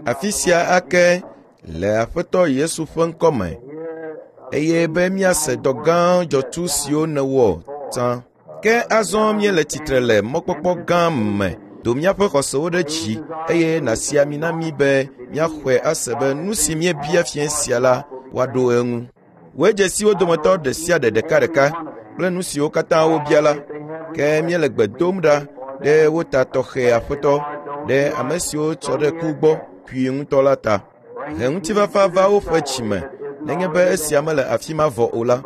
Afi sia ake le Aƒetɔ Yesu ƒe ŋkɔ me eye be míase dɔ gã dzɔtsu siwo nèwɔ tsã. Ke azɔ míele tsitre le mɔkpɔkpɔ gã me. Do míaƒe xɔsewo ɖe dzi eye nàsi ami na mí be míaxɔe ase be nu si míebia fiẽ sia la, woaɖo eŋu. Wòe dze si wo dometɔ ɖe sia ɖe ɖekaɖeka kple nu siwo katã wobia la. Ke míele gbe dom ɖa ɖe wo ta tɔxɛ Aƒetɔ, ɖe ame siwo tsɔ ɖe ku gbɔ kui ŋutɔ la ta. He ŋutifafa va woƒe dzi me nenye be esia mele afi ma vɔ o la.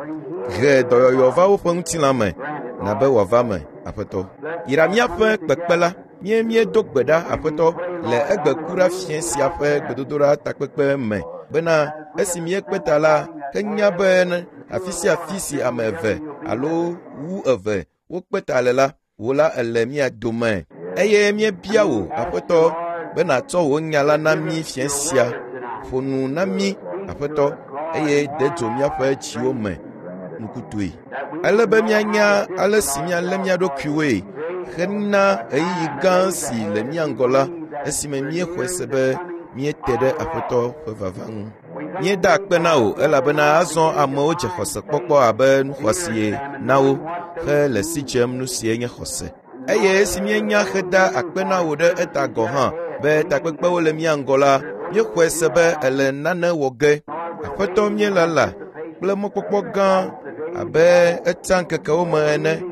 He dɔyɔyɔ va woƒe ŋutilã me, na be wòava me, Aƒetɔ. Yra míaƒe kpekpe la. Mie míedo gbe ɖa, Aƒetɔ, le egbe ku ɖa fiẽ sia ƒe gbedodoɖa takpekpe me bena esi míekpe ta la, ke nya be afi sia afi si ame eve alo wu eve wokpe ta le la, wò la èle mía dome. Eye míebia wò, Aƒetɔ, be nàtsɔ wò nya la na mí fiẽ sia. Ƒo nu na mí, Aƒetɔ, eye de dzo míaƒe dziwo me nukutɔe. Ele be míanya ale si míalé mía ɖokuiwoe hena ɣeyiɣi gã si le mía ŋgɔ la esime míexɔe se be míete ɖe Aƒetɔ ƒe vava ŋu. Míeda akpe na wò elabena azɔ amewo dze xɔse kpɔkpɔ abe nu xɔasie na wo hele si dzem nu sie nye xɔse. Eye esi míenya heda akpe na wò ɖe eta gɔ̃ hã be takpekpewo le mía ŋgɔ la, míexɔe se be èle nane wɔ ge. Aƒetɔ míelala kple mɔkpɔkpɔ gã abe etsã ŋkekewo me ene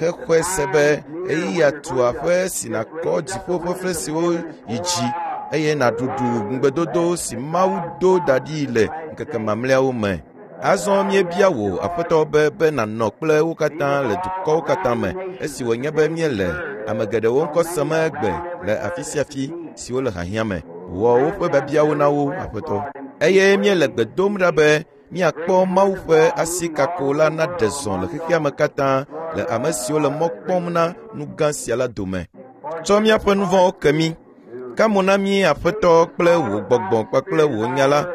hexɔe se be ɣeyiɣia tu aƒe si nàkɔ dziƒo ƒe fesrewo yi dzi eye nàɖuɖu ŋugbedodo si Mawu do da ɖi le ŋkeke mamlɛawo me. Azɔ míebia wò, Aƒetɔ, be be nànɔ kple wo katã le dukɔwo katã me esi wònye be míele ame geɖewo ŋkɔ sem egbe le afi sia afi si wole hiahiã me. Wɔ woƒe biabiawo na wo, Aƒetɔ. Eye míele gbe dom ɖa be míakpɔ Mawu ƒe asi kako la naɖe zɔ le xexea me katã le ame siwo le mɔ kpɔm na nu gã sia la dome. Tsɔ míaƒe nu vɔ̃wo ke mí. Ka mo na mí Aƒetɔ kple wò gbɔgbɔ kpakple wò nya la,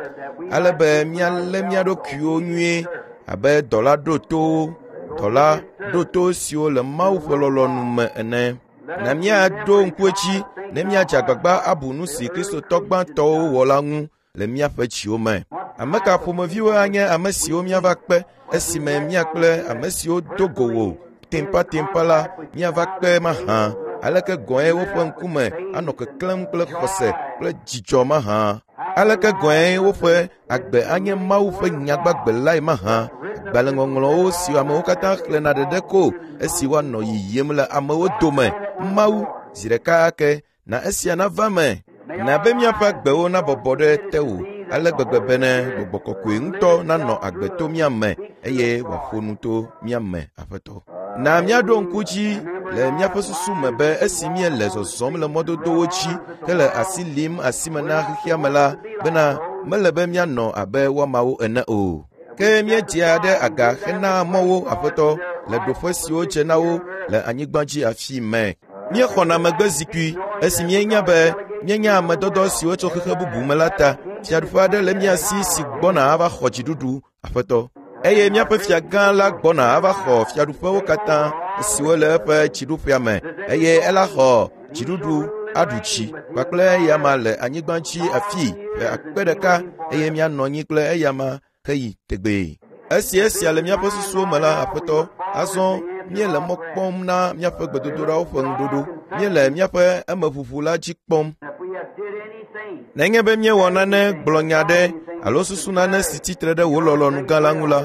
ale be míalé mía ɖokuiwo nyuie abe dɔla ɖotowo, dɔla ɖoto siwo le Mawu ƒe lɔlɔ̃nu me ene. Na míaɖo ŋku edzi ne míadze agbagba abu nu si Kristotɔ gbãtɔwo wɔ la ŋu le míaƒe dziwo me. Ame ka ƒomeviwo anye ame siwo míava kpe esime mía kple ame siwo do go wò tempatempa la míava kpe mahã? Aleke gɔ̃e woƒe ŋkume anɔ keklẽm kple xɔse kple dzidzɔ mahã? Aleke gɔ̃e woƒe agbe anye Mawu ƒe nya gbagbe lae mahã? Agbalẽŋɔŋlɔwo siwo amewo katã xlẽna ɖeɖe ko esi woanɔ yiyim le amewo dome. Mawu, zi ɖeka ake na esia nava me. Na be míaƒe agbewo nabɔbɔ ɖe tewò ale gbegbe bene gbɔgbɔ kɔkɔe ŋutɔ nanɔ agbe to mía me eye wòaƒo nu to mía me, Aƒetɔ. Na míaɖo ŋku dzi le míaƒe susu me be esi míele zɔzɔm le mɔdodowo dzi hele asi lim asime na xexea me la bena mele be míanɔ abe woamawo ene o. Ke míedzea ɖe aga hena mɔwo, Aƒetɔ, le ɖoƒe siwo dze na wo le anyigba dzi afi me. Míexɔna megbe zikpui esi míenya be míenye ame dɔdɔ siwo tso xexe bubu me la ta. Fiaɖuƒe aɖe le mía si si gbɔna ava xɔ dziɖuɖu, Aƒetɔ. Eye míaƒe fia gã la gbɔna ava xɔ fiaɖuƒewo katã siwo le eƒe dziɖuƒea me eye ela xɔ dziɖuɖu aɖu dzi kpakple eyama le anyigba dzi afii ƒe akpe ɖeka eye míanɔ anyi kple eyama heyi tegbee. Esi esia le míaƒe susuwo me la, Aƒetɔ, azɔ míele mɔ kpɔm na míaƒe gbedodoɖawo ƒe ŋuɖoɖo. Míele míaƒe emeʋuʋu la dzi kpɔm. Nenye be míewɔ nane, gblɔ nya aɖe alo susu nane si tsi tre ɖe wò lɔlɔ̃nu gã la ŋu la,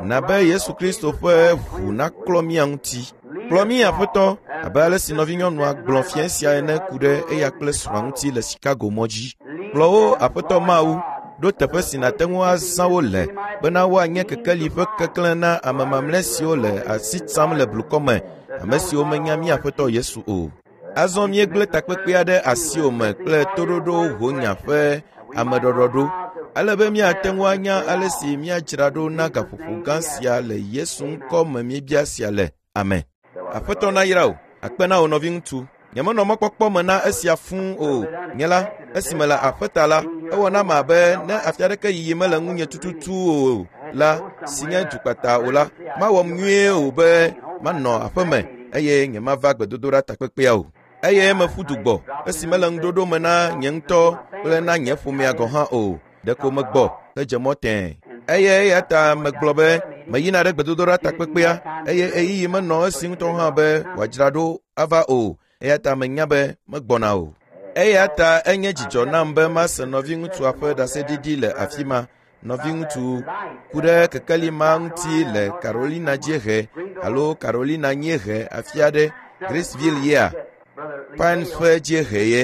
na be Yesu Kristo ƒe ʋu naklɔ mía ŋuti. Kplɔ mí, Aƒetɔ, abe ale si nɔvinyɔnua gblɔ fiẽ sia ene ku ɖe eya kple srɔ̃a ŋuti le Chicago mɔ dzi. Kplɔ wo, Aƒetɔ Mawu, ɖo teƒe si nàte ŋu azã wo le bena woanye kekeli ƒe keklẽ na ame mamlɛ siwo le asi tsam le blukɔ me, ame siwo menya mía Aƒetɔ Yesu o. Azɔ míegblẽ takpekpea ɖe asiwò me kple toɖoɖo wò nya ƒe ameɖɔɖɔɖo, ale be míate ŋu anya ale si míadzra ɖo na gaƒoƒo gã sia le Yesu ŋkɔ me míebia sia le. Amen. Aƒetɔ nayra wò. Akpe na wò nɔviŋutsu. Nyemenɔ mɔkpɔkpɔ me na esia fũu o. Nye la, esi mele aƒe ta la, ewɔ nam abe ne afi aɖeke yiyi mele ŋunye tututu o la, si nye dukpata o la, mawɔm nyuie o be manɔ aƒe me eye nyemava gbedodoɖa takpekpea o. Eye meƒu du gbɔ esi mele ŋuɖoɖo me na nye ŋutɔ kple na nye ƒomea gɔ̃ hã o. Ɖeko megbɔ hedze mɔ tẽe. Eye eya ta megblɔ be meyina ɖe gbedodoɖa takpekpea eye ɣeyiɣi menɔ esi ŋutɔ hã be wòadzra ɖo ava o. Eya ta menya be megbɔna o. Eya ta enye dzidzɔ nam be mase nɔviŋutsua ƒe ɖaseɖiɖi le afi ma. Nɔviŋutsu ku ɖe kekeli ma ŋuti le Carolina dziehe alo Carolina nyiehe afi aɖe, Graceville yea? Pine ƒe dziehe ye.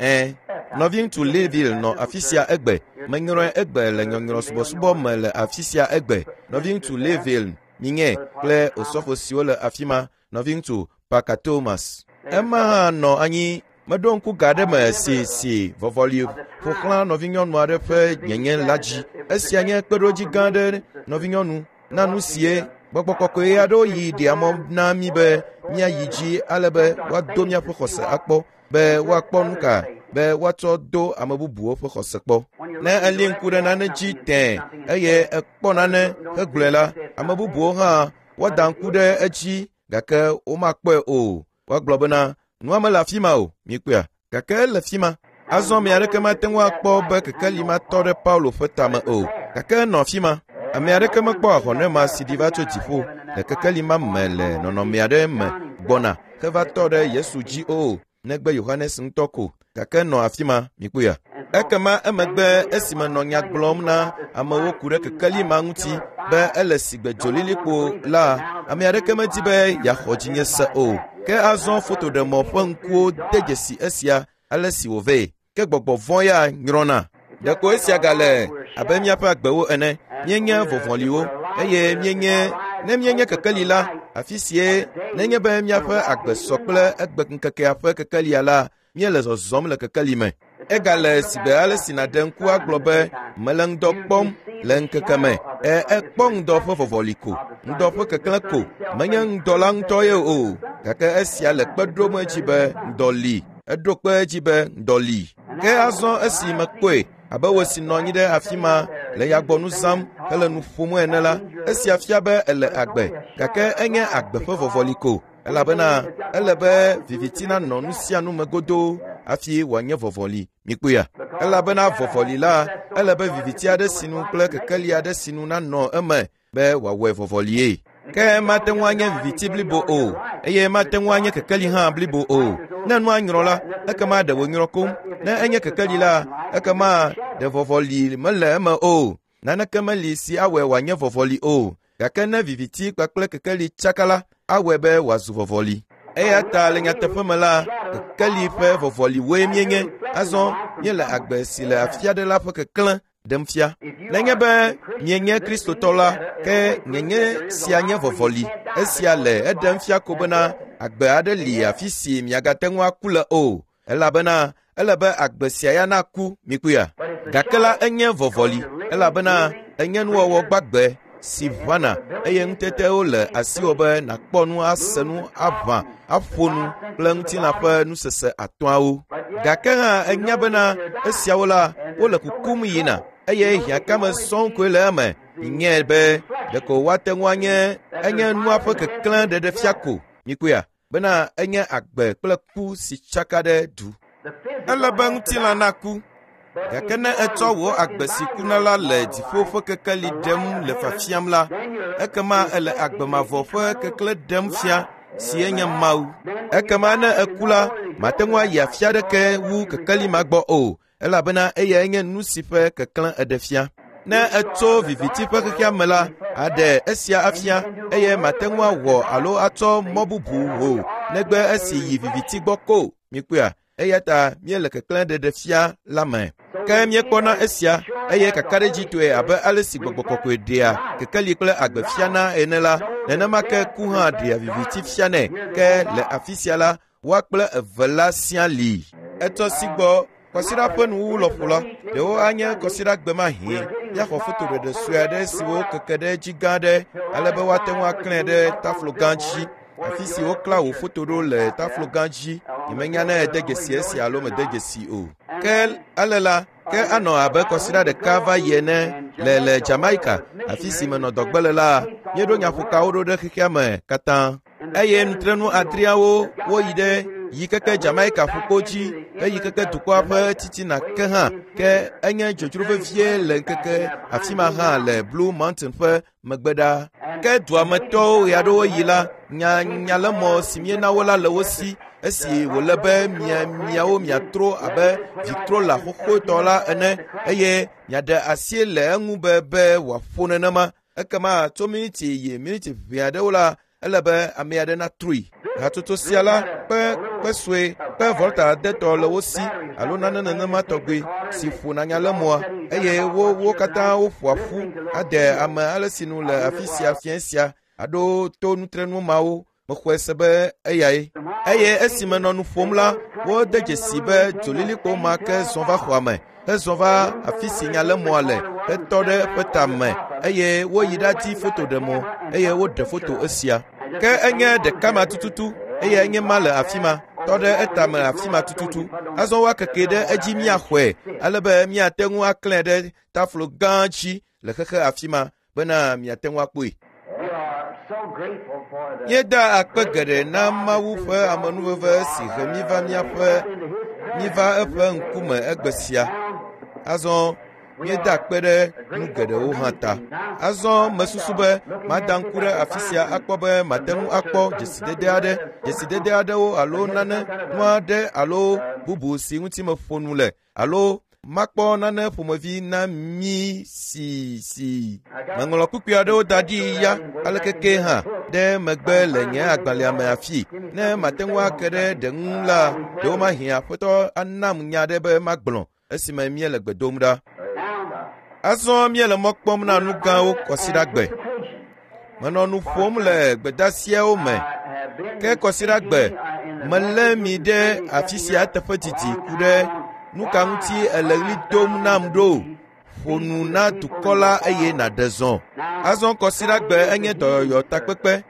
Ẽ, nɔviŋutsu Leeville nɔ afi sia egbe. Menyrɔe egbe le nyɔnyrɔ subɔsubɔ me le afi sia egbe. Nɔviŋutsu Leeville minye kple osɔfo siwo le afi ma, nɔviŋutsu Parker Thomas. Ema hã nɔ anyi. Meɖo ŋku ga aɖe me si si vɔvɔli ƒo xlã nɔvinyɔnu aɖe ƒe nyenye la dzi. Esia nye kpeɖodzi gã aɖe nɔvinyɔnu na nu sie gbɔgbɔ kɔkɔe aɖewo yi ɖea mɔ na mí be míayi dzi ale be woado míaƒe xɔse akpɔ be woakpɔ nu ka be woatsɔ do ame bubuwo ƒe xɔse kpɔ. Ne eli ŋku ɖe nane dzi tẽe eye ekpɔ nane hegblɔe la, ame bubuwo hã woada ŋku ɖe edzi gake womakpɔe o. Woagblɔ bena nua mele afi ma o, mikpɔea? Gake ele afi ma. Azɔ ame aɖeke mate ŋu akpɔ be kekeli ma tɔ ɖe Paulo ƒe tame o, gake enɔ afi ma. Ame aɖeke mekpɔ ahɔnɛ ma si ɖi va tso dziƒo le kekeli ma me le nɔnɔme aɖe me gbɔna heva tɔ ɖe Yesu dzi o, negbe Yohanes ŋutɔ ko. Gake enɔ afi ma, mikpɔea? Ekema emegbe esime nɔ nya gblɔm na amewo ku ɖe kekeli ma ŋuti be ele sigbe dzolilikpo la, ame aɖeke medi be yeaxɔ dzinye se o. Ke azɔ fotoɖemɔ ƒe ŋkuwo de dzesi esia ale si wòvee. Ke gbɔgbɔ vɔ̃ ya nyrɔna. Ɖeko esia gale abe míaƒe agbewo ene. Míenye vɔvɔliwo eye míenye ne míenye kekeli la, afi sie nenye be míaƒe agbe sɔ kple egbe ŋkekea ƒe kekelia la, míele zɔzɔm le kekeli me. Egale sigbe ale si nàɖe ŋku agblɔ be mele ŋdɔ kpɔm le ŋkeke me. E ekpɔ ŋdɔ ƒe vɔvɔli ko, ŋdɔ ƒe keklẽ ko, menye ŋdɔ la ŋutɔ ye o. Gake esia le kpe ɖom edzi be ŋdɔ li. Eɖo kpe edzi be ŋdɔ li. Ke azɔ esi mekpɔe abe wò si nɔ anyi ɖe afi ma le yagbɔnu zãm hele nu ƒom ene la, esia fia be ele agbe, gake enye agbe ƒe vɔvɔli ko. Elabena ele be viviti nanɔ nu sia nu me godoo hafi wòanye vɔvɔli. Mikpɔea? Elabena vɔvɔli la, ele be viviti aɖe sinu kple kekeli aɖe sinu nanɔ eme be wòawɔe vɔvɔlie. Ke mate ŋu anye viviti blibo o, eye mate ŋu anye kekeli hã blibo o. Ne nua nyrɔ la, ekema ɖe wònyrɔ koŋ. Ne enye kekeli la, ekema ɖe vɔvɔli mele eme o. Naneke meli si awɔe wòanye vɔvɔli o. Gake ne viviti kpakple kekeli tsaka la, awɔe be wòazu vɔvɔli. Eya ta le nyateƒe me la, kekeli ƒe vɔvɔliwoe míenye. Azɔ míele agbe si le afi aɖe la ƒe keklẽ ɖem fia. Nenye be mienye Kristotɔ la, ke nyenye sia nye vɔvɔli. Esia le eɖem fia ko bena agbe aɖe li afi si miagate ŋu aku le o. Elabena ele be agbe sia ya naku, mikpɔea? Gake la enye vɔvɔli, elabena enye nuwɔwɔ gbagbe si ʋãna eye ŋutetewo le asiwò be nàkpɔ nu, ase nu, aʋã, aƒo nu kple ŋutilã ƒe nusese atɔ̃awo. Gake hã enya bena esiawo la, wole kukum yina eye hiãkame sɔŋ koe le eme. Nyae be ɖeko woate ŋu anye enye nua ƒe keklẽ ɖeɖefia ko. Mikpɔea? Bena enye agbe kple ku si tsaka ɖe du. Ele be ŋutilã naku, gake ne etsɔ wò agbe si kuna la le dziƒo ƒe kekeli ɖem le fiafiam la, ekema ele agbe mavɔ ƒe keklẽ ɖem fia si enye Mawu. Ekema ne eku la, mate ŋu ayi afi aɖeke wu kekeli ma gbɔ o, elabena eyae nye nu si ƒe keklẽ eɖe fia. Ne etso viviti ƒe xexea me la, aɖe esia afia eye mate ŋu awɔ alo atsɔ mɔ bubu o negbe esi yi viviti gbɔ ko. Mikpɔea? Eya ta míele keklẽ ɖeɖe fia la me. Ke míekpɔna esia eye kakaɖedzitɔe abe ale si gbɔgbɔ kɔkɔe ɖea kekeli kple agbe fiana ene la, nenema ke ku hã ɖea viviti fianɛ. Ke le afi sia la, woa kple eve la sia li. Etɔ si gbɔ kɔsiɖa ƒe nuwuwu lɔƒo la, ɖewo anye kɔsiɖa gbe ma hĩ. Míaxɔ fotoɖeɖe sue aɖe siwo keke ɖe edzi gã aɖe ale be woate ŋu aklãe ɖe taflo gã dzi. Afi si woklã wò foto ɖo le taflo gã dzi. Nyemenya ne ède dzesi esia alo mède dzesi o. Ke ale la, ke anɔ abe kɔsiɖa ɖeka va yi ene le le Jamaica, afi si menɔ dɔgbe le la, míeɖo nyaƒokawo ɖo ɖe xexea me katã. Eye nutrenu adreawo woyi ɖe Yi keke Jamaica ƒukpo dzi heyi keke dukɔa ƒe titina ke hã ke enye dzodzro vevie le ŋkeke afi ma hã le Blue Mountain ƒe megbe ɖa. Ke dua me tɔwo ɣeaɖewo yi la, nya nyalemɔ si míena wo la le wo si esi wòle be mia miawo miatro abe Victrola xoxotɔ la ene eye miaɖe asi le eŋu be be wòaƒo nenema. Ekema tso miniti yi miniti ʋɛ aɖewo la, ele be ame aɖe natrui. Hatsotso sia la kpe kpe sue kpe volta adetɔ le wo si alo nane nenema tɔgbi si ƒona nyalemɔa eye wo wo katã woƒoa ƒu ade ame ale si nu le afi sia fiẽ sia aɖo to nutrenu mawo mexɔe se be eyae. Eye esi menɔ nu ƒom la, wode dzesi be dzolilikpo ma ke zɔ va xɔa me hezɔ va afi si nyalemɔa le hetɔ ɖe eƒe tame eye woyi ɖadi fotoɖemɔ eye woɖe foto esia. Ke enye ɖeka ma tututu eye enye ma le afi ma tɔ ɖe etame afi ma tututu. Azɔ woakeke ɖe edzi míaxɔe ale be míate ŋu aklãe ɖe taflo gã dzi le xexe afi ma bena miate ŋu akpɔe. We are so grateful for the Míeda akpe geɖe na Mawu ƒe amenuveve si he mí va míaƒe mí va eƒe ŋkume egbe sia. Azɔ míeda akpe ɖe nu geɖewo hã ta. Azɔ mesusu be mada ŋku ɖe afi sia akpɔ be mate ŋu akpɔ dzesidede aɖe, dzesidede aɖewo alo nane, nu aɖe alo bubu si ŋuti meƒo nu le alo makpɔ nane ƒomevi na mí si si. Meŋlɔ kpukpui aɖewo da ɖi ya aleke ke hã ɖe megbe le nye agbalẽa me afi. Ne mate ŋu ake ɖe ɖe ŋu la, ɖewomahi Aƒetɔ anam nya aɖe be magblɔ esime míele gbe dom ɖa. Azɔ míele mɔ kpɔm na nu gãwo kɔsiɖagbe. Menɔ nu ƒom le gbedasiawo me ke kɔsiɖagbe melé mi ɖe afi sia teƒe didi ku ɖe nu ka ŋuti èle ɣli dom nam ɖo. Ƒo nu na dukɔ la eye nàɖe zɔ. Azɔ kɔsiɖagbe enye dɔyɔyɔ takpekpe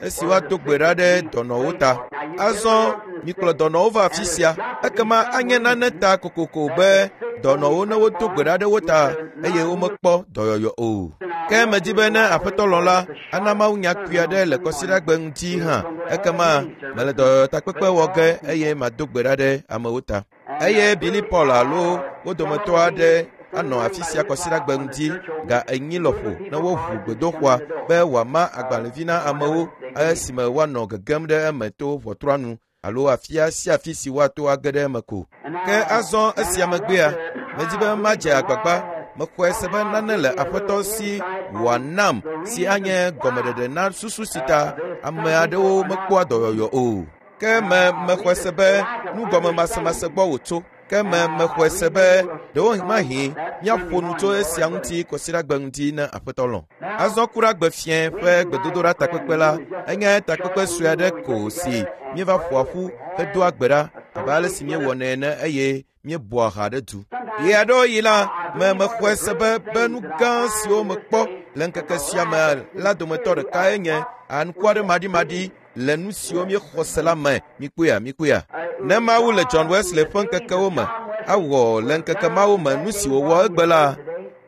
esi woado gbe ɖa ɖe dɔnɔwo ta. Azɔ mikplɔ dɔnɔwo va afi sia ekema anye nane ta kokoko be dɔnɔwo ne wodo gbe ɖa ɖe wo ta eye womekpɔ dɔyɔyɔ o. Ke medi be ne Aƒetɔ lɔ̃ la, ana mawunya kpui aɖe le kɔsiɖagbe ŋuti hã ekema mele dɔyɔyɔ takpekpe wɔ ge eye mado gbe ɖa ɖe amewo ta. Eye Billy Paul alo wo dometɔ aɖe anɔ afi sia kɔsiɖagbe ŋuti ga 4 lɔƒo ne woʋu gbedoxɔa be wòama agbalẽvi na amewo esime woanɔ gegem ɖe eme to ʋɔtrua nu alo afia sia afi si woato age ɖe eme ko. Ke azɔ esia megbea, medi be madze agbagba mexɔe se be nane le Aƒetɔ si wòanam si anye gɔmeɖeɖe na susu si ta ame aɖewo mekpɔa dɔyɔyɔ o. Ke me mexɔe se be nugɔmemasemase gbɔ wòtso. Ke me mexɔe se be ɖewomahi míaƒo nu tso esia ŋuti kɔsiɖagbe ŋuti ne Aƒetɔ lɔ̃. Azɔ kuɖagbe fiẽ ƒe gbedodoɖa takpekpe la enye takpekpe sue aɖe ko si míeva ƒoa ƒu hedoa gbe ɖa abe ale si míewɔnɛ ene eye míebɔa ha ɖe du. Ɣe aɖewo yi la, me mexɔe se be be nu gã siwo mekpɔ le ŋkeke sia me la dometɔ ɖekae nye anukware-maɖimaɖi le nu siwo míexɔ se la me. Mikpɔea, mikpɔea. Ne Mawu le John Wesley ƒe ŋkekewo me awɔ le ŋkeke mawo me nu si wòwɔ egbe la,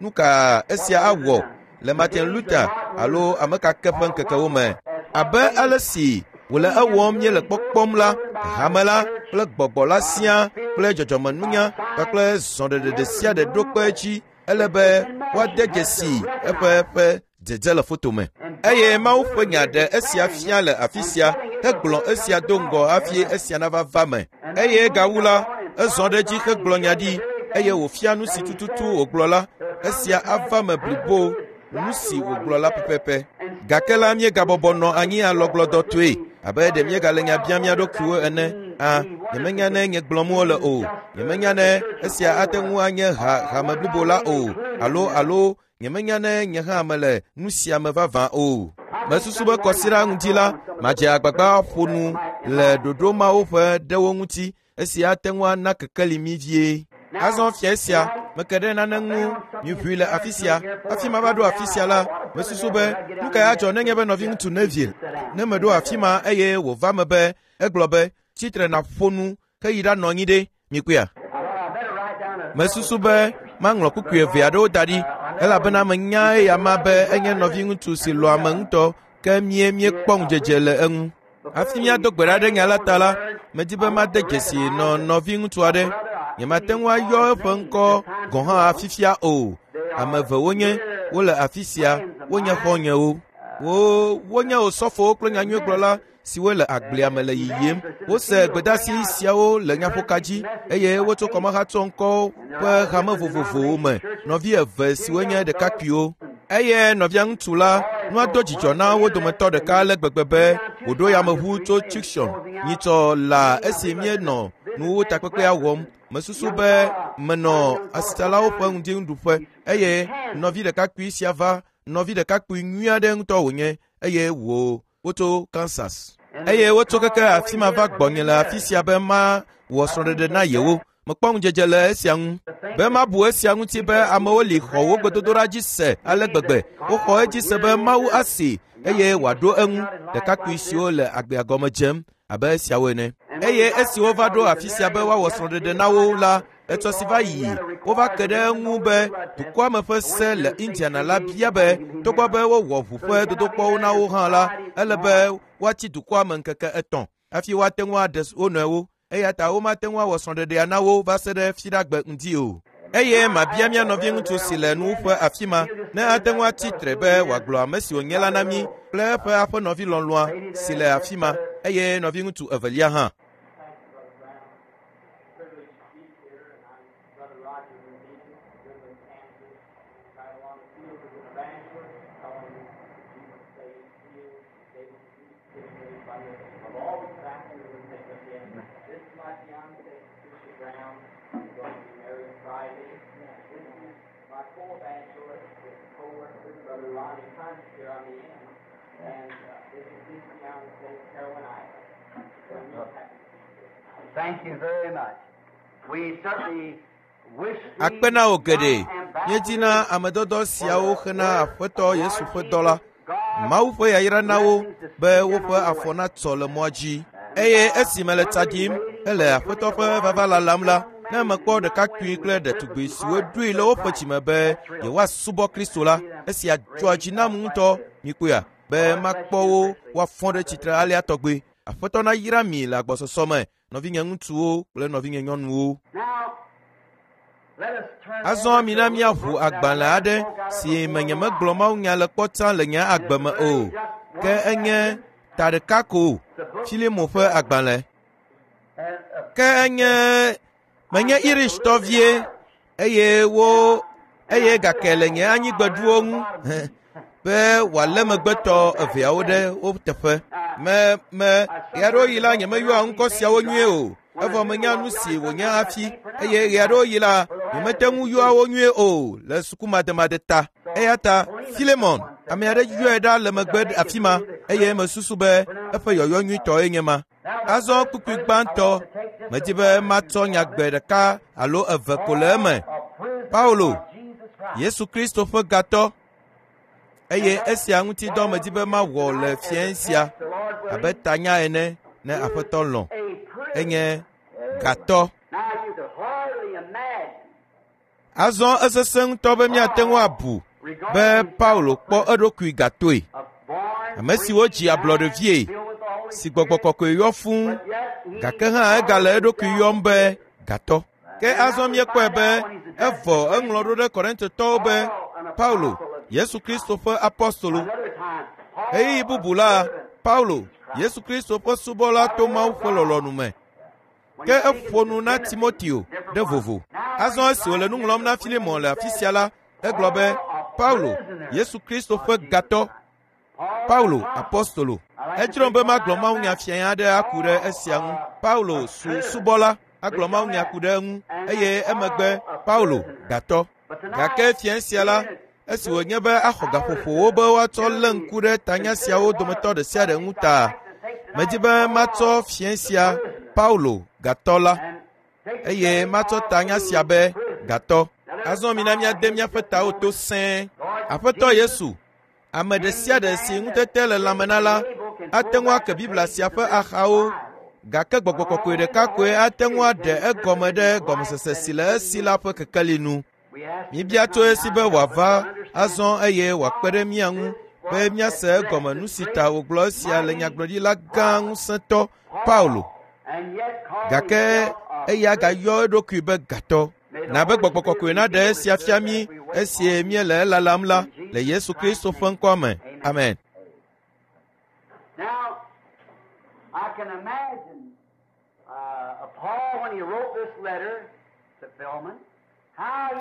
nu ka esia awɔ le Martin Luther alo ame ka ke ƒe ŋkekewo me? Abe ale si wòle ewɔm míele kpɔkpɔm la, hame la kple gbɔgbɔ la siaa kple dzɔdzɔmenunya kpakple zɔɖeɖe ɖe sia ɖe ɖo kpe edzi ele be woade dzesi eƒe ƒe dzedze le foto me. Eye Mawu ƒe nya ɖe esia fia le afi sia hegblɔ esia do ŋgɔ hafi esia nava va me. Eye gawu la, ezɔ ɖe edzi hegblɔ nya ɖi eye wòfia nu si tututu wògblɔ la, esia ava me blibo nu si wògblɔ la pɛpɛpɛ. Gake la míegabɔbɔ nɔ anyi alɔgblɔdɔtɔe abe ɖe míegale nya biam mía ɖokuiwo ene. A, nyemenya ne nye gblɔm wole o. Nyemenya ne esia ate ŋu anye ha hame blibo la o alo alo nyemenya ne nye hã mele nu sia me vavã o. Mesusu be kɔsiɖa ŋuti la, madze agbagba ƒo nu le ɖoɖo mawo ƒe ɖewo ŋuti esi ate ŋu ana kekeli mí vie. Azɔ fia sia, meke ɖe nane ŋu miʋui le afi sia. Hafi mava ɖo afi sia la, mesusu be nu kae adzɔ nenye be nɔviŋutsu Neville ne meɖo afi ma eye wòva me be egblɔ be tsitre nàƒo nu heyi ɖanɔ anyi ɖe mikpɔea. Mesusu be maŋlɔ kpukpui eve aɖewo da ɖi elabena menya eya ma be enye nɔviŋutsu si lɔ̃ ame ŋutɔ ke mie míekpɔ ŋudzedze le eŋu. Hafi míado gbe ɖa ɖe nya la ta la, medi be made dzesi nɔ nɔviŋutsu aɖe. Nyemate ŋu ayɔ eƒe ŋkɔ gɔ̃ hã fifia o. Ame eve wonye, wole afi sia, wonye xɔ̃nyewo. Wonye osɔfowo kple nyanyuigblɔla siwo le agblea me le yiyim. Wose gbedeasi siawo le nyaƒoka dzi eye wotso kɔmehatsɔ ŋkɔwo ƒe hame vovovowo me. Nɔvi eve siwo nye ɖekakpuiwo eye nɔvia ŋutsu la nua do dzidzɔ na wo dometɔ ɖeka ale gbegbe be wòɖo yameʋu tso Tucson nyitsɔ la esi míenɔ nuwuwu takpekpea wɔm. Mesusu be menɔ asitsalawo ƒe ŋdinuɖuƒe eye nɔvi ɖekakpui sia va. Nɔvi ɖekakpui nyui aɖe ŋutɔ wònye eye wotso Kansas. Eye wotso keke afi ma va gbɔnye le afi sia be mawɔ srɔ̃ɖeɖe na yewo. Mekpɔ ŋudzedze le esia ŋu. Be mabu esia ŋuti be amewo li xɔ wo gbedodoɖa dzi se ale gbegbe. Woxɔ edzi se be Mawu asi eye wòaɖo eŋu. Ɖekakpui siwo le agbea gɔme dzem abe esiawo ene. Eye esi wova ɖo afi sia be woawɔ srɔ̃ɖeɖe na wo la, etsɔ si va yi wova ke ɖe eŋu be dukɔa me ƒe se le Indiana la bia be togbɔ be wowɔ ʋu ƒe dodokpɔwo na wo hã la, ele be woatsi dukɔa me ŋkeke 3 hafi woate ŋu aɖe wo nɔewo. Eya ta womate ŋu awɔ srɔ̃ɖeɖea na wo va se ɖe Fiɖagbe ŋdi o. Eye mabia mía nɔviŋutsu si le nuwuƒe afi ma ne ate ŋu atsi tre be wòagblɔ ame si wònye la na mí kple eƒe aƒenɔvi lɔlɔ̃a si le afi ma eye nɔviŋutsu evelia hã. Brother Roger Medina, Goodland, Kansas, right along the field as an evangelist, telling Jesus saves, heals, able to do anybody of all the factors and things like that. This is my fiancée, Patricia Brown. We're going to be married Friday. This is my co-evangelist with co-worker, Brother Ronnie Hunt here on the end. And this is his fiancée, Carolyn Ivers. So we're happy to be here. Thank you very much. We certainly wish Akpe na wò geɖe. Míedina amedɔdɔ siawo xena Aƒetɔ Yesu ƒe dɔ la. Mawu ƒe yayra na wo be woƒe afɔ natsɔ le mɔa dzi. Eye esi mele tsa ɖim hele Aƒetɔ ƒe vava lalam la, ne mekpɔ ɖekakpui kple ɖetugbui siwo ɖoe le woƒe dzime be yewoasubɔ Kristo la, esia dzɔa dzi nam ŋutɔ. Mikpɔea be makpɔ wo woafɔ ɖe tsitre alea tɔgbe. Aƒetɔ nayra mi le agbɔsɔsɔ me, nɔvinye ŋutsuwo kple nɔvinye nyɔnuwo. Azɔ mina míaʋu agbalẽ aɖe si me nyemegblɔ mawunya le kpɔ tsã le nye agbe me o, ke enye ta ɖeka ko, Filemo ƒe agbalẽ. Ke enye menye Irishtɔ vie eye gake le nye anyigbeɖuwo ŋu be wòalé megbetɔ eveawo ɖe wo teƒe. Me ɣeaɖewoɣi la nyemeyɔa ŋkɔ siawo nyuie o, evɔ menya nu si wònye hafi eye ɣeaɖewoɣi la nyemete ŋu yɔa wo nyuie o le sukumademade ta. Eya ta Filemon, ame aɖe yɔe ɖa le megbe afi ma eye mesusu be eƒe yɔyɔ nyuitɔe nye ma. Azɔ kpukpui gbãtɔ, medi be matsɔ nyagbe ɖeka alo eve ko le eme. Paulo, Yesu Kristo ƒe gatɔ, eye esia ŋuti dɔ medi be mawɔ le fiẽ sia abe tanya ene ne Aƒetɔ lɔ̃. Enye gatɔ. Azɔ esesẽ ŋutɔ be míate ŋu abu be Paulo kpɔ eɖokui gatoe. Ame si wodzi ablɔɖevie, si gbɔgbɔ kɔkɔe yɔ fũu, gake hã egale eɖokui yɔm be gatɔ. Ke azɔ míekpɔe be evɔ eŋlɔ ɖo ɖe Korintotɔwo be Paulo, Yesu Kristo ƒe apostolo. Ɣeyiɣi bubu la, Paulo, Yesu Kristo ƒe subɔla to Mawu ƒe lɔlɔ̃nu me. Ke eƒo nu na Timoteo ɖe vovo. Azɔ esi wòle nu ŋlɔm na Filemon le afi sia la, egblɔ be Paulo, Yesu Kristo ƒe gatɔ, Paulo, apostolo. Edzrom be magblɔ mawunya fiẽ aɖe aku ɖe esia ŋu. Paulo su subɔla agblɔ mawunya ku ɖe eŋu eye emegbe Paulo gatɔ. Gake fiẽ sia la, esi wònye be axɔ gaƒoƒowo be woatsɔ lé ŋku ɖe tanya siawo dometɔ ɖe sia ɖe ŋu ta, medi be matsɔ fiẽ sia Paulo gatɔ la eye matsɔ tanya sia be gatɔ. Azɔ mina míade míaƒe tawo to sẽe. Aƒetɔ Yesu, ame ɖe sia ɖe si ŋutete le lãme na la ate ŋu ake Biblia sia ƒe axawo, gake gbɔgbɔ kɔkɔe ɖeka koe ate ŋu aɖe egɔme ɖe gɔmesese si le esi la ƒe kekeli nu. Míebia tso esi be wòava azɔ eye wòakpe ɖe mía ŋu be míase egɔme nu si ta wògblɔ esia le nyagblɔɖila gã ŋusẽtɔ Paulo. Gake eya gayɔ eɖokui be gatɔ. Na be gbɔgbɔ kɔkɔe naɖe esia fia mí esi míele elalam la le Yesu Kristo ƒe ŋkɔa me. Amen. Now, I can imagine Paul when he wrote this letter to Philemon.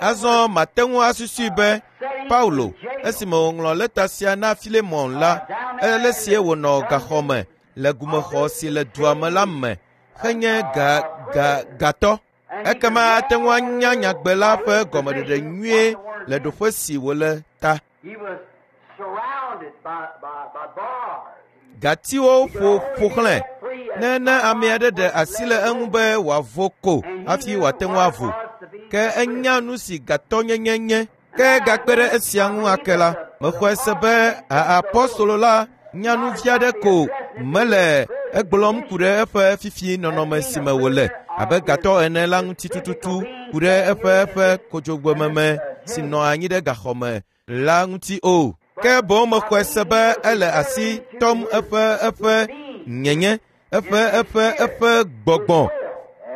Azɔ mate ŋu asusui be Paulo esime wòŋlɔ lɛta sia na Filemon la, ele sie wònɔ gaxɔ me le gumexɔ si le dua me la me henye ga ga gatɔ. Ekema ate ŋu anya nyagbe la ƒe gɔmeɖeɖe nyuie le ɖoƒe si wòle ta. He was surrounded by bars. Gatiwo ƒo ƒo xlẽ. Ne ne ame aɖe ɖe asi le eŋu be wòavo ko hafi wòate ŋu avo. Ke enya nu si gatɔnyenye nye. Ke gakpe ɖe esia ŋu ake la, mexɔe se be apɔstolo la nya nu vi aɖe ko mele egblɔm ku ɖe eƒe fifi nɔnɔme si me wòle abe gatɔ ene la ŋuti tututu ku ɖe eƒe eƒe kodzogbememe si nɔ anyi ɖe gaxɔme la ŋuti o. Ke boŋ mexɔe se be ele asi tɔm eƒe eƒe nyenye, eƒe eƒe eƒe gbɔgbɔ,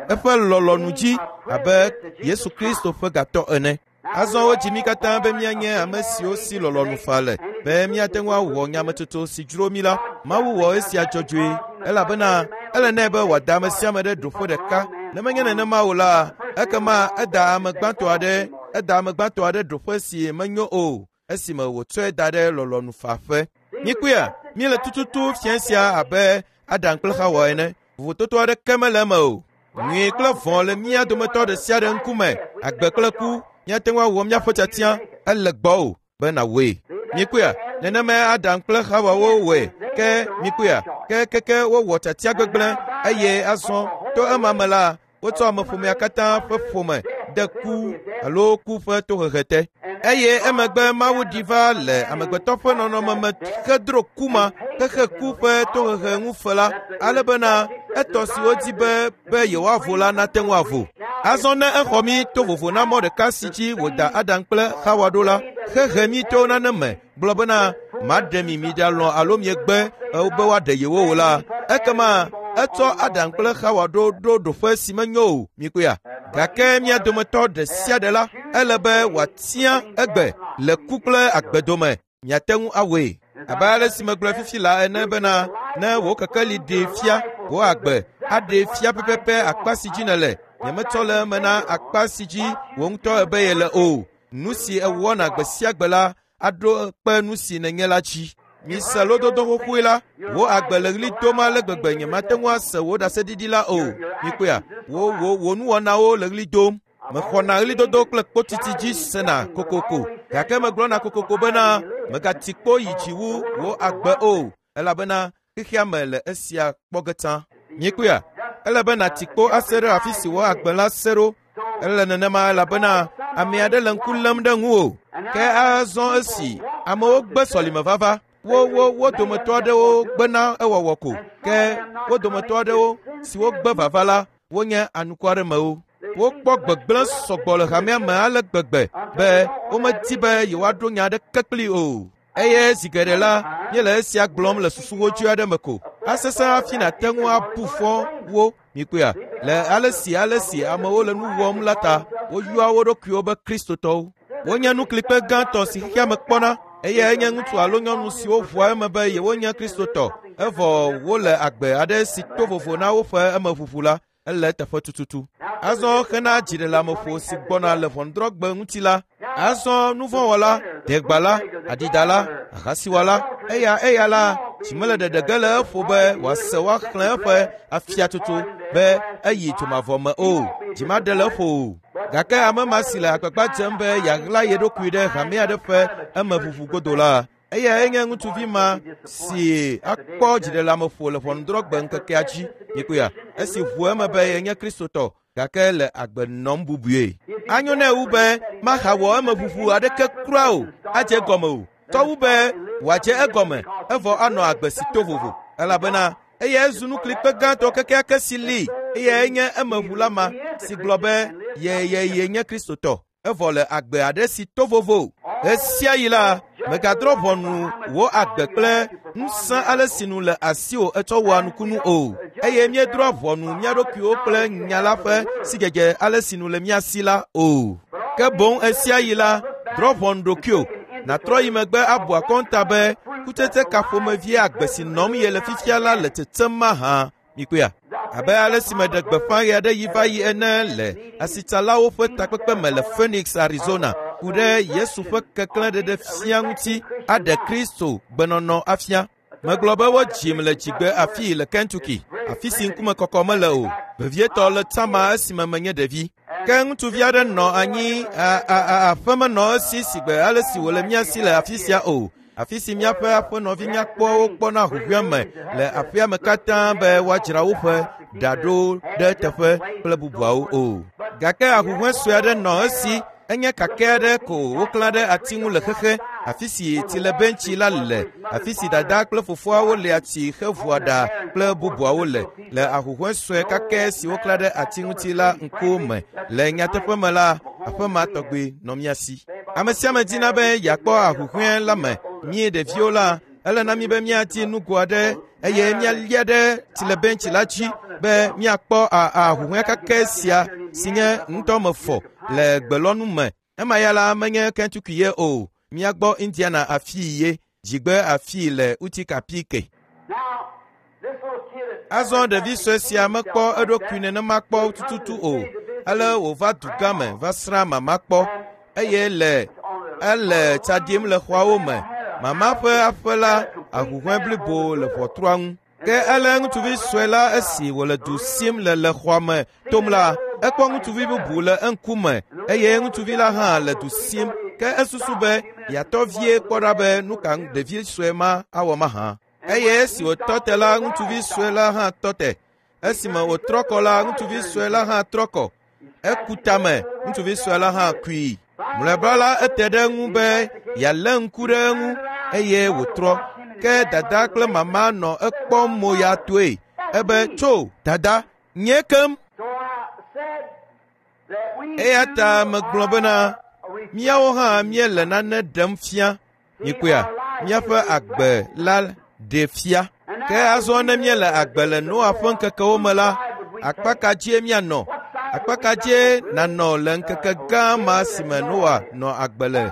eƒe lɔlɔ̃nu dzi abe Yesu Kristo ƒe gatɔ ene. Azɔ wodzi mí katã be míanye ame siwo si lɔlɔ̃nu fa le, be míate ŋu awɔ nyametsotso si dzro mí la. Mawu wɔ esia dzɔdzɔe elabena ele nɛ be wòada ame sia ame ɖe ɖoƒe ɖeka. Ne menye nenema o la, ekema eda ame gbãtɔ aɖe eda ame gbãtɔ aɖe ɖoƒe si menyo o esime wòtsɔe da ɖe lɔlɔ̃nu faƒe. Míkpɔea, míele tututu fia sia abe Adam kple Xawa ene. Vovototo aɖeke mele eme o. Nyui kple vɔ̃ le mía dometɔ ɖe sia ɖe ŋkume. Agbe kple ku, míate ŋu awɔ míaƒe tiatia ele gbɔwò be nàwɔe. Míkpɔea, nenemae Adam kple Xawa wowɔe. Ke míkpɔea, ke keke wowɔ tiatia gbegblẽ eye azɔ to ema me la, wotsɔ ameƒomea katã ƒe ƒome de ku alo ku ƒe tohehe te. Eye emegbe Mawu ɖi va le amegbetɔ ƒe nɔnɔme me hedro ku ma hehe ku ƒe tohehe ŋu fe la, ale bena etɔ siwo di be be yewoavo la nate ŋu avo. Azɔ ne exɔ mí to vovo na mɔ ɖeka si dzi wòda Adam kple Xawa ɖo la, hehe mí to nane me gblɔ bena maɖe mi miɖalɔ̃ alo miegbe be woaɖe yewo o la, ekema etsɔ Adam kple Xawa ɖo ɖo ɖoƒe si menyo o, míkpɔea. Gake mía dometɔ ɖe sia ɖe la, ele be wòatia egbe le ku kple agbe dome. Miate ŋu awɔe. Abe ale si megblɔe fifi la ene bena ne wò kekeli ɖee fia wò agbe aɖee fia pɛpɛpɛ akpa si dzi nèle. Nyemetsɔ le eme na akpa si dzi wò ŋutɔ ebe yele o. Nu si èwɔna gbe sia gbe la aɖo kpe nu si nènye la dzi. Mise lododo xoxoe la, wò agbe le ɣli dom ale gbegbe nyemate ŋu ase wò ɖaseɖiɖi la o. Mikpɔea, wò wò wò nuwɔnawo le ɣli dom. Mexɔna ɣlidodo kple kpotiti dzi sena kokoko gake megblɔna kokoko bena megati kpo yi dzi wu wò agbe o elabena xexea me le esia kpɔ ge tsã. Míekpɔea, ele be nàti kpo ase ɖe afi si wò agbe la se ɖo. Ele nenema elabena ame aɖe le ŋku lém ɖe ŋuwò. Ke azɔ esi amewo gbe sɔlime vava, wo wo wo dometɔ aɖewo gbena ewɔwɔ ko ke wo dometɔ aɖewo siwo gbe vava la wonye anukwaremewo. Wokpɔ gbegblẽ sɔgbɔ le hamea me ale gbegbe be womedi be yewoaɖo nya aɖeke kpli o. Eye zi geɖe la, míele esia gblɔm le susu wodzoe aɖe me ko. Asesẽ hafi nàte ŋu abu fɔ wo, mikpɔea, le ale si ale si amewo le nu wɔm la ta, woyɔa wo ɖokuiwo be Kristotɔwo. Wonye nuklikpe gãtɔ si xexea me kpɔna eye enye ŋutsu alo nyɔnu siwo ʋua eme be yewonye Kristotɔ evɔ wole agbe aɖe si to vovo na woƒe emeʋuʋu la, ele eteƒe tututu. Azɔ hena dziɖeleameƒo si gbɔna le ʋɔnudrɔ̃gbe ŋuti la, azɔ nuvɔ̃wɔla, degbala, adidala, ahasiwɔla, eya eya la, dzi mele ɖeɖe ge le eƒo be wòase woaxlẽ eƒe afiatsotso be eyi dzomavɔ me o. Dzi maɖe le eƒo o. Gake ame ma si le agbagba dzem be yeaɣla ye ɖokui ɖe hame aɖe ƒe emeʋuʋu godo la, eyae nye ŋutsuvi ma si akpɔ dziɖeleameƒo le ʋɔnudrɔ̃gbe ŋkekea dzi. Mikpɔea, esi ʋu eme be yenye Kristotɔ gake le agbe nɔm bubue. Anyo nɛ wu be mahawɔ emeʋuʋu aɖeke kura o, adze egɔme o. Tɔ wu be wòadze egɔme evɔ anɔ agbe si to vovo elabena eyae zu nuklikpe gãtɔ kekeake si li eyae nye emeʋula ma si gblɔ be ye ye ye nye Kristotɔ evɔ le agbe aɖe si to vovo. Ɣe sia ɣi la, Mègadrɔ̃ ʋɔnu wò agbe kple ŋusẽ ale si nu le asiwò etsɔ wɔa nukunu o, eye míedrɔ̃a ʋɔnu mía ɖokuiwo kple nya la ƒe sidzedze ale si nu le mía si la o. Ke boŋ ɣesiaɣi la, drɔ̃ ʋɔnu ɖokuiwò, nàtrɔ yi megbe abu akɔnta be kutsetse ka ƒomevie agbe si nɔm yele fifia la le tsetsem mahã. Mikpɔea? Abe ale si meɖe gbeƒã ɣe aɖe yi va yi ene le asitsalawo ƒe takpekpe me le Phoenix, Arizona, ku ɖe Yesu ƒe keklẽ ɖeɖe fia ŋuti aɖe Kristo gbenɔnɔ afia. Megblɔ be wodzim le dzigbe afii le Kentucky, afi si ŋkume kɔkɔ mele o, vevietɔ le Tama esime menye ɖevi. Ke ŋutsuvi aɖe nɔ anyi aƒe menɔ esi sigbe ale si wòle mía si le afi sia o. Afi si míaƒe aƒenɔvi nyakpɔwo kpɔna ahuhɔ̃e me le aƒea me katã be woadzra woƒe ɖa ɖo ɖe teƒe kple bubuawo o. Gake ahuhɔ̃e sue aɖe nɔ esi enye kakɛ aɖe ko woklã ɖe ati ŋu le xexe, afi si tsilebentsi la le, afi si dada kple fofoawo lia tsi hevua ɖa kple bubuawo le, le ahuhɔ̃e sue kakɛ si woklã ɖe ati ŋuti la ŋkuwo me. Le nyateƒe me la, aƒe ma tɔgbi nɔ mía si. Ame sia ame dina be yeakpɔ ahuhɔ̃e la me. Mí ɖeviwo la, ele na mí be míadi nugo aɖe eye míalia ɖe tsilebentsi la dzi be míakpɔ ahuhɔ̃e kakɛ sia si nye ŋutɔ mefɔ le gbelɔnu me. Ema ya la menye Kentucky ye o, míagbɔ Indiana afii ye, dzigbe afii le Utica PK. Now, this little kid Azɔ ɖevi sue sia mekpɔ eɖokui nenema kpɔ tututu o. Ale wòva dugã me va srã mama kpɔ eye le ele tsa ɖim le xɔawo me. Mama ƒe aƒe la ahuhɔ̃e blibo le ʋɔtrua ŋu. Ke ele ŋutsuvi sue la esi wòle du sim le le xɔa me tom la, ekpɔ ŋutsuvi bubu le eŋkume eye ŋutsuvi la hã le du sim. Ke esusu be yeatɔ vie kpɔ ɖa be nu ka ɖevi sue ma awɔ mahã. Eye esi wòtɔ te la, ŋutsuvi sue la hã tɔ te. Esime wòtrɔ kɔ la, ŋutsuvi sue la hã trɔ kɔ. Eku tame, ŋutsuvi sue la hã kui. Mlɔeba la, ete ɖe eŋu be yealé ŋku ɖe eŋu eye wòtrɔ. Ke dada kple mama nɔ ekpɔm mo ya toe. Ebe, tso, dada, nye kem. So I said that we Eya ta megblɔ bena, míawo hã míele nane ɖem fia. Mikpɔea, míaƒe agbe la ɖe fia. Ke azɔ ne míele agbe le Noa ƒe ŋkekewo me la, akpa ka dzie míanɔ? Akpa ka dzie nànɔ le ŋkeke gã ma si me Noa nɔ agbe le?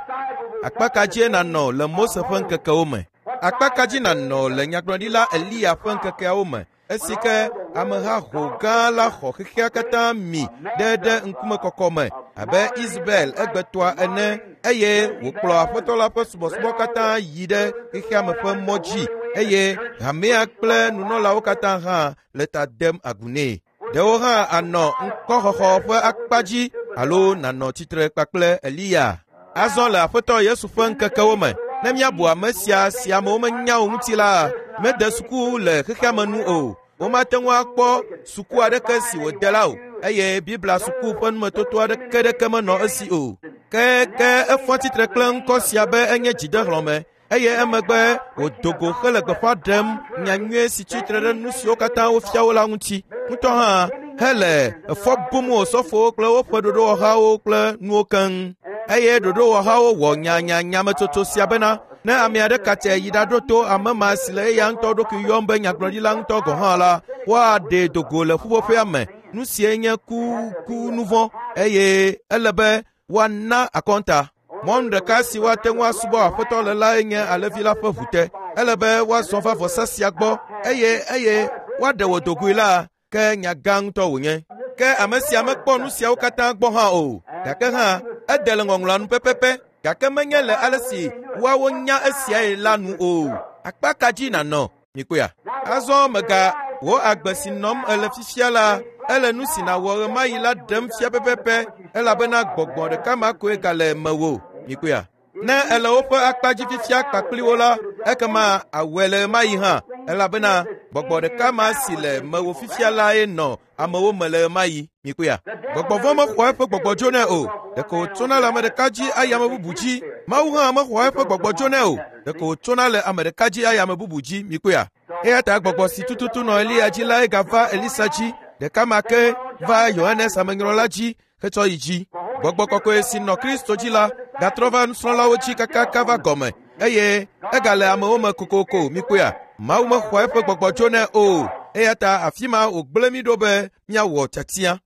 Akpa ka dzie nànɔ le Mose ƒe ŋkekewo me? Akpa ka dzi nànɔ le nyagblɔɖila Eliya ƒe ŋkekeawo me? Esi ke ameha ho gã la xɔ xexea katã mi ɖe ɖe ŋkumekɔkɔ me abe Isabel egbetɔa ene eye wòkplɔ aƒetɔ la ƒe subɔsubɔ katã yi ɖe xexea me ƒe mɔ dzi eye hamea kple nunɔlawo katã hã le ta dem agu nɛ. Ɖewo hã anɔ ŋkɔxɔxɔ ƒe akpa dzi alo nànɔ tsitre kpakple Eliya. Azɔ le aƒetɔ Yesu ƒe ŋkekewo me, ne míabu ame sia si amewo menya o ŋuti la, mede suku le xexea me nu o. Womate ŋu akpɔ suku aɖeke si wòde la o eye Biblia suku ƒe numetoto aɖeke ɖeke menɔ esi o. Ke ke efɔ tsitre kple ŋkɔ sia be enye dzidehlɔ̃me eye emegbe wòdo go hele gbeƒã ɖem nyanyui si tsitre ɖe nu siwo katã wofia wo la ŋuti. Ŋutɔ hã hele efɔ bum osɔfowo kple woƒe ɖoɖowɔhawo kple nuwo keŋ. Eye ɖoɖowɔhawo wɔ nyanyanyametsotso sia bena ne ame aɖe katse yi ɖaɖo to ame ma si le eya ŋutɔ ɖokui yɔm be nyagblɔɖila ŋutɔ gɔ̃ hã la, woaɖee do go le ƒuƒoƒea me. Nu sie nye ku ku nu vɔ̃ eye ele be woana akɔnta. Mɔnu ɖeka si woate ŋu asubɔ aƒetɔ le lae nye alẽvi la ƒe ʋu te. Ele be woazɔ va vɔsa sia gbɔ eye eye woaɖe wò dogoe la, ke nya gã ŋutɔ wònye. Ke ame sia mekpɔ nu siawo katã gbɔ hã o. Gake hã, ede le ŋɔŋlɔa nu pɛpɛpɛ gake menye le ale si woawo nya esiae la nu o. Akpa ka dzi nànɔ? Mikpɔea? Azɔ mega wò agbe si nɔm ele fifia la, ele nu si nàwɔ ɣemaɣi la ɖem fia pɛpɛpɛ elabena gbɔgbɔ ɖeka ma koe gale mewò. Mikpɔea? Ne ele woƒe akpa dzi fifia kpakpli wo la, ekema awɔe le ɣemaɣi hã elabena gbɔgbɔ ɖeka ma si le mewò fifia lae nɔ amewo me le ɣemaɣi. Mikpɔea? Gbɔgbɔ vɔ̃ mexɔa eƒe gbɔgbɔ dzo nɛ o. Ɖeko wòtsona le ame ɖeka dzi ayi ame bubu dzi. Mawu hã mexɔa eƒe gbɔgbɔ dzo nɛ o. Ɖeko wòtsona le ame ɖeka dzi ayi ame bubu dzi. Mikpɔea? Eya ta gbɔgbɔ si tututu nɔ Eliya dzi lae gava Elisa dzi. Ɖeka ma ke va Yohanes amenyrɔla dzi hetsɔ yi dzi. Gbɔgbɔ kɔkɔe si nɔ Kristo dzi la gatrɔ va nusrɔ̃lawo dzi kakaka va gɔme. Eye egale amewo me kokoko mikpɔea. Mawu mexɔ eƒe gbɔgbɔ tso nɛ o. Eya ta afi ma wògblẽ mí ɖo be míawɔ tiatia.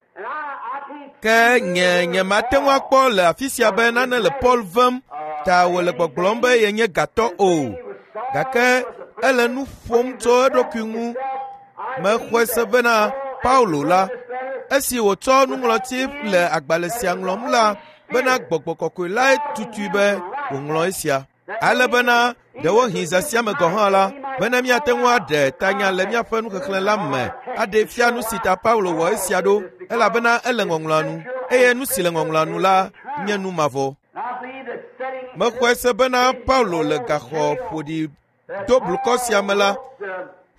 Ke nye nyemate ŋu akpɔ le afi sia be nane le Paul vem ta wòle gbɔgblɔm be yenye gatɔ o. Gake ele nu ƒom tso eɖokui ŋu. Mexɔe se bena Paulo la, esi wòtsɔ nuŋlɔti le agbalẽ sia ŋlɔm la, bena gbɔgbɔ kɔkɔe lae tutui be wòŋlɔ esia. Ale bena ɖewohĩ zã sia me gɔ̃ hã la, bena míate ŋu aɖe tanya le míaƒe nuxexlẽ la me aɖee fia nu si ta Paulo wɔ esia ɖo, elabena ele ŋɔŋlɔa nu, eye nu si le ŋɔŋlɔa nu la nye nu mavɔ. Mexɔe se bena Paulo le gaxɔ ƒoɖi do blukɔ sia me la,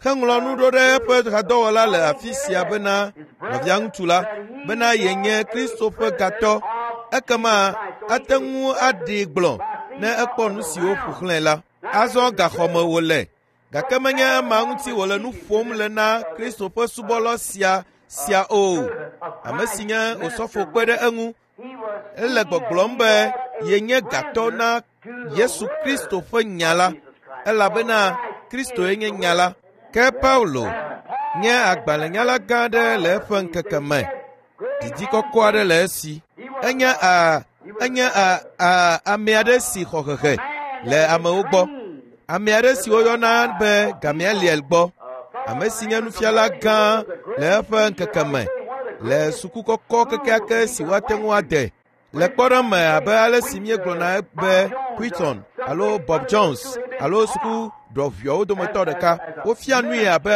heŋlɔ nu ɖo ɖe eƒe hadɔwɔla le afi sia bena nɔvia ŋutsu la, bena yenye Kristo ƒe gatɔ. Ekema ate ŋu aɖee gblɔ ne ekpɔ nu siwo ƒo xlãe la. Azɔ gaxɔme wòle, gake menye ema ŋuti wòle nu ƒom le na Kristo ƒe subɔla sia o, ame si nye osɔfo kpe ɖe eŋu. Ele gbɔgblɔm be yenye gatɔ na Yesu Kristo ƒe nya la, elabena Kristoe nye nya la. Ke Paulo nye agbalẽnyala gã aɖe le eƒe ŋkeke me. Didi kɔkɔ aɖe le esi. Enye ame aɖe si xɔ hehe le amewo gbɔ. Ame aɖe si woyɔna be Gamaliel gbɔ. Ame si nye nufiala gã le eƒe ŋkeke me le suku kɔkɔ kekeake si woate ŋu ade. Le kpɔɖeŋu me abe ale si míegblɔna be Quinton alo Bob Jones alo suku ɖɔʋuiawo dometɔ ɖeka, wofia nui abe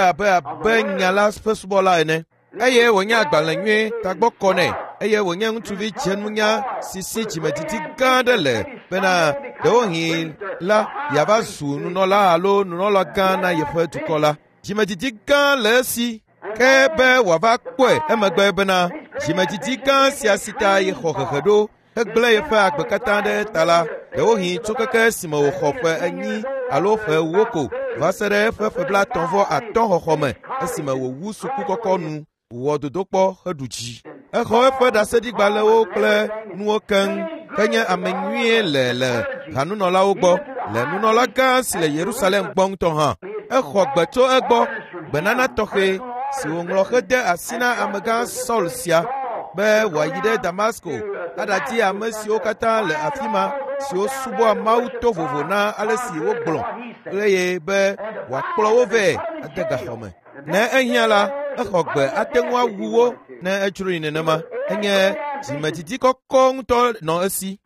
nya la ƒe subɔla ene. Eye wònye agbalẽ nyui tagbɔ kɔ nɛ, eye wònye ŋutsuvi dzenunya si si dzimedidi gã aɖe le bena ɖewohĩ la yeava zu nunɔla alo nunɔla gã na yeƒe dukɔ la. Dzimedidi gã le esi. Ke be wòava kpɔe emegbe bena dzimedidi gã sia si ta yexɔ hehe ɖo hegblẽ yeƒe agbe katã ɖe ta la, ɖewohĩ tso keke esime wòxɔ ƒe 4 alo ƒe 4 ko va se ɖe eƒe ƒe 35 xɔxɔ me esime wòwu suku kɔkɔ nu, wɔ dodokpɔ heɖu dzi. Exɔ eƒe ɖaseɖigbalẽwo kple nuwo keŋ henye ame nyuie le hanunɔlawo gbɔ, le nunɔla gã si le Yerusalem gbɔ ŋutɔ hã. Exɔ gbe tso egbɔ, gbenana tɔxɛ si wòŋlɔ hede asi na amegã Saul sia be wòayi ɖe Damasko aɖadi ame siwo katã le afi ma siwo subɔa Mawu to vovo na ale si wogblɔ eye be wòakplɔ wo vɛ ade gaxɔ me. Ne ehiã la, exɔ gbe ate ŋu awu wo ne edzroe nenema. Enye dzimedidi kɔkɔ ŋutɔ nɔ esi.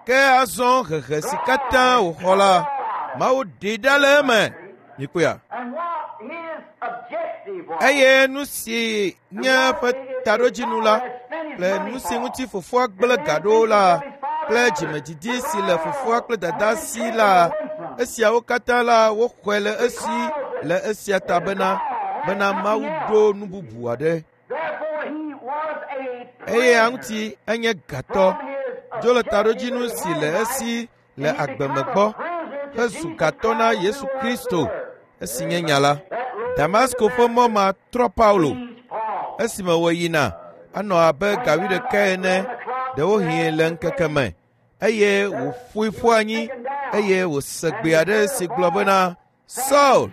Ke azɔ hehe si katã wòxɔ la, Mawu ɖee ɖa le eme. Mikpɔea? Eye nu si nye eƒe taɖodzinu la kple nu si ŋuti fofoa gblẽ ga ɖo la kple dzimedidi si le fofoa kple dada si la, esiawo katã la woxɔe le esi le esia ta bena Mawu ɖo nu bubu aɖe. Eya ŋuti enye gatɔ dzo le taɖodzinu si le esi le agbeme gbɔ hezu gatɔ na Yesu Kristo esi nye nya la. Damasko ƒe mɔ ma trɔ Paulo esime wòyina anɔ abe gawi ɖeka ene ɖewohĩ le ŋkeke me, eye wòƒoe ƒu anyi eye wòse gbe aɖe si gblɔ bena, Saul,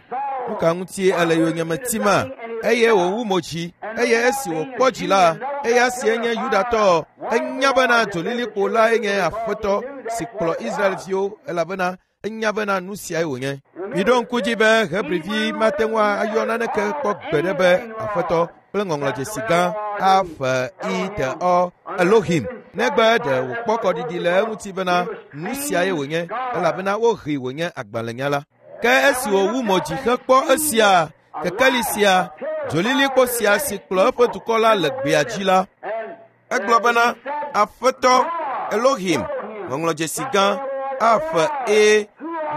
nu ka ŋuti ele yonyeme tima? Eye wòwu mo dzi, eye esi wòkpɔ dzi la, eya sie nye Yudatɔ, enya bena dzolilikpo lae nye Aƒetɔ si kplɔ Israelviwo, elabena enya bena nu siae wònye. Miɖo ŋku dzi be Hebrivi mate ŋu ayɔ naneke kpɔ gbeɖe be Aƒetɔ kple ŋɔŋlɔdzesi gã A F I T O Elohim, negbe ɖe wòkpɔ kɔɖiɖi le eŋuti bena nu siae wònye, elabena wohee wònye agbalẽnyala. Ke esi wòwu mo dzi hekpɔ esia, kekeli sia, dzolilikpo sia si kplɔ eƒe dukɔ la le gbea dzi la, egblɔ bena, Aƒetɔ Elohim, ŋɔŋlɔdzesi gã A F E,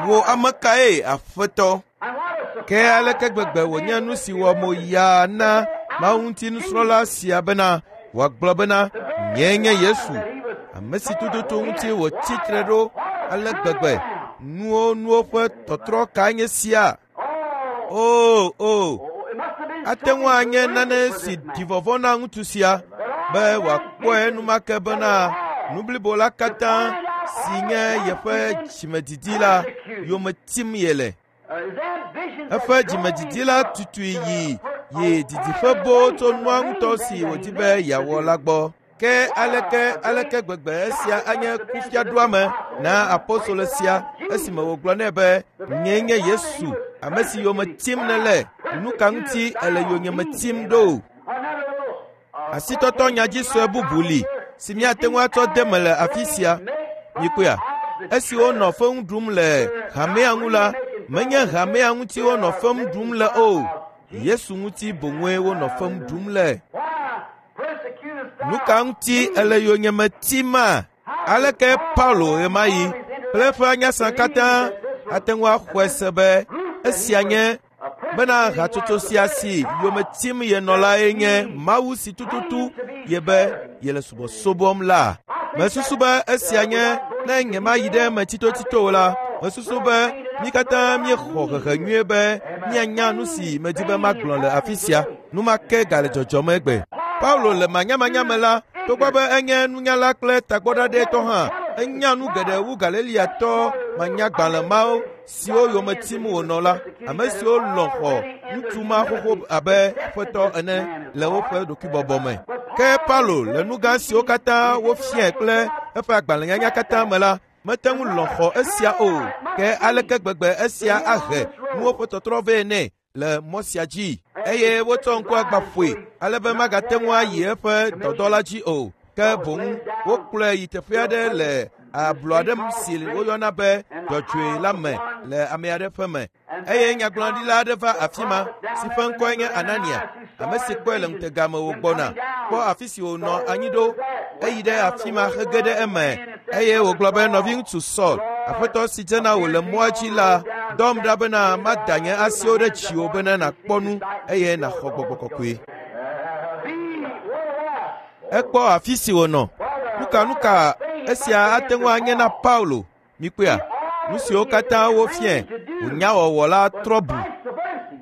wò ame kae Aƒetɔ? Ke aleke gbegbe wònye nu si wɔ mo yaa na Mawu ŋuti nusrɔ̃la sia bena wòagblɔ bena, Nyee nye Yesu, ame si tututu ŋuti wòtsi tre ɖo ale gbegbe. Nuwo ƒe tɔtrɔ kae nye sia? O, ate ŋu anye nane si ɖi vɔvɔ̃ na ŋutsu sia be wòakpɔe enumake bena Nu blibo la katã si nye yeƒe dzimedidi la yome tim yele. Eƒe dzimedidi la tutui yi yi didiƒe boo tso nua ŋutɔ si wòdi be yeawɔ la gbɔ. Ke aleke gbegbe esia anye kufiaɖoame na apostolo sia esime wògblɔ nɛ be nyee nye Yesu, ame si yome tim nèle, nu ka ŋuti ele yonyeme tim ɖo? Asitɔtɔ nyadzisue bubu li si míate ŋu atsɔ de me le afi sia. Mikpɔea, esi wonɔ fewu ɖum le hamea ŋu la, menye hamea ŋuti wonɔ fewu ɖum le o. Yesu ŋuti boŋue wonɔ fewu ɖum le. Nu ka ŋuti ele yonyeme tima? Aleke Paulo ɣemaɣi kple eƒe anyasã katã ate ŋu axɔe se be esia nye bena hatsotso sia si yome tim yenɔ lae nye Mawu si tututu ye be yele subɔsubɔm la? Mesusu be esia nye ne nyemayi ɖe eme tsitotsito o la, mesusu be mí katã míexɔ hehe nyuie be míanya nu si medi be magblɔ le afi sia. Nu ma ke gale dzɔdzɔm egbe. Paulo le manyamanya me la, togbɔ be enye nunyala kple tagbɔɖaɖɛtɔ hã, enya nu geɖe wu Galileatɔ manyagbalẽ mawo siwo yome tim wònɔ la, ame siwo lɔ̃ xɔ ŋutsu ma xoxo abe aƒetɔ ene le woƒe ɖokuibɔbɔ me. Ke Paulo le nu gã siwo katã wofiae kple eƒe agbalẽnyanya katã me la, mete ŋu lɔ̃ xɔ esia o. Ke aleke gbegbe esia ahe nuwo ƒe tɔtrɔ vɛ nɛ le mɔ sia dzi? Eye wotsɔ ŋku agba ƒoe ale be magate ŋu ayi eƒe dɔdɔ la dzi o. Ke boŋ wokplɔe yi teƒe aɖe le ablɔ aɖe si woyɔna be dzɔdzɔe la me le ame aɖe ƒe me. Eye nyagblɔɖila aɖe va afi ma si ƒe ŋkɔe nye Anania, ame si kpɔe le ŋutega me wògbɔna, kpɔ afi si wònɔ anyi ɖo, eyi ɖe afi ma hege ɖe eme. Eye wògblɔ be nɔviŋutsu Saul, aƒetɔ si dzena wò le mɔa dzi la, dɔm ɖa bena mada nye asiwo ɖe dziwò bena nàkpɔ nu eye nàxɔ gbɔgbɔ kɔkɔe. Ekpɔ afi si wònɔ. Nuka esia ate ŋu anye na Paulo? Mikpɔea, nu siwo katã wofiae wònya wɔwɔ la trɔ bu.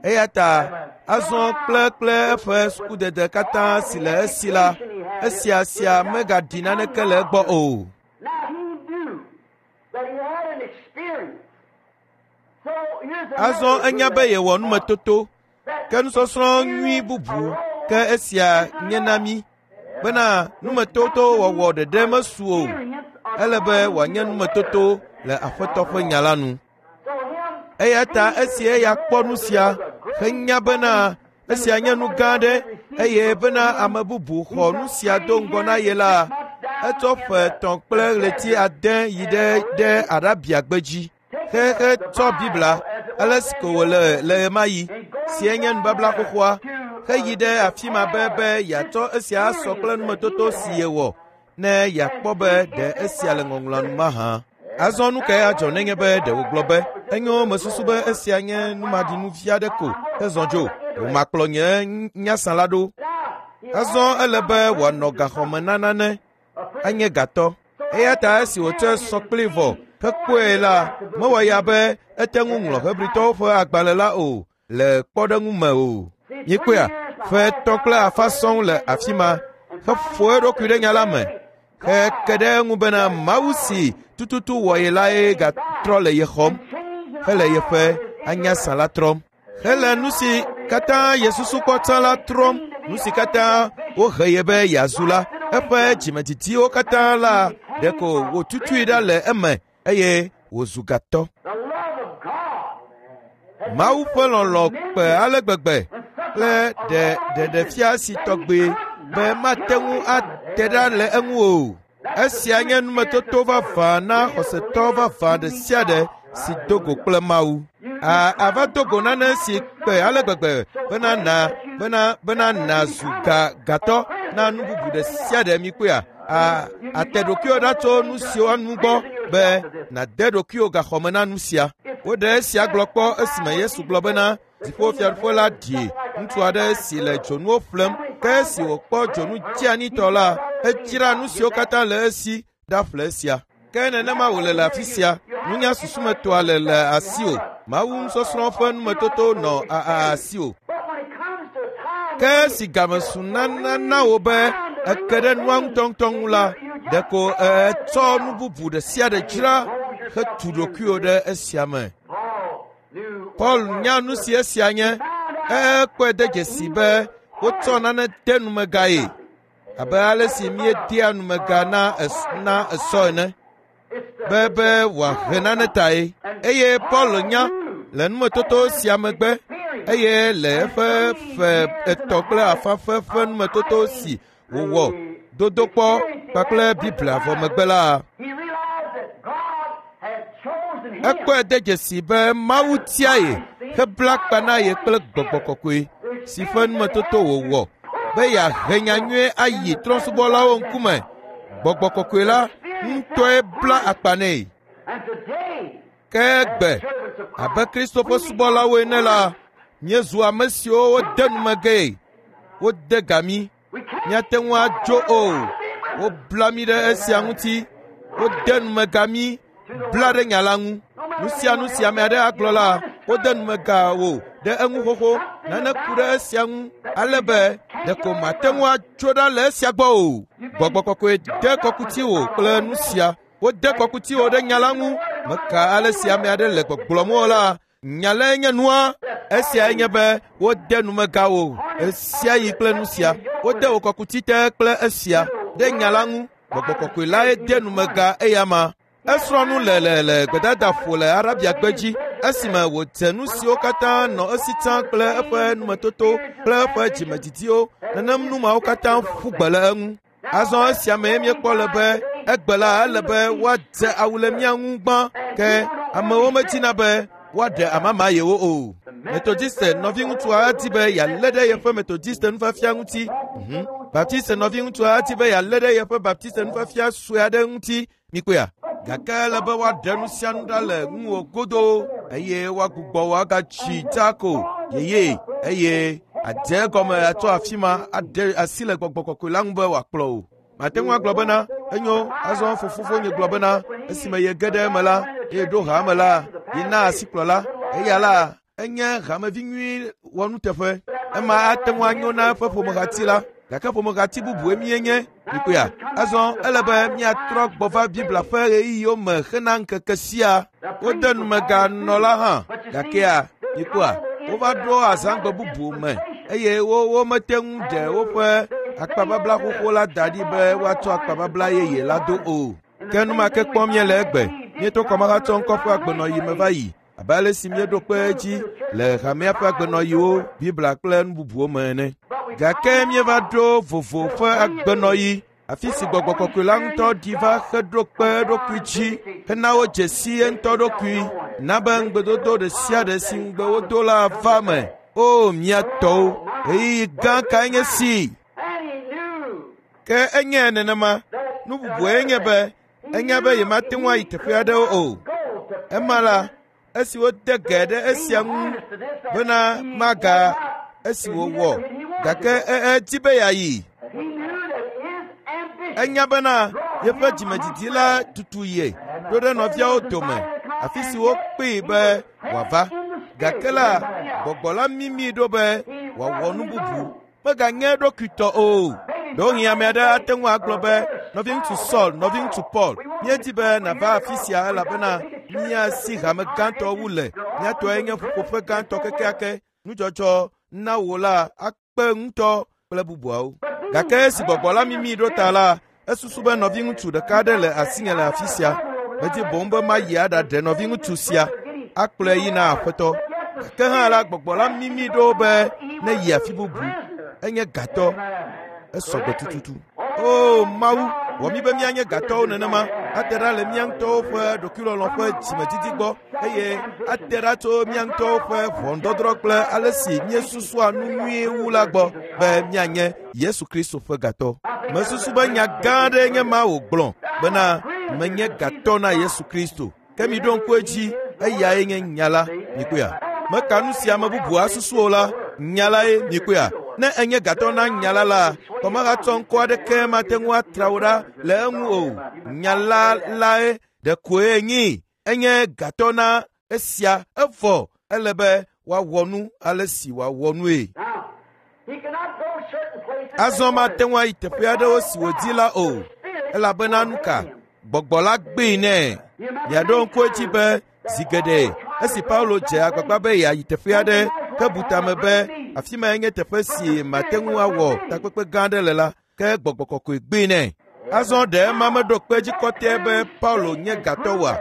Eya ta azɔ kple eƒe sukudede katã si le esi la, esia sia megaɖi naneke le egbɔ o. Azɔ enya be yewɔ numetoto, ke nusɔsrɔ̃ nyui bubu ke esia nye na mí bena numetoto wɔwɔ ɖeɖe mesu o. Ele be wòanye numetoto le Aƒetɔ ƒe nya la nu. Eya ta esi eya kpɔ nu sia henya bena esia nye nu gã aɖe eye bena ame bubu xɔ nu sia do ŋgɔ na ye la, etsɔ ƒe 3 kple ɣleti 8 yi ɖe Arabia gbedzi. Xexe tsɔ Biblia ale si ko wòle le ɣemaɣi si enye nubabla xoxoa heyi ɖe afi ma be yeatsɔ esia asɔ kple numetoto si yewɔ ne yeakpɔ be ɖe esia le ŋɔŋlɔa nu mahã. Azɔ nu kae adzɔ nenye be ɖe wògblɔ be enyo mesusu be esia nye numaɖinuvi aɖe ko hezɔ dzo, wòmakplɔ nye nyasã la ɖo. Azɔ ele be wòanɔ gaxɔme na nane, anye gatɔ. Eya ta esi wòtsɔe sɔ kplii vɔ hekpɔe la, mewɔ ya be ete ŋu ŋlɔ Hebritɔwo ƒe agbalẽ la o le kpɔɖeŋu me o. Mikpɔea, ƒe 3 kple afã sɔŋ le afi ma heƒo eɖokui ɖe nya la me heke ɖe eŋu bena Mawu si tututu wɔ ye lae gatrɔ le ye xɔm hele yeƒe anyasã la trɔm. Hele nu si katã yesusu kpɔ tsã la trɔm, nu si katã wohe ye be yeazu la, eƒe dzimedidiwo katã la ɖeko wòtutui ɖa le eme eye wòzu gatɔ. Mawu ƒe lɔlɔ̃ kpe ale gbegbe kple ɖeɖefia si tɔgbe be mate ŋu ate ɖa le eŋu o. Esia nye numetoto vavã na xɔsetɔ vavã ɖe sia ɖe si do go kple Mawu. Ava do go nane si kpe ale gbegbe bena nàzu gatɔ na nu bubu ɖe sia ɖe mikpɔea. Ate ɖokuiwò ɖa tso nu siwo nu gbɔ be nàde ɖokuiwò gaxɔme na nu sia. Woɖe esia gblɔ kpɔ esime Yesu gblɔ bena dziƒofiaɖuƒe la ɖi ŋutsu aɖe si le dzonuwo ƒlem, ke esi wòkpɔ dzonu dzeanitɔ la, edzra nu siwo katã le esi ɖaƒle esia. Ke nenema wòle le afi sia. Nunya susumetoa le asiwò. Mawu nusɔsrɔ̃ ƒe numetoto nɔ asiwò. Ke esi game su nana na wò be eke ɖe nua ŋutɔŋutɔ ŋu la, Ɖeko ètsɔ nu bubu ɖe sia ɖe dzra hetu ɖokuiwò ɖe esia me. Paul nya nu si esia nye. Ekpɔe de dzesi be wotsɔ nane de numega ye abe ale si míedea numega na esɔ ene be wòahe nane tae. Eye Paul nya le numetoto sia megbe eye le eƒe ƒe 3.5 ƒe numetoto si wòwɔ dodokpɔ kpakple Biblia vɔ megbe la, ekpɔe de dzesi be Mawu tia ye hebla akpa na ye kple Gbɔgbɔ Kɔkɔe si ƒe numetoto wòwɔ be yeahe nyanyuie ayi trɔ̃subɔlawo ŋkume. Gbɔgbɔ Kɔkɔe la ŋutɔe bla akpa nɛ. Ke egbe, abe Kristo ƒe subɔlawo ene la, míezu ame siwo wode numegee, wode ga mí. Míate ŋu adzo o. Wobla mí ɖe esia ŋuti. Wode numega mí, bla ɖe nya la ŋu. Nu sia nu si ame aɖe agblɔ la, wode numega wò ɖe eŋu xoxo. Nane ku ɖe esia ŋu ale be ɖeko màte ŋu atso ɖa le esia gbɔ o. Gbɔgbɔ Kɔkɔe de kɔkuti wò kple nu sia. Wode kɔkuti wò ɖe nya la ŋu. Meka ale si ame aɖe le gbɔgblɔm o la, nya lae nye nua. Esiae nye be wode numega wò ɣe yi kple nu sia. Wode wò kɔkuti te kple esia ɖe nya la ŋu. Gbɔgbɔ Kɔkɔe lae de numega eyama. Esrɔ̃ nu le gbedadaƒo le Arabia gbedzi esime wòdze nu siwo katã nɔ esi tsã kple eƒe numetoto kple eƒe dzimedidiwo. Nenem nu mawo katã ƒu gbe le eŋu. Azɔ esia mee míekpɔ le be egbe la ele be woadze awu le mía ŋu gbã ke amewo medina be woaɖe amama yewo o. Metodiste nɔviŋutsua adi be yealé ɖe yeƒe Metodiste nufiafia ŋuti. Baptiste nɔviŋutsua adi be yealé ɖe yeƒe Baptiste nufiafia sue aɖe ŋuti. Mikpɔea? Gake ele be woaɖe nu sia nu ɖa le ŋuwò godoo eye woagbugbɔ wò agatsi dzako yeye eye adze egɔme atsɔ afi ma aɖe asi le Gbɔgbɔ Kɔkɔe la ŋu be wòakplɔ wò. Mate ŋu agblɔ bena, enyo, azɔ fofonye gblɔ bena, esime yege ɖe eme la, eye ɖo haa me la, yena asikplɔla. Eya la, enye hamevi nyui wɔnuteƒe. Ema ate ŋu anyo na eƒe ƒomehati la, gake ƒomehati bubue míenye. Mikpɔea? Azɔ ele be míatrɔ gbɔ va Biblia ƒe ɣeyiɣiwo me hena ŋkeke sia. Wode numeganɔla hã, gakea mikpɔa, wova ɖo azãgbe bubu me eye womete ŋu ɖe woƒe akpababla xoxo la da ɖi be woatsɔ akpababla yeye la do o. Ke nu ma ke kpɔm míele egbe. Míeto kɔmahatsɔ ŋkɔ ƒe agbenɔyi me va yi abe ale si míeɖo kpe edzi le hamea ƒe agbenɔyiwo, Biblia kple nu bubuwo me ene. Gake míeva ɖo vovo ƒe agbenɔyi, afi si Gbɔgbɔ Kɔkɔe la ŋutɔ ɖi va heɖo kpe eɖokui dzi hena wodze si ye ŋutɔ ɖokui, na be ŋugbedodo ɖe sia ɖe si ŋugbe wodo la va eme. O mía tɔwo, ɣeyiɣi gã kae nye si! Ke enye nenema. Nu bubue nye be enya be yemate ŋu ayi teƒe aɖewo o. Ema la, esi wode ge ɖe esia ŋu bena maga esi wòwɔ, gake edi be yeayi. Enya bena yeƒe dzimedidi la tutu ye ɖo ɖe nɔviawo dome, afi si wokpee be wòava. Gake la, gbɔgbɔ la mimi ɖo be wòawɔ nu bubu. Meganye eɖokuitɔ o. Ɖewohĩ ame aɖe ate ŋu agblɔ be, nɔviŋutsu Saul, nɔviŋutsu Paul, míedi be nàva afi sia elabena mía si hame gãtɔ wu le. Mía tɔe nye ƒuƒoƒe gãtɔ kekeake. Nudzɔdzɔ na wò la akpe ŋutɔ kple bubuawo. Gake esi gbɔgbɔ la mimi ɖo ta la, esusu be nɔviŋutsu ɖeka aɖe le asinye le afi sia. Medi boŋ be mayi aɖaɖe nɔviŋutsu sia, akplɔe yi na Aƒetɔ. Gake hã la, gbɔgbɔ la mimi ɖo be neyi afi bubu. Enye gatɔ. Esɔ gbe tututu. O Mawu, wɔ mí be míanye gatɔwo nenema, ate ɖa le mía ŋutɔwo ƒe ɖokuilɔlɔ̃ ƒe dzimedidi gbɔ eye ate ɖa tso mía ŋutɔwo ƒe ʋɔnudɔdrɔ̃ kple ale si míesusua nu nyuie wu la gbɔ be míanye Yesu Kristo ƒe gatɔ. Mesusu be nya gã aɖee nye ma wògblɔ bena menye gatɔ na Yesu Kristo. Ke miɖo ŋku edzi, eyae nye nya la. Mikpɔea? Meka nu si ame bubu asusu o la, nya lae. Mikpɔea? Ne enye gatɔ na nya la la, kɔmahatsɔ ŋkɔ aɖeke mate ŋu atra wò ɖa le eŋu o. Nya la lae ɖekoe nyi. Enye gatɔ na esia evɔ ele be woawɔ nu ale si wòawɔ nue. Azɔ mate ŋu ayi teƒe aɖewo si wòdi la o. Elabena nu ka? Gbɔgbɔ la gbee nɛ. Miaɖo ŋku edzi be zi geɖe esi Paulo dze agbagba be yeayi teƒe aɖe ke bu tame be afi mae nye teƒe si mate ŋu awɔ takpekpe gã aɖe le la, ke gbɔgbɔ kɔkɔe gbee nɛ. Azɔ ɖe ema meɖo kpe edzi kɔtɛe be Paulo nye gatɔ oa?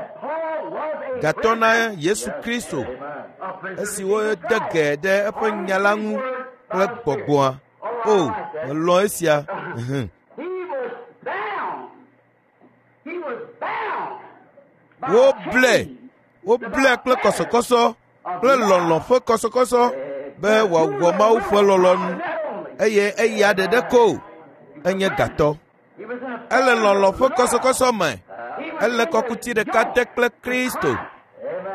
Gatɔ na Yesu Kristo esi wode ge ɖe eƒe nya la ŋu kple gbɔgbɔa. O, melɔ̃ esia. He was bound. He was bound. by Woblɛ, chains. woblɛ kple kɔsɔkɔsɔ kple lɔlɔ̃ ƒe kɔsɔkɔsɔ be wòawɔ Mawu ƒe lɔlɔ̃nu eye eya ɖeɖe ko enye gatɔ. He was in a Ele lɔlɔ̃ ƒe kɔsɔkɔsɔ me. Ele kɔkuti ɖeka te kple Kristo.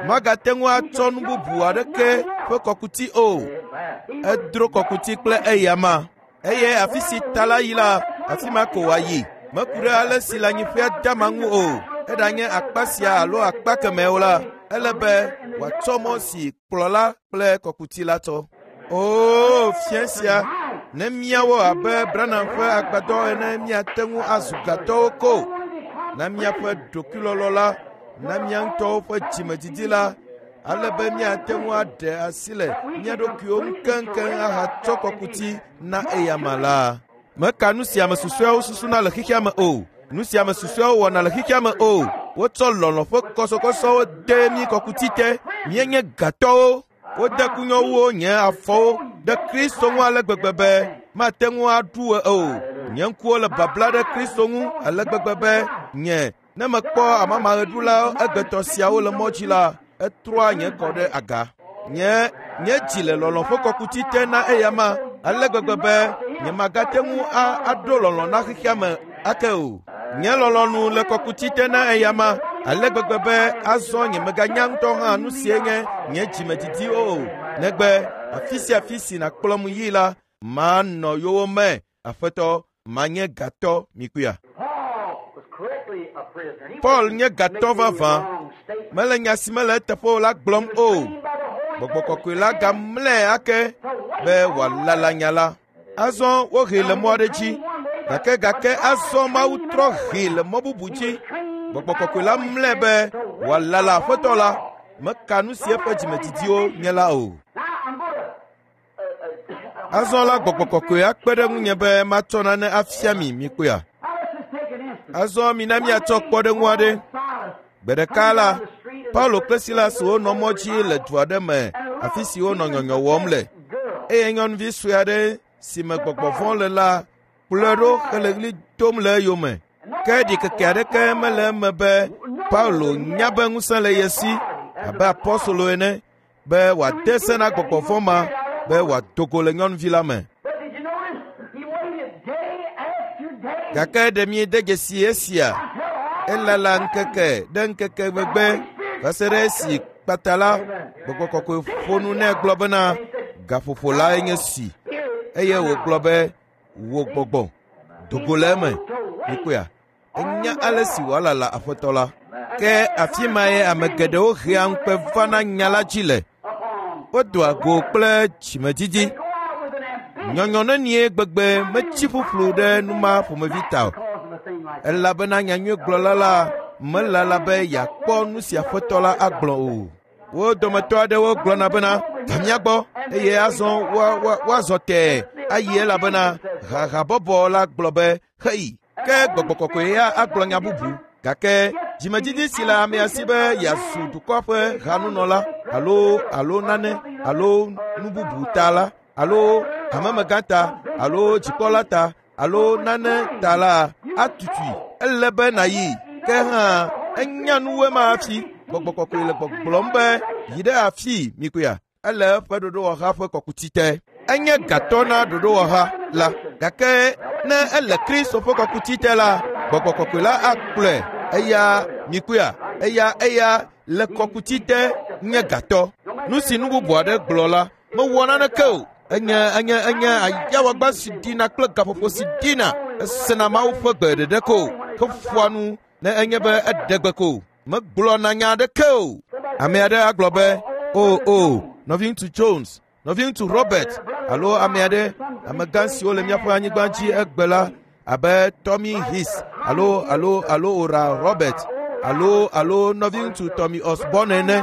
Magate ŋu atsɔ nu bubu aɖeke ƒe kɔkuti o. Edro kɔkuti kple eyama. Eye afi si ta la yi la, afi ma ko wòayi. Meku ɖe ale si le anyiƒea dama ŋu o. Eɖanye akpa sia alo akpa kemɛ o la, ele be wòatsɔ mɔ si kplɔla kple kɔkuti la tsɔ. Oo, fia sia, ne míawɔ abe Branham ƒe agbadɔ ene míate ŋu azu gatɔwo ko. Na míaƒe ɖokuilɔlɔ la, na mía ŋutɔwo ƒe dzimedidi la, ale be míate ŋu aɖe asi le mía ɖokuiwo ŋu keŋkeŋ ahatsɔ kɔkuti na eyama la. Meka nu si ame susɔeawo susuna le xexea me o. Nu si ame susɔeawo wɔna le xexea me o. Wotsɔ lɔlɔ̃ ƒe kɔsɔkɔsɔwo de mí kɔkuti te. Míenye gatɔwo. Wode kunyɔwuwo nye afɔwo ɖe Kristo ŋu ale gbegbe be mate ŋu aɖu ɣe o. Nye ŋkuwo le babla ɖe Kristo ŋu ale gbegbe be nye ne mekpɔ amamaɣeɖula egbetɔ siawo le mɔ dzi la, etrɔa nye kɔ ɖe aga. Nye nye dzi le lɔlɔ̃ ƒe kɔkuti te na eyama ale gbegbe be nyemagate ŋu a aɖo lɔlɔ̃ na xexea me ake o. Nye lɔlɔ̃nu le kɔkuti te na eyama ale gbegbe be azɔ nyemeganya ŋutɔ hã nu sie nye nye dzimedidiwo o. Negbe afi sia afi si nàkplɔm yi la, manɔ yowòme. Aƒetɔ, manye gatɔ mikuia. Paul was correctly a prisoner. He Paul wasn't nye gatɔ making any vavã. wrong statement. Mele nya si mele eteƒe o la gblɔm He was o. trained by the Holy Gbɔgbɔ Ghost kɔkɔe la gamlɛ ake be wòalala nya la. Azɔ wohee le mɔ aɖe dzi gake gake azɔ Mawu trɔ hee le mɔ bubu dzi. Gbɔgbɔ kɔkɔe la mlɛ be wòalala aƒetɔ la. Meka nu si eƒe dzimedidiwo nye la o. Now I'm going to. Azɔ la gbɔgbɔ kɔkɔe akpe ɖe ŋunye be matsɔ nane afia mi mikpɔea. Now let's just take an instance. Azɔ mina míatsɔ kpɔɖeŋu aɖe. Gbe ɖeka la, Paulo kple Silas wonɔ mɔ dzi le du aɖe me afi si wonɔ nyɔnyɔ wɔm le. Eye nyɔnuvi sue aɖe si me gbɔgbɔ vɔ̃ le la kplɔe ɖo hele ɣli dom le eyome. Ke ɖikeke aɖeke mele eme be Paulo nya be ŋusẽ le ye si abe apɔstolo ene be wòade se na gbɔgbɔ vɔ̃ ma be wòado go le nyɔnuvi la me. But did you notice he waited day after day Gake ɖe miede dzesi esia? until all Elala ŋkeke ɖe ŋkeke megbe va se ɖe esi kpata la gbɔgbɔ kɔkɔe ƒo nu nɛ gblɔ bena gaƒoƒo lae nye si eye wògblɔ be wò gbɔgbɔ do go le eme mikpɔea enya ale si wòalala aƒetɔ la ke afi mae ame geɖewo hea ŋukpe vana nya la dzi le upon. wodoa go kple dzimedidi Go out with an ambition nyɔnyɔ nenie gbegbe metsi ƒuƒlu ɖe nu ma ƒomevi ta o because of a thing like that. elabena nyanyuigblɔla la melala be yeakpɔ nu si aƒetɔ la agblɔ o. Wo dometɔ aɖewo gblɔna bena va mía gbɔ eye azɔ woa- woa- woazɔ tɛɛ ayi elabena hahabɔbɔ la gblɔ be heyi. Ke gbɔgbɔ kɔkɔe ya agblɔ nya bubu gake dzimedidi si le amea si be yeazu dukɔa ƒe hanunɔla alo alo nane alo nu bubu ta la alo hamemegã ta alo dzikpɔla ta alo nane ta la atutui ele be nàyi ke hã enya nuwoe ma hafi gbɔgbɔ kɔkɔe le gbɔgblɔm be yi ɖe afii mikuia ele eƒe ɖoɖowɔha ƒe kɔkuti te enye gatɔ na ɖoɖowɔha la gake ne ele kristo ƒe kɔkuti te la gbɔgbɔ kɔkɔe la akplɔe eya mikuia eya eya le kɔkuti te nye gatɔ nu si nu bubu aɖe gblɔ la mewɔ naneke o enye enye enye ayawagba si ɖina kple gaƒoƒo si ɖina esena mawu ƒe gbe ɖeɖe ko heƒoa nu ne enye be eɖe gbe ko megblɔna nya aɖeke o ame aɖe agblɔ be o o nɔviŋutsu jones nɔviŋutsu robert alo ame aɖe amegã siwo le míaƒe anyigba dzi egbe la abe tommy his alo alo alo Oral Robert alo alo nɔviŋutsu Tommy Osborne ene,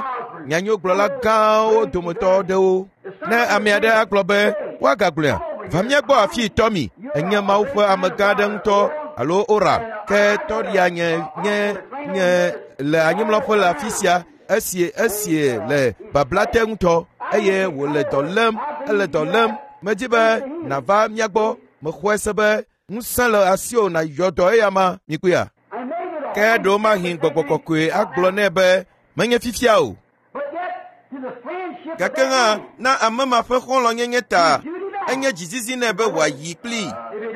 nyanyuigblɔla gãwo dometɔ aɖewo. Ne ame aɖe agblɔ be woagagblɔea, va mía gbɔ afii Tommy, enye Mawu ƒe amegã aɖe ŋutɔ alo Oral, ke tɔɖia nye nye nye le anyimlɔƒe le afi sia esi esi le babla te ŋutɔ eye wòle dɔ lém, ele dɔ lém. Medi be nàva mía gbɔ. Mexɔe se be ŋusẽ le asiwò nàyɔ dɔ eya ma mikpɔea. Ke ɖewomahi gbɔgbɔ kɔkɔe agblɔ nɛ be menye fifia o. Gake hã na ame ma ƒe xɔlɔ̃nyenye ta enye dzizizi nɛ be wòayi kplii.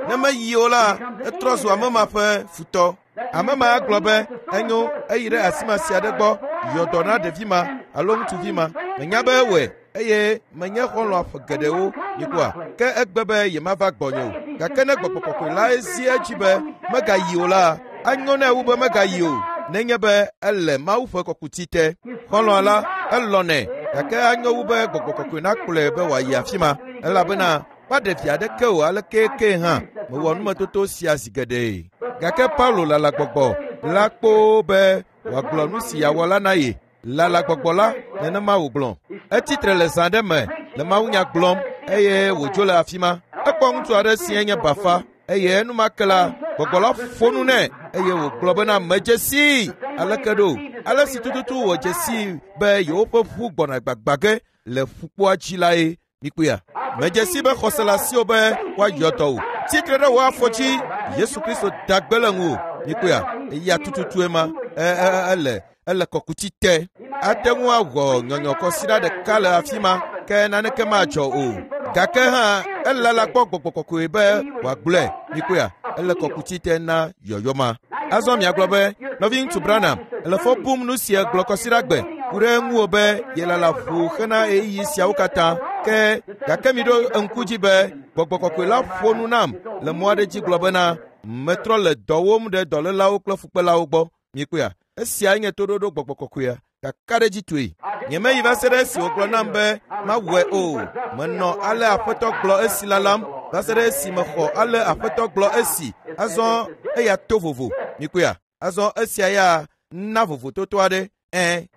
Ne meyi o la, etrɔ zu ame ma ƒe futɔ. Ame ma agblɔ be enyo eyi ɖe asi ma sia ɖe gbɔ yɔ dɔ na ɖevi ma alo ŋutsuvi ma. Menya be ewɔe eye menye xɔlɔ̃a ƒe geɖewo mikpɔa ke egbe be yemava gbɔnye o. Gake ne gbɔgbɔ kɔkɔe lae zi edzi be megayi o la, anyo nɛ wu be megayi o nenye be ele Mawu ƒe kɔkuti te. Xɔlɔ̃a la elɔ̃nɛ gake anyo wu be gbɔgbɔ kɔkɔe nakplɔe be wòayi afi ma elabena maɖe vi aɖeke o aleke ke hã mewɔ numetoto sia zi geɖe. Gake Paulo lala gbɔgbɔ la kpoo be wòagblɔ nu si yeawɔ la na ye. Lala gbɔgbɔ la nenema wògblɔ. Etsitre le zã ɖe me le mawunya gblɔm eye wòdzo le afi ma. Ekpɔ ŋutsu aɖe si nye bafa eye enumake la gbɔgbɔ la ƒo nu nɛ eye wògblɔ bena medze sii aleke ɖo ale si tututu wòdze sii be yewoƒe ʋu gbɔna gbagba ge le ƒukpoa dzi lae mikpɔea. Medze si be xɔse le asiwò be woayɔ dɔ wò. Tsitre ɖe wò afɔ dzi. Yesu Kristo da gbe le ŋuwò. Mikpɔea, eya tututue ma ele ele kɔkuti te. Ate ŋu awɔ nyɔnyɔkɔsiɖa ɖeka le afi ma ke naneke madzɔ o. Gake hã elala kpɔ gbɔgbɔ kɔkɔe be wòagblɔe. Mikpɔea, ele kɔkuti te na yɔyɔ ma. Azɔ miagblɔ be nɔviŋutsu Branham ele fɔ bum nu si egblɔ kɔsiɖagbe ku ɖe ŋuwò be yelala ʋu hena ɣeyiɣi siawo katã. Ke gake miɖo ŋku dzi be gbɔgbɔ kɔkɔe la ƒo nu nam le mɔ aɖe dzi gblɔ bena metrɔ le dɔ wɔm ɖe dɔlélawo kple fukpelawo gbɔ. Mikpɔea, esiae nye toɖoɖo gbɔgbɔ kɔkɔea kakaɖedzitɔe. Nyemeyi va se ɖe esi wògblɔ nam be mawɔe o. Menɔ ale Aƒetɔ gblɔ esi lalam va se ɖe esi mexɔ ale Aƒetɔ gblɔ esi. Azɔ eya to vovo. Mikpɔea, azɔ esia ya na vovototo aɖe. Ẽ,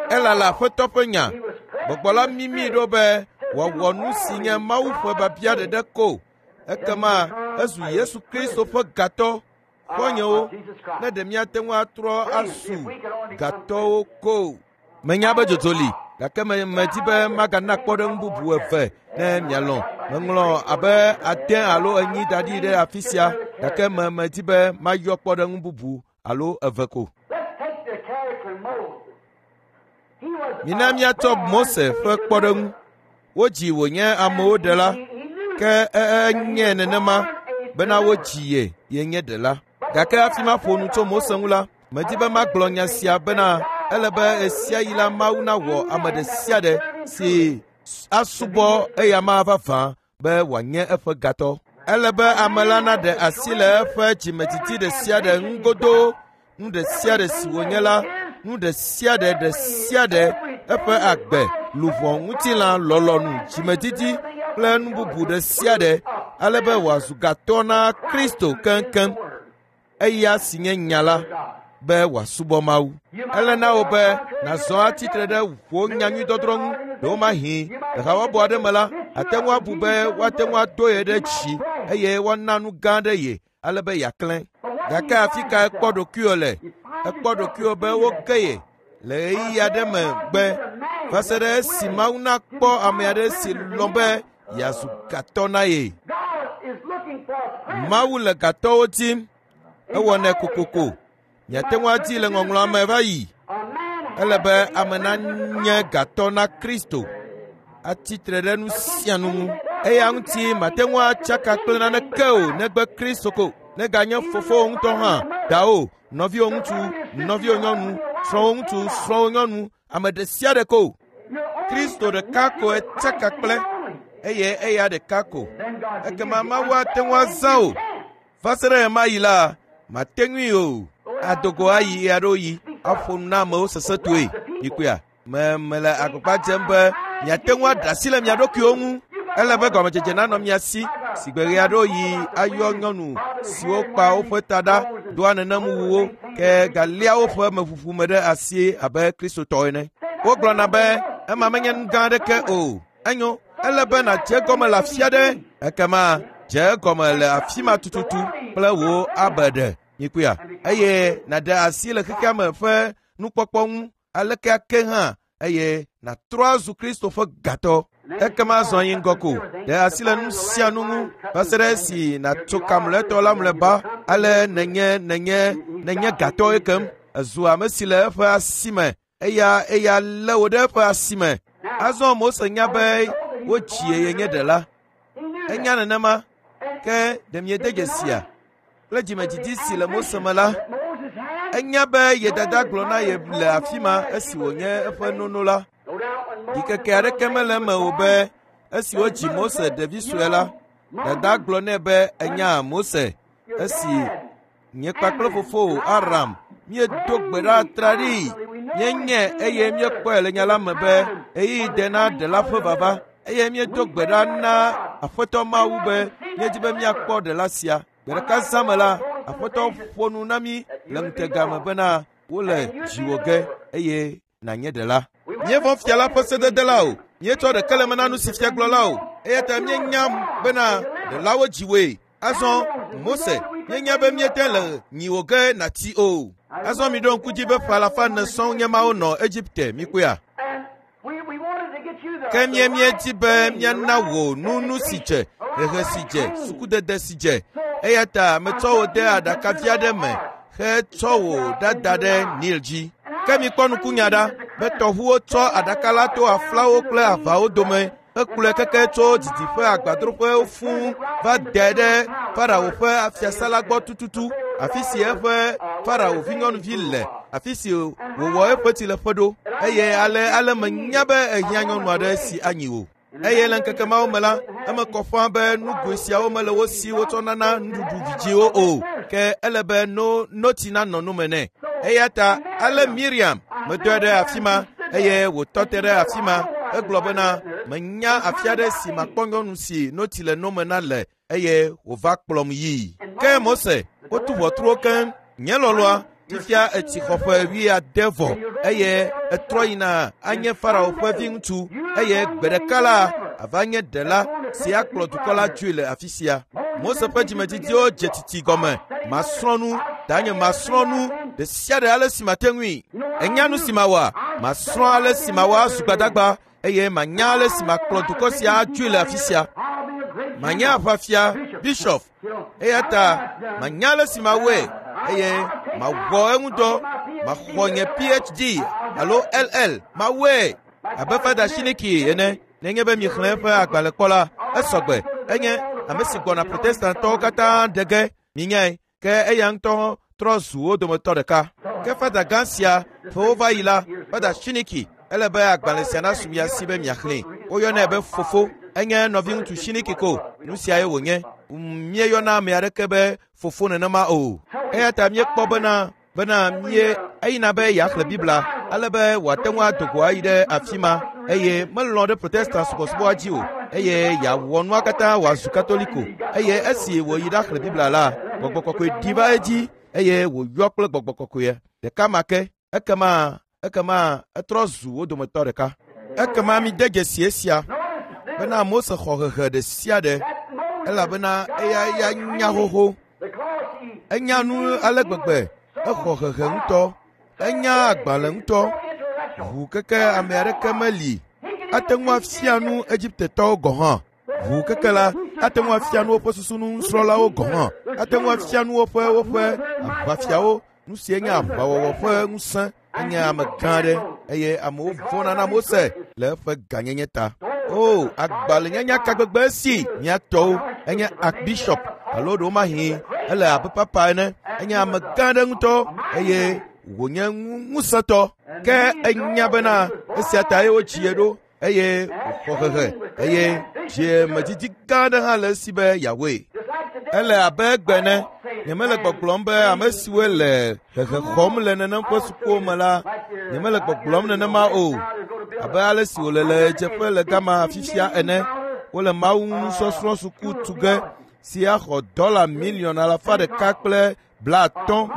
elala Aƒetɔ ƒe nya. Gbɔgbɔ la mimi ɖo be wòawɔ nu si nye Mawu ƒe biabia ɖeɖe ko. Ekema ezu Yesu Kristo ƒe gatɔ. Xɔ̃nyewo, ne ɖe míate ŋu atrɔ azu gatɔwo ko. Menya be dzodzo li, gake me medi be magana kpɔɖeŋu bubu eve ne mialɔ̃. Meŋlɔ abe ade alo enyi da ɖi ɖe afi sia, gake me medi be mayɔ kpɔɖeŋu bubu alo eve ko. Let's take the character Moses. He was Mina míatsɔ Mose ƒe kpɔɖeŋu. Wodzi wònye amewo ɖela, ke enye nenema bena wodzi ye yenye ɖela. Gake hafi maƒo nu tso Mose ŋu la, medi be magblɔ nya sia bena ele be ɣesiaɣi la Mawu nawɔ ame ɖe sia ɖe si asubɔ eyama vavã be wòanye eƒe gatɔ. Ele be ame la naɖe asi le eƒe dzimedidi ɖe sia ɖe ŋu godoo, nu ɖe sia ɖe si wònye la, nu ɖe sia ɖe ɖe sia ɖe eƒe agbe, luʋɔ, ŋutilã, lɔlɔ̃nu, dzimedidi kple nu bubu ɖe sia ɖe ale be wòazu gatɔ na Kristo keŋkeŋ, eya si nye nya la, be wòasubɔ Mawu. Ele na wò be nàzɔ atsitre ɖe wò nyanyuidɔdrɔ̃ ŋu ɖewomahi le habɔbɔ aɖe me la, àte ŋu abu be woate ŋu ado ye ɖe dzi eye woana nu gã aɖe ye ale be yeaklẽ. Gake afi ka ekpɔ ɖokuiwò le? Ekpɔ ɖokuiwò be woge ye le ɣeyiɣi aɖe megbe va se ɖe esi Mawu nakpɔ ame aɖe si lɔ̃ be yeazu gatɔ na ye. God is looking for a friend. Mawu le gatɔwo dim. Ewɔnɛ kokoko. Miate ŋu adi le ŋɔŋlɔa me va yi. A man Ele be ame nanye gatɔ na Kristo. Atsitre ɖe nu sia nu ŋu. Eya ŋuti mate ŋu atsaka kple naneke o negbe Kristo ko. Neganye fofowò ŋutɔ hã, dawò, nɔviwò ŋutsu, nɔviwò nyɔnu, srɔ̃wò ŋutsu, srɔ̃wò nyɔnu, ame ɖe sia ɖe ko. Kristo ɖeka koe tsaka kple eye eya ɖeka ko. Ekema Mawu ate ŋu azã wò. Va se ɖe ɣemaɣi la, mate ŋui o. Adogo ayi ɣeaɖewoɣi aƒo nu na amewo sesẽtɔe. Mikpɔea, me mele agbagba dzem be miate ŋu aɖe asi le mia ɖokuiwo ŋu. Ele be gɔmedzedze nanɔ mia si. Si gbe ɣe aɖewo yi ayɔ nyɔnu siwo kpa woƒe ta ɖa doa nenem wuwo ke galia woƒe meʋuʋu me ɖe asi abe kristotɔ ene. Wogblɔna be ema menye nu gã aɖeke o. Enyo, ele be nàdze egɔme le afi aɖe. Ekema dze egɔme le afi ma tututu kple wò abeɖe nyikuya eye nàɖe asi le xexea me ƒe nukpɔkpɔ ŋu aleke ake hã eye nàtrɔ azu Kristo ƒe gatɔ. Ekema zɔ yi ŋgɔ ko, ɖe asi le nu sia nu ŋu va se ɖe esi nàtso ka mlɔetɔ la mlɔeba ale nènye nènye nènye gatɔ ekem. Ezu ame si le eƒe asi me eya eya lé wò ɖe eƒe asi me. Azɔ Mose nya be wodzi ye nye ɖela. Enya nenema ke ɖe miede dzesia kple dzimedidi si le Mose me la, enya be ye dada gblɔ na ye le afi ma esi wònye eƒe nono la. Ɖikeke aɖeke mele eme o be esi wodzi Mose ɖevi sue la, dada gblɔ nɛ be enya Mose esi nye kpakple fofowò Aram míedo gbe ɖa atraɖii míenye eye míekpɔe le nya la me be ɣeyiɣi de na ɖela ƒe vava eye míedo gbe ɖa na Aƒetɔ Mawu be míedi be míakpɔ ɖela sia. Gbe ɖeka zã me la, Aƒetɔ ƒo nu na mí le ŋutega me bena wole dziwò ge eye nànye ɖela. Míevɔ̃ fia la ƒe sedede la o. Míetsɔ ɖeke le eme na nu si fia gblɔ la o. Eya ta míenya bena ɖelawo dziwòe. Azɔ Mose, míenya be míete le nyiwò ge nàtsi o. Azɔ miɖo ŋku dzi be ƒe alafa ene sɔŋ nye mawo nɔ Egipte, mikpɔea? And we, we wanted to get you the, Ke mía míedi be míana wò nunu si dze, hehe si dze, sukudede si dze. Eya ta metsɔ wò de aɖakavi aɖe me hetsɔ wò ɖada ɖe Nil dzi. Ke mikpɔ nukunya ɖa be tɔʋuwo tsɔ aɖaka la to aflawo kple avawo dome hekplɔe keke tso didiƒe agbadroƒewo fũu va dae ɖe Farao ƒe fiasã la gbɔ tututu, afi si eƒe Farao vinyɔnuvi le, afi si wòwɔ eƒe tsileƒe ɖo. Eye ale ale menya be ehiã nyɔnu aɖe si anyi wò. Eye le ŋkeke mawo me la, eme kɔ ƒãa be nugoe siawo mele wo si wotsɔ nana nuɖuɖu vidzĩwo o, ke ele be no notsi nanɔ nu me nɛ. Eya ta ale Miriam medɔe ɖe afi ma eye wòtɔ te ɖe afi ma egblɔ bena menya afi aɖe si makpɔ nyɔnu si notsi le no me na le eye wòva kplɔm yii. Ke Mose, wotu ʋɔtruwo keŋ. Nye lɔlɔ̃a, fifia etsi xɔ ƒe wuiade vɔ eye etrɔ yina anye Farao ƒe viŋutsu eye gbe ɖeka la ava nye ɖela si akplɔ dukɔ la dzoe le afi sia. Mose ƒe dzimedidiwo dze tsitsi gɔme. Masrɔ̃ nu, danye masrɔ̃ nu ɖe sia ɖe ale si mate ŋui. Ènya nu si mawɔa? Masrɔ̃ ale si mawɔ azu gbadagba eye manya ale si makplɔ dukɔ sia adzoe le afi sia. I'll be a great Manye aʋafia, bishop, eya ta manya ale si mawɔe eye mawɔ eŋu dɔ maxɔ nye PhD alo LL mawɔe abe Fada Shiniki ene nenye be mixlẽ eƒe agbalẽ kpɔ la esɔgbe enye ame si gbɔna protestantɔwo katã ɖe ge minyae ke eya ŋutɔ trɔ zu wo dometɔ ɖeka. Ke fada gã sia ƒewo va yi la, Fada Shiniki ele be agbalẽ sia nasu mia si be miaxlẽe. Woyɔnɛ be fofo. Enye nɔviŋutsu Shiniki ko. Nu siae wònye. Míeyɔna ame aɖeke be fofo nenema o. Eya ta míekpɔ bena bena mie eyina be yeaxlẽ Biblia ale be wòate ŋu ado go ayi ɖe afi ma eye melɔ̃ ɖe Protestant subɔsubɔa dzi o eye yeawɔ nua katã wòazu Katoliko eye esi wòyi ɖaxlẽ Biblia la, gbɔgbɔ kɔkɔe ɖi va edzi eye wòyɔ kple gbɔgbɔ kɔkɔe ɖeka ma ke. Ekema ekema etrɔ zu wo dometɔ ɖeka. Ekema mide dzesi esia bena Mose xɔ hehe ɖe sia ɖe elabena eya ya nya xoxo. because he Enya nu ale gbegbe, exɔ hehe ŋutɔ, enya agbalẽ ŋutɔ, ʋu keke ame aɖeke meli ate ŋu afia nu Egiptetɔwo gɔ̃ hã. Ʋu keke la ate ŋu afia nu woƒe susunusrɔ̃lawo gɔ̃ hã. Ate ŋu afia nu woƒe woƒe aʋafiawo nu sie nye aʋawɔwɔ ƒe ŋusẽ. Enye ame gã aɖe eye amewo vɔ̃na na Mose le eƒe gãnyenye ta. O, agbalẽnyanya ka gbegbe si mía tɔwo enye archbishop alo ɖewomahi ele abe papa ene. Enye ame gã aɖe ŋutɔ eye wònye ŋusẽtɔ. Ke enya bena esia ta ye wodzi ye ɖo eye wòxɔ hehe eye dziemedidi gã aɖe hã le esi be yeawɔe. just like today. Ele abe egbe ene. Nyemele gbɔgblɔm be ame siwoe le hehe xɔm le nenem ƒe sukuwo me la, nyemele gbɔgblɔm nenema o. Abe ale si wòle le ɣedzeƒe le gama fifia ene. Wole Mawu nusɔsrɔ̃ suku tu ge si axɔ dɔla miliɔn 150.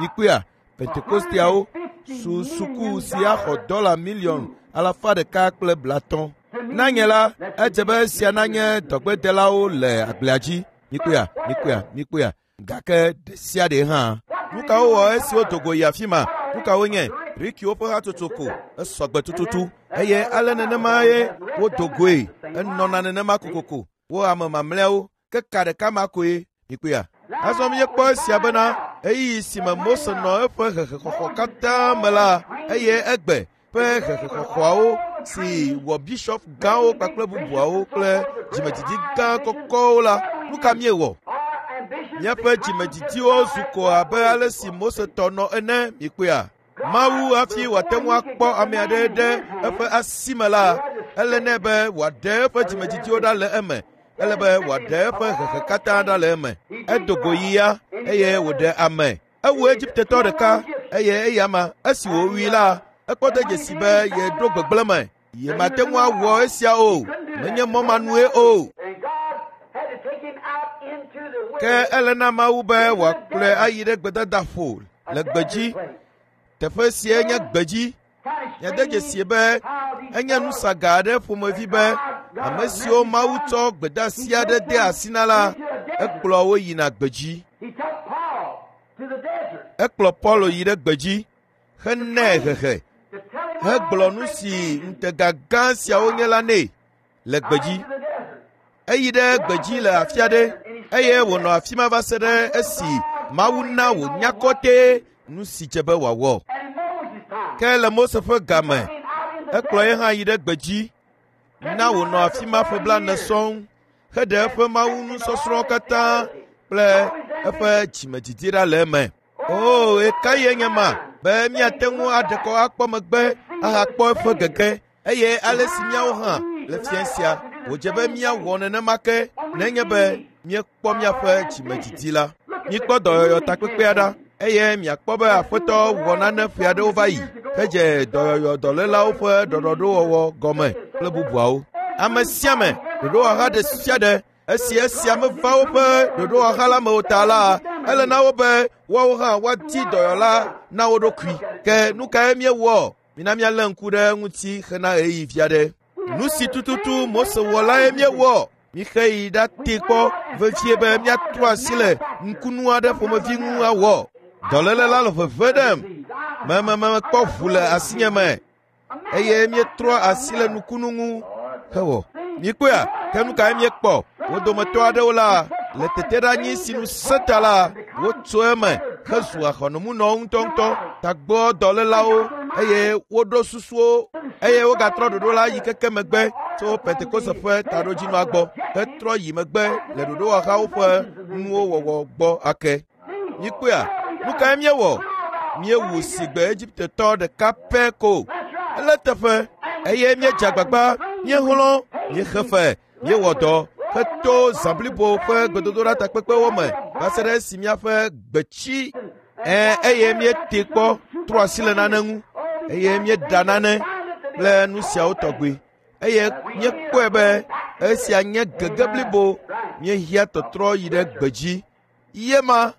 Mikpɔea? Pentekosteawo su suku si axɔ dɔla miliɔn 150. Na nye la, edze be esia nanye dɔgbedelawo le agblea dzi. Mikpɔea? Mikpɔea? Mikpɔea? Gake ɖe sia ɖe hã. Nu ka wowɔ esi wodo go yi afi ma? Nu ka wonye? Rikiwo ƒe hatsotso ko. Esɔgbe tututu. Eye ale nenema ye wodo goe. Enɔna nenema kokoko. Wo ame mamlɛawo ke ka ɖeka ma koe. Mikpɔea? Azɔ míekpɔ esia bena ɣeyiɣi si me Mose nɔ eƒe hehexɔxɔ katã me la, eye egbe ƒe hehexɔxɔawo si wɔ bishop gãwo kpakple bubuawo kple dzimedidi gã kɔkɔwo la, nu ka míewɔ? Míaƒe dzimedidiwo zu ko abe ale si Mose tɔ nɔ ene. Mikpɔea? Mawu hafi wòate ŋu akpɔ ame aɖe ɖe eƒe asi me la, ele nɛ be wòaɖe eƒe dzimedidiwo ɖa le eme. Ele be wòaɖe eƒe hehe katã ɖa le eme. Edo go yi ya eye wòɖe ame. Ewu Egiptetɔ ɖeka eye eya ma esi wòwui la, ekpɔ de dzesi be yeɖo gbegblẽ me. Yemate ŋu awɔ esia o. Menye mɔ ma nue o. And God had to take him out into the Ke ele na Mawu be wòakplɔe ayi ɖe gbedadaƒo le gbedzi. Teƒe sia nye gbedzi. Miade dzesi be enye nusaga aɖe ƒomevi be ame siwo Mawu tsɔ gbedeasi aɖe de asi na la, ekplɔ wo yina gbedzi. He took Paul to the desert Ekplɔ Paulo yi ɖe gbedzi henɛ hehe to tell him hegblɔ nu si ŋutega gã siawo nye la nɛ le gbedzi. to the desert. Eyi ɖe gbedzi le afi aɖe eye wònɔ afi ma va se ɖe esi Mawu na wònya kɔtɛ nu si dze be wòawɔ. And in Moses' time, Ke le Mose ƒe game, him out in the ekplɔ ye hã yi ɖe gbedzi na wònɔ afi ma ƒe blaene sɔŋ heɖe eƒe Mawu nusɔsrɔ̃ katã kple eƒe dzimedidi ɖa le eme. O, ɣekaɣie nye ma be míate ŋu aɖe kɔ akpɔ megbe ahakpɔ eƒe gege eye ale si míawo hã le fia sia wòdze be míawɔ nenema ke nenye be míekpɔ míaƒe dzimedidi la. Míkpɔ dɔyɔyɔ takpekpea ɖa eye miakpɔ be Aƒetɔ wɔ nane ƒe aɖewo va yi hedze dɔyɔyɔ dɔlélawo ƒe ɖɔɖɔɖowɔwɔ gɔme kple bubuawo. Ame sia ame, ɖoɖowɔha ɖe sia ɖe esi esia meva woƒe ɖoɖowɔha la me o ta la, ele na wo be woawo hã woadi dɔyɔla na wo ɖokui. Ke nu kae míewɔ? Mina míalé ŋku ɖe eŋuti hena ɣeyiɣi vi aɖe. Nu si tututu Mose wɔ lae míewɔ. Mixe yi ɖatee kpɔ vevie be míatrɔ asi le ŋkunu aɖe ƒomevi ŋu awɔ. Dɔléle la le veve ɖem. Mememekpɔ ʋu le asinye me eye míetrɔ asi le nukunu ŋu hewɔ. Mikpɔea? Ke nu kae míekpɔ? Wo dometɔ aɖewo la le teteɖeanyi si nu sẽ ta la, wotso eme hezu ahɔnɔmunɔwo ŋutɔŋutɔ, tagbɔ dɔlélawo eye woɖo susuwo eye wogatrɔ ɖoɖo la yi keke megbe tso Pentekoste ƒe taɖodzinua gbɔ hetrɔ yi megbe le ɖoɖowɔhawo ƒe nuwo wɔwɔ gbɔ ake. Mikpɔea? Nu kae míewɔ? Míewu sigbe Egiptetɔ ɖeka pɛ ko. Ele teƒe eye míedze agbagba, míehlɔ̃, míexe fe, míewɔ dɔ heto zã blibo ƒe gbedodoɖa takpekpewo me va se ɖe esi míaƒe gbe tsi eye míete kpɔ trɔ asi le nane ŋu eye míeɖa nane kple nu siawo tɔgbi eye míekpɔe be esia nye gege blibo míehiã tɔtrɔ yi ɖe gbedzi. Ye ma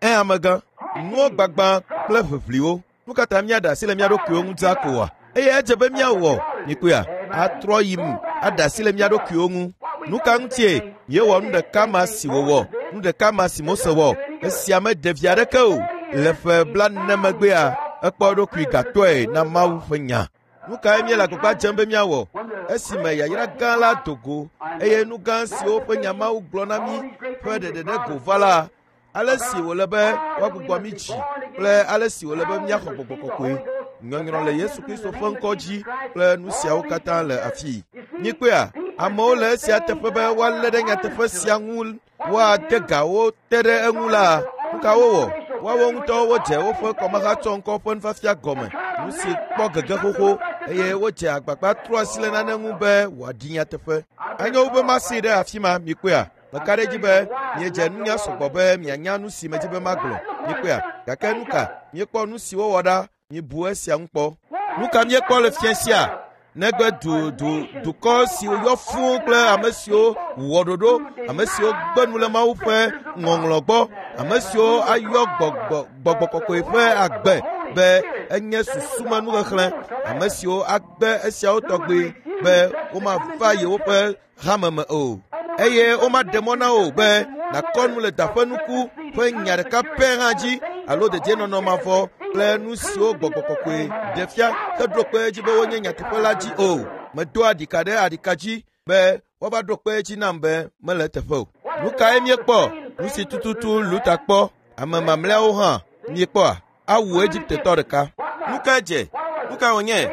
amegã, nuwo gbagba kple ʋeʋliwo. Nu ka ta míaɖe asi le mía ɖokuiwo ŋu dzaa ko oa? Eye edze be míawɔ mikpɔea atrɔ yi mu aɖe asi le mía ɖokuiwo ŋu. Nu ka ŋutie míewɔ nu ɖeka ma si wòwɔ, nu ɖeka ma si Mose wɔ? Esia meɖe vi aɖeke o. Le ƒe 40 megbea, ekpɔ eɖokui gatɔe na Mawu ƒe nya. Nu kae míele agbagba dzem be míawɔ esime yayra gã la do go eye nu gã siwo ƒe nya Mawu gblɔ na mí ƒe ɖeɖe ɖe go va la, ale si wòle be woagbugbɔ mí dzi kple ale si wòle be míaxɔ gbɔgbɔ kɔkɔe, nyɔnyrɔ le Yesu Kristo ƒe ŋkɔ dzi kple nu siawo katã le afii. Míkpɔea, amewo le esia teƒe be woalé ɖe nyateƒe sia ŋu woade ga wo te ɖe eŋu la, nu ka wowɔ? Woawo ŋutɔ wodze woƒe kɔmehatsɔŋkɔ ƒe nufiafia gɔme, nu si kpɔ gege xoxo eye wodze agbagba trɔ asi le nane ŋu be wòaɖi nyateƒe. Enyo wu be masii ɖe afi ma, mikpɔea? Meka ɖe edzi be miedze nunya sɔgbɔ be mianya nu si medzi be magblɔ. Mikpɔea? Gake nu ka? Míekpɔ nu si wowɔ ɖa, mibu esia ŋu kpɔ. Nu ka míekpɔ le fia sia? Negbe du du dukɔ siwo yɔ fũu kple ame siwo wɔ ɖoɖo, ame siwo gbe nu le Mawu ƒe ŋɔŋlɔ gbɔ, ame siwo ayɔ gbɔgbɔ gbɔgbɔ kɔkɔe ƒe agbe be enye susumenuxexlẽ, ame siwo agbe esiawo tɔgbi be womava yewoƒe hame me o eye womaɖe mɔ na wò be nàkɔ nu le daƒe nuku ƒe nya ɖeka pɛ hã dzi alo dedienɔnɔ mavɔ kple nu siwo gbɔgbɔ kɔkɔe ɖe fia heɖo kpe edzi be wonye nyateƒe la dzi o. Medoa ɖika ɖe aɖika dzi be woava ɖo kpe edzi nam be mele eteƒe o. Nu kae míekpɔ? Nu si tututu Luta kpɔ, ame mamlɛawo hã míekpɔa? Awu Egiptetɔ ɖeka. Nu kae dze? Nu kae wònye?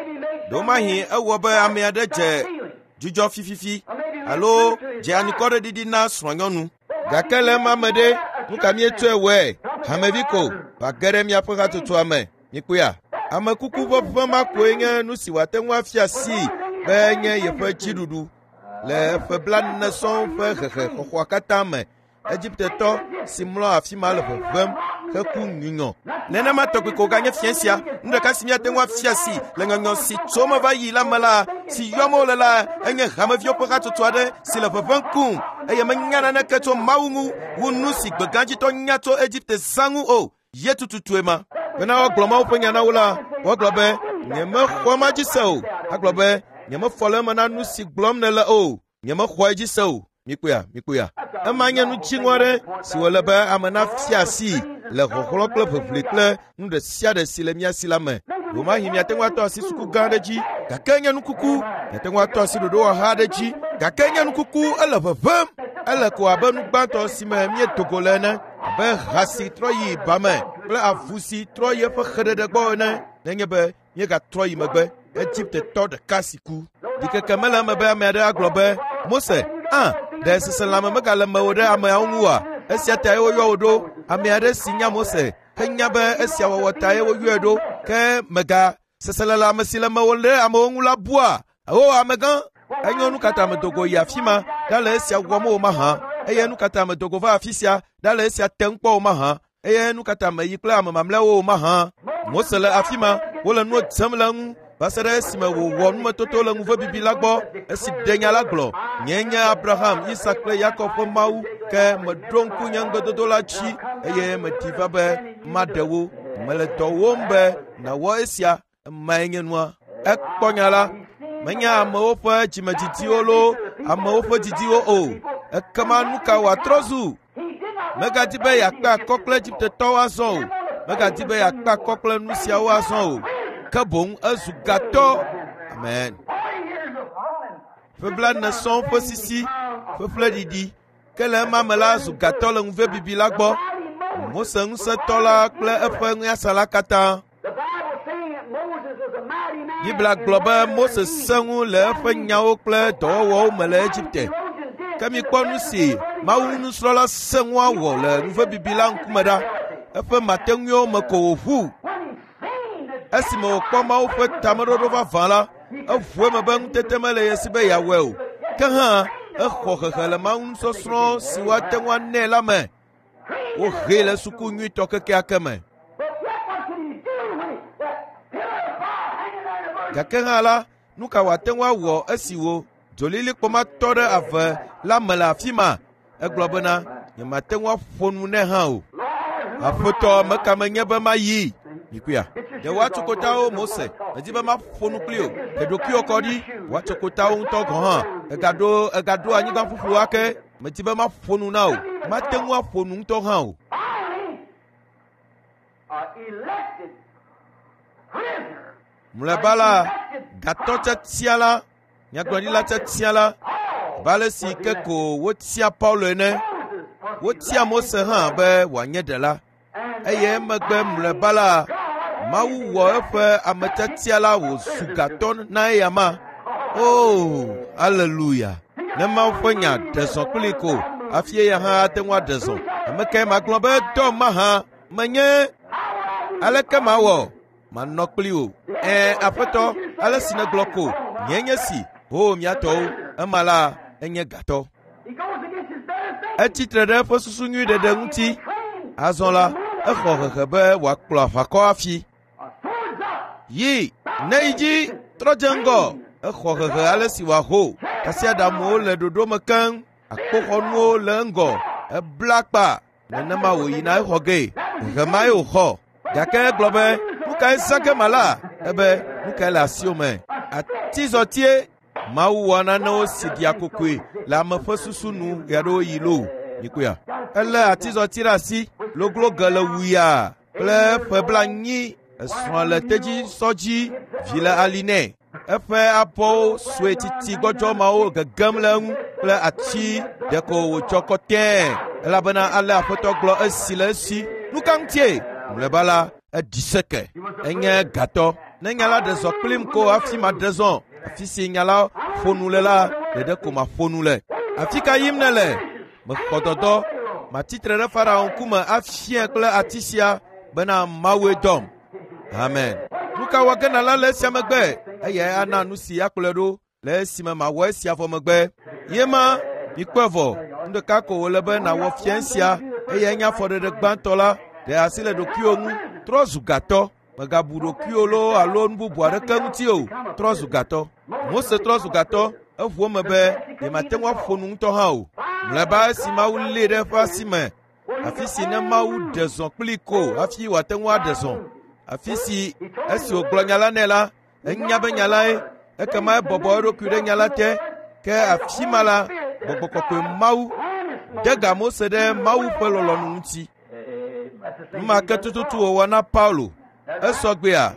Ɖewomahi ewɔ be ame aɖe dze dzudzɔ fififi alo dze anikɔɖeɖiɖi na srɔ̃nyɔnu. Gake le ema me ɖe, nu ka míetsɔe wɔe? Hamevi ko va ge ɖe míaƒe hatsotsoa me. Mikpɔea? Ame kuku ƒe ʋeʋẽ ma koe nye nu si wòate ŋu afia sii be enye yeƒe dziɖuɖu le eƒe blaene sɔŋ ƒe hehexɔxɔa katã me. Egiptetɔ si mlɔ afi ma le ʋeʋẽm heku nyunyɔ. Nenema tɔgbi ko ganye fia sia. Nu ɖeka si míate ŋu afia si le nyɔnyɔ si tso eme va yi la me la, si yɔm wole la, enye hameviwo ƒe hatsotso aɖe si le ʋeʋẽm kum eye menya naneke tso Mawu ŋu wu nu si gbegãdzitɔ nya tso Egipte zã ŋu o. Ye tututue ma. Bena woagblɔ Mawu ƒe nya na wo la, woagblɔ be, nyemexɔ ema dzi se o. Agblɔ be, nyemefɔ le eme na nu si gblɔm nèle o. Nyemexɔ edzi se o. Mikpɔea, mikpɔea. Ema nye nu dziŋɔ aɖe si wòle be ame nafia asii le xɔxlɔ̃ kple ʋeʋli kple nu ɖe sia ɖe si le mía si la me. Ɖewomahi miate ŋu atɔ asi suku gã aɖe dzi, gake enye nukuku. Miate ŋu atɔ asi ɖoɖowɔha aɖe dzi, gake enye nukuku. Ele ʋeʋẽm. Ele ko abe nu gbãtɔ si me míedo go le ene, abe ha si trɔ yi ba me kple avu si trɔ yi eƒe xeɖeɖe gbɔ ene, nenye be míegatrɔ yi megbe. Egiptetɔ ɖeka si ku. Ɖikeke mele eme be ame aɖe agblɔ be, Mose, a, ɖe seselãme megale mewò ɖe ameawo ŋu oa? Esia tae woyɔ wò ɖo. Ame aɖe si nya Mose henya be esia wɔwɔ tae woyɔe ɖo. Ke mega seselelãme si le mewò ɖe amewo ŋu la bua? O amegã, enyo nu ka ta medo go yi afi ma ɖale esia wɔm o mahã? Eye nu ka ta medo go va afi sia ɖale esia tem kpɔ o mahã? Eye nu ka ta meyi kple ame mamlɛawo o mahã? Mose le afi ma, wole nuwo dzem le eŋu va se ɖe esime wòwɔ numetoto le ŋuvebibi la gbɔ esi ɖe nya la gblɔ. Nyee nye Abraham, Isak kple Yakob ƒe Mawu, ke meɖo ŋku nye ŋugbedodo la dzi eye medi va be maɖe wo. Mele dɔ wɔm be nàwɔ esia. Emae nye nua. Ekpɔ nya la. Menye amewo ƒe dzimedidiwo loo amewo ƒe didiwo o. Ekema nu ka wòatrɔ zu? Megadi be yeakpe akɔ kple Egiptetɔwo azɔ o. Megadi be yeakpe akɔ kple nu siawo azɔ o. Ke boŋ ezu gatɔ. Amen. Ƒe blaene sɔŋ ƒe sisi, ƒe ƒleɖiɖi. Ke le ema me la zu gatɔ le ŋuvebibi la gbɔ. Mose ŋusẽtɔ la kple eƒe nunyasã la katã. Biblia gblɔ be Mose sẽ ŋu le eƒe nyawo kple dɔwɔwɔwo me le Egipte. Ke mikpɔ nu si Mawu nusrɔ̃la sẽ ŋua wɔ le nuvebibi la ŋkume ɖa. Eƒe mateŋuiwo me ko wòʋu. Esime wòkpɔ Mawu ƒe tameɖoɖo vavã la, eʋu eme be ŋutete mele ye si be yeawɔe o. Ke hã, exɔ hehe le Mawu nusɔsrɔ̃ si woate ŋu anɛ la me. Wohee le suku nyuitɔ kekeake me. Gake hã la, nu ka wòate ŋu awɔ esi wò dzolilikpɔ ma tɔ ɖe ave la me le afi ma? Egblɔ bena, nyemate ŋu aƒo nu nɛ hã o. Aƒetɔ, meka menye be mayi? Mikuia. Ɖe woatso kotawo, Mose. Medi be maƒo nu kpli o. Ɖe ɖokuiwò kɔ ɖi. Woatso kotawo ŋutɔ gɔ̃ hã. Egaɖo egaɖo anyigba ƒuƒlu ake. Medi be maƒo nu na wò. Mate ŋu aƒo nu ŋutɔ hã o. Mlɔeba la, gatɔ tiatia la, nyagblɔɖila tiatia la, abe ale si ke ko wotia Paulo ene, wotia Mose hã be wòanye ɖela. Eye emegbe mlɔeba la, Mawu wɔ eƒe ame tiatia la wòzu gatɔ na eyama. Oh, aleluya! Ne Mawu ƒe nya ɖe zɔ kpli ko hafi eya hã ate ŋu aɖe zɔ. Ame kae magblɔ be dɔ mahã menye? Aleke mawɔ? Manɔ kpli wò. Ɛ̃, aƒetɔ, ale si nègblɔ ko, nyee nye si. Ho mía tɔwo, ema la, enye gatɔ. Etsi tre ɖe eƒe susu nyui ɖeɖe ŋuti. Azɔ la, exɔ hehe be wòakplɔ aʋakɔ hafi. Yi, ne yi dzi, trɔ dze ŋgɔ. Exɔ hehe ale si wòaho. Tasiaɖamwo le ɖoɖo me keŋ. Akpoxɔnuwo le eŋgɔ. Ebla akpa. Nenema wòyina exɔ gee. Hehe mae wòxɔ. Gake egblɔ be, nu kae zã ge mala? Ebe, nu kae le asiwò me? Atizɔtie. Mawu wɔ nanewo si ɖia kokoe le ame ƒe susu nu ɣeaɖewoɣi loo. Mikpɔea? Elé atizɔti ɖe asi, loglo ge le wuya kple ƒe blanyi. Esrɔ̃ le tedzisɔ dzi, vi le ali nɛ. Eƒe abɔwo sue titi gbɔdzɔ mawo gegem le eŋu kple ati ɖeko wòtsɔ kɔtɛe elabena ale Aƒetɔ gblɔ esi le esi. Nu ka ŋutie? Mlɔeba la, eɖi seke. Enye gatɔ. Ne nya la ɖe zɔ kplim ko hafi maɖe zɔ. Afi si nya la ƒo nu le la, ɖeɖe ko maƒo nu le. Afi ka yim nèle? Mexɔ dɔdɔ. Matitre ɖe Farao ŋkume afiae kple ati sia bena Mawue dɔm. Amen. Nu ka wɔ ge nàla le esia megbe? Eyae ana nu si akplɔe ɖo le esime mawɔ esia vɔ megbe. Ye ma, mikpɔe vɔ. Nu ɖeka ko wòle be nàwɔ fia esia, eyae nye afɔɖeɖe gbãtɔ la. Ɖe asi le ɖokuiwò ŋu. Trɔ zu gatɔ. Mègabu ɖokuiwò loo alo nu bubu aɖeke ŋuti o. Trɔ zu gatɔ. Mose trɔ zu gatɔ. Eʋu eme be yemate ŋu aƒo nu ŋutɔ hã o. Mlɔeba esi Mawu lée ɖe eƒe asi me, afi si ne Mawu ɖe zɔ kplii ko hafi wòate ŋu aɖe zɔ. Afi si esi wògblɔ nya la nɛ la, enya be nya lae, ekema ebɔbɔ eɖokui ɖe nya la te. Ke afi ma la, Gbɔgbɔ Kɔkɔe Mawu de ga Mose ɖe Mawu ƒe lɔlɔ̃nu ŋuti. Nu ma ke tututu wòwɔ na Paulo. Esɔ gbea?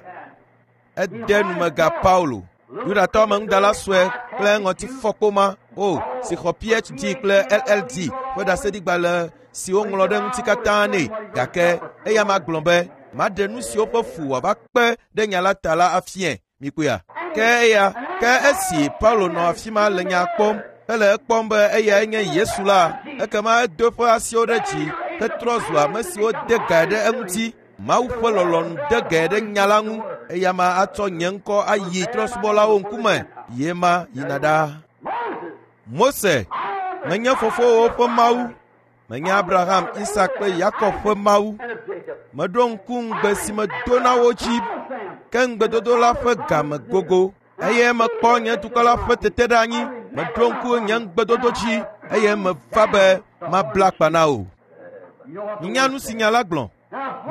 Ede numega Paulo. Yudatɔ ameŋudala sue kple ŋɔtifɔkpo ma o si xɔ PhD kple LLD ƒe ɖaseɖigbalẽ si woŋlɔ ɖe ŋuti katã nɛ. Gake eya ma gblɔ be maɖe nu siwo ƒe fu wòava kpe ɖe nya la ta la afiae. Mikpɔea? Ke eya, ke esi Paulo nɔ afi ma le nya kpɔm hele ekpɔm be eyae nye Yesu la, ekema edo eƒe asiwo ɖe dzi hetrɔ zu ame siwo de gae ɖe eŋuti. Mawu ƒe lɔlɔ̃nu de gae ɖe nya la ŋu. Eya ma atsɔ nye ŋkɔ ayi trɔ̃subɔlawo ŋkume. Ye ma yina ɖaa. Mose, menye fofowòwo ƒe Mawu. Menye Abraham, Isak kple Yakob ƒe Mawu. Meɖo ŋku ŋugbe si medo na wo dzi, ke ŋugbedodo la ƒe game gogo. Eye mekpɔ nye dukɔ la ƒe teteɖeanyi. Meɖo ŋku nye ŋugbedodo dzi eye meva be mabla akpa na wò. Minya nu si nya la gblɔ.